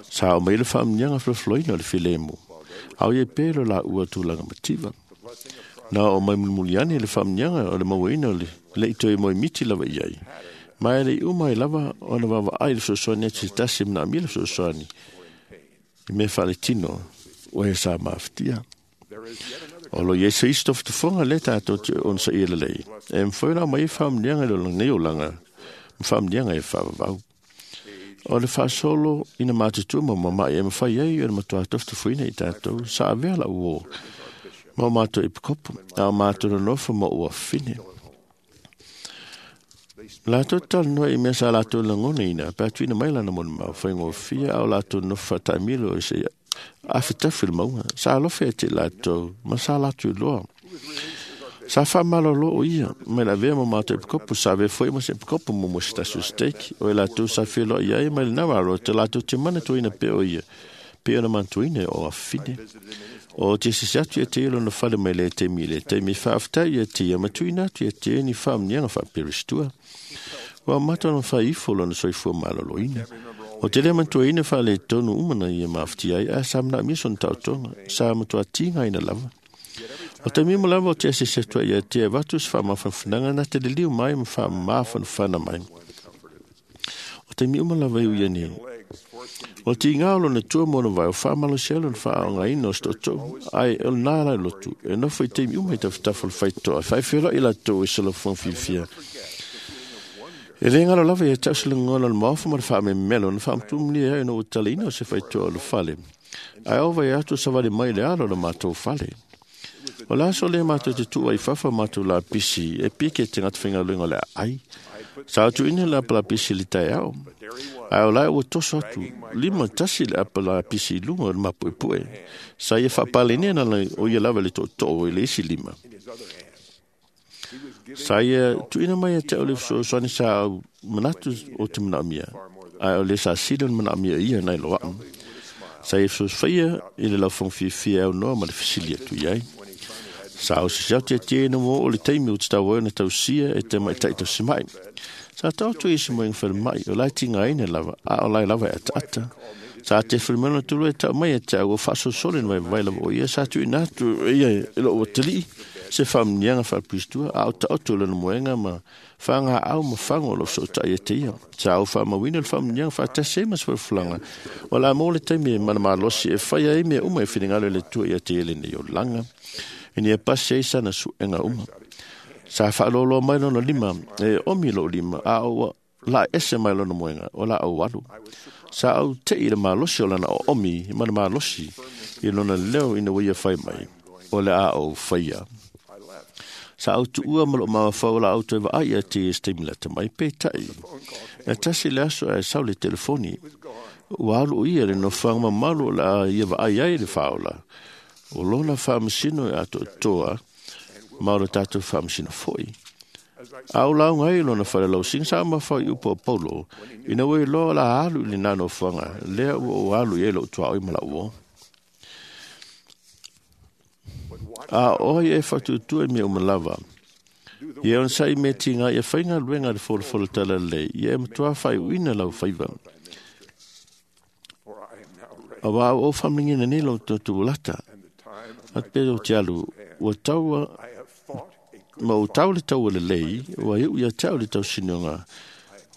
Sa o mai le faamnianga flofloina o le filemu. Au ie pe lo la ua tulaga mativa. Na o mai mulimuliani le faamnianga o le mauaina o le le i toe moi miti lava i ai. Ma e le i uma i lava ona vavaai le fesoasoani atu se tasi manaomia le fesoasoani i mea faaletino o e sa mafatia. O lo iai se isi tofotofoga lē tatou te onosaia lelei e mafai ona aumai ai faamanuiaga i lenei olaga ma faamanuiaga e faavavau. O le faasolo ina matutua ma mama'i e mafai ai ona matuā tofotofoina i tatou sa avea la'u uō ma o matou epikopo a o matou nonofo ma ou afafine. Latou talanoa i mea sa latou lagonaina pe a tuuina mai lana molimau faigofie a o latou nofo faataamilo i se afetafi le mauga. Sa alofa ia te i latou ma sa latou iloa. Sa faamalolo o ia mai le avea ma matou epikopo sa avea foi ma se epikopo mo mo se tasi o stake o i latou sa feloai ai mai lenā alo te latou te manatuaina pea o ia pe ona manatuaina o afafine. O te sisi atu ia te ia lona fale mai le taimi i le taimi faafetai ia te ia ma tuuina atu ia te ia ni faamanuiaga faaperistua. Ua mata ona faaifo lona soifua maloloina. O te le mantuaina faaletonu uma na ia mafatia ai ae sa manaomia sona taotoga sa matuā tigaina lava. O taimi uma lava o te asiasi atu ai ia te avatu se faamafanafanaga na te liliu mai ma faamafanafana mai. O taimi uma lava e ui nei. O tigā o lona tua mo ona vai o faamalosi ai lona faaaogaina o se tootoo ae o lenā la lotu e nofo i taimi uma i tafatafa o le faitotoa e faafeloai latou i solofoga fiafia. E lē galo lava ia te au se lagona o le maofa ma le faamemelo na faamatumulia ai ona ua talaina o se faitotoa o le fale ae ova ia atu savali mai le alo o le matou fale. O le aso lea matou te tuu ai fafa matou lapisi e pike te tagata faigaluega o le aai. Sa atuina le apa lapisi i le taeao. Ae o lae ua toso atu lima tasi le apa lapisi i luga o le mapuepue. Sa ia faapalenia na o ia lava le tootoo i le isi lima. Sa ia tuuina mai ia te au le fesoasoani sa au manatu o te manaomia. Ae o le sa sili o le manaomia ia nai loa'u. Sa ia fesoasofaia i le laufoga fiafia e aunoa ma le fesili atu i ai. Sa o sisi atu ia te na mo o le taimi o te tau ai na tausia e te maita'i tausima'i. Sa taoto i se moenga falemai o lai tigaina lava a o lai lava e ataata. Sa te falemai tulu e tau mai e te au o faasolosolo na vaivai lava o ia sa tuuina atu e ia e loo atalii se faamanuiaga faaperistua a o taoto lona moega ma fagaau ma fago o loo fesootai e te ia. Sa ou faamauina le faamanuiaga faatasi ai ma se folafolaga o le a maua le taimi e manamalosi e faia ai mea uma e finagalo e le Atua ia te ia lenei olaga. Ina ia pasi ai sana suega uma. Sa faaloloa mai lona lima e omi lou lima a ua la ese mai lona moega o la au alu. Sa au tei le malosi o lana o omi ma le malosi i lona leo ina ua ia fai mai o le a ou faia. Sa au tuua ma loo mawafau la au toe vaai ia te se taimi lata mai peitai. E tasi le aso ae sau le telefoni. Ua alu o ia le nofoaga mamalu o le a ia vaai ai le faaola. O lona faamasino e atoatoa ma o le tatou faamasino foi. A o lauga ai lona falelausiga sa mafau i upu o Paulo, ina ua iloa o le a alu i lena nofoaga, lea ua ou alu i ai lou tuaoi ma lau uo. A o ai e faatuatua i mea uma lava. Ia onosai mea tiga ia faigaluega le folafolo talalelei, ia e matuā faaiuina lau faiva. Auā ua ou faamanuiaina nei lou tuatulata. Atu pea ou te alu, ua taua ma ou tau le taua lelei, ua iu ia te au le tausinoga,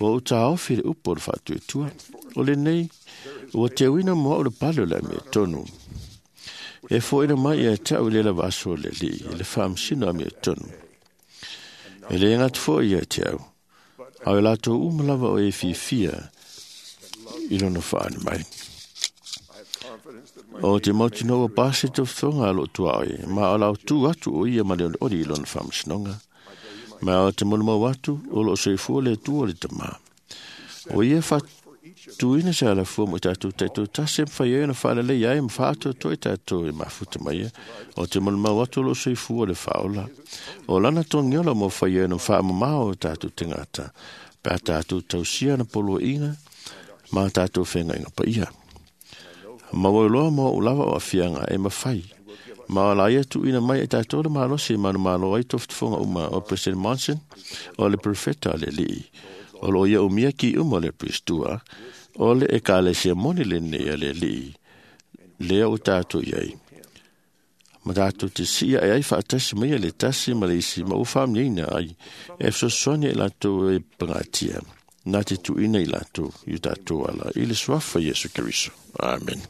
ua ou taofi le upu o le faatuatua. O lenei, ua teuina mo au le pale o le amiotonu. E foaina mai ia te au i le lava aso o le Alii, le faamasino amiotonu. E le gata foi ia te au, a o latou uma lava o e fiafia i lona faani mai. O te mautinoa ua pasi tofotofoga a loo tuaoi, ma o lau tu atu o ia ma le olioli i lona faamasinoga. Ma o te molimau atu o loo soifua le Atua o le Tamā. O ia faatuina se alafua mo i tatou taitoatasi e mafai ai ona faaleleia ai ma faaatoatoa i tatou e mafuta mai ia. O te molimau atu o loo soifua le faaola. O lana togiola mo fai ai ona faamamao o tatou tagata, pe a tatou tausia na poloaiga ma tatou feagaiga paia. Ma ua iloa mo ou lava o aafiaga e mafai. Ma o la ia tuuina mai e tatou le malosi e manumalo ai tofotofoga uma o President Monson, o le profeta a le Alii. O loo ia umia ki uma o le Aprestua, o le ekalesia moni lenei a le Alii, lea ua tatou i ai. Ma tatou te siia e ai faatasi mai le tasi ma le isi ma ua faamanuiaina ai e fesoasoani i latou e pagatia. Na te tuuina i latou i o tatou ala i le suafa Iesu Keriso. Amen.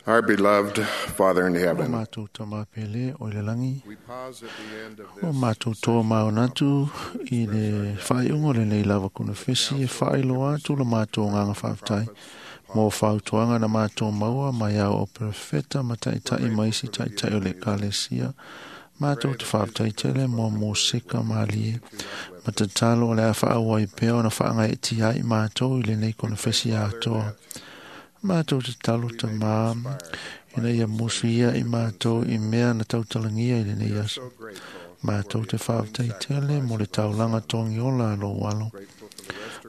Our beloved Father in O heaven, mātou tama pele o le langi. we pause at the end of O this mātou tō maonatu i le whaiungo le nei lava kuna fesi e whailoa atu la mātou nganga whaaftai. Mō whautuanga na mātou maua mai au o profeta ma taitai maisi taitai o le kalesia. Mātou te whaaftai tele mō mō seka malie. Ma te talo o le a whaawai peo na whaangai e tiai mātou i le nei kuna fesi atoa. Mātou te talo ta mā, ina ia musu ia i mātou i mea na tautalangia i le nei aso. Mātou te whaaftai tele mo le taulanga tongi ola lo walo.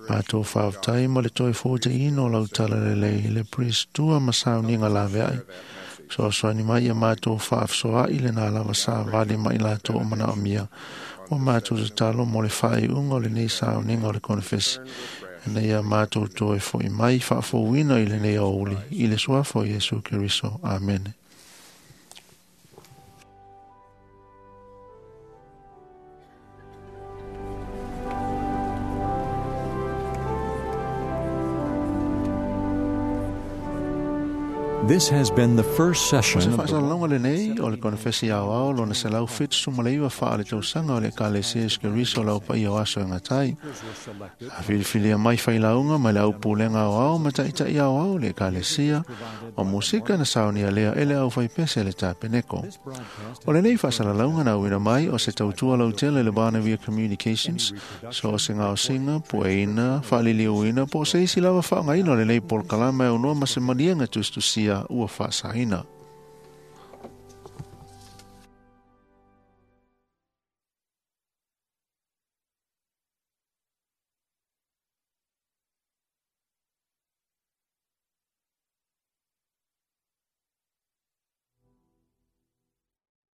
Mātou whaaftai mo le toi fōte ino lau tala lelei i le pristua ma sauninga laveai. So soani mai ia mātou whaafsoa i le nā lava sa vale mai lātou o mana o mia. O mātou te talo mo le whai unga o le nei sauninga o le konefesi. Ina ia mātou toe foi mai whaafouina i le nei auli, i le suafo Iesu Keriso. Amen. This has been the first O session se of the whaasalalonga le nei o le konefesi au ao lona se lau whitu sumaleiwa wha le tausaga o le ekalesia Iesu Keriso lau pa ia o aso e ngatai. A filifilia mai whailaunga mai le au pulenga au ao ma taitai au ao le ekalesia o musika na saunia lea ele au whaipese le tapeneko. O le nei whaasalalonga na uina mai o se tautua lau tele le Barnavia Communications so o se ngao singa, pueina, whaliliuina, po se isi lava whaangaina o le nei polkalama e unoa ma se manienga tustusia ua whaasaina.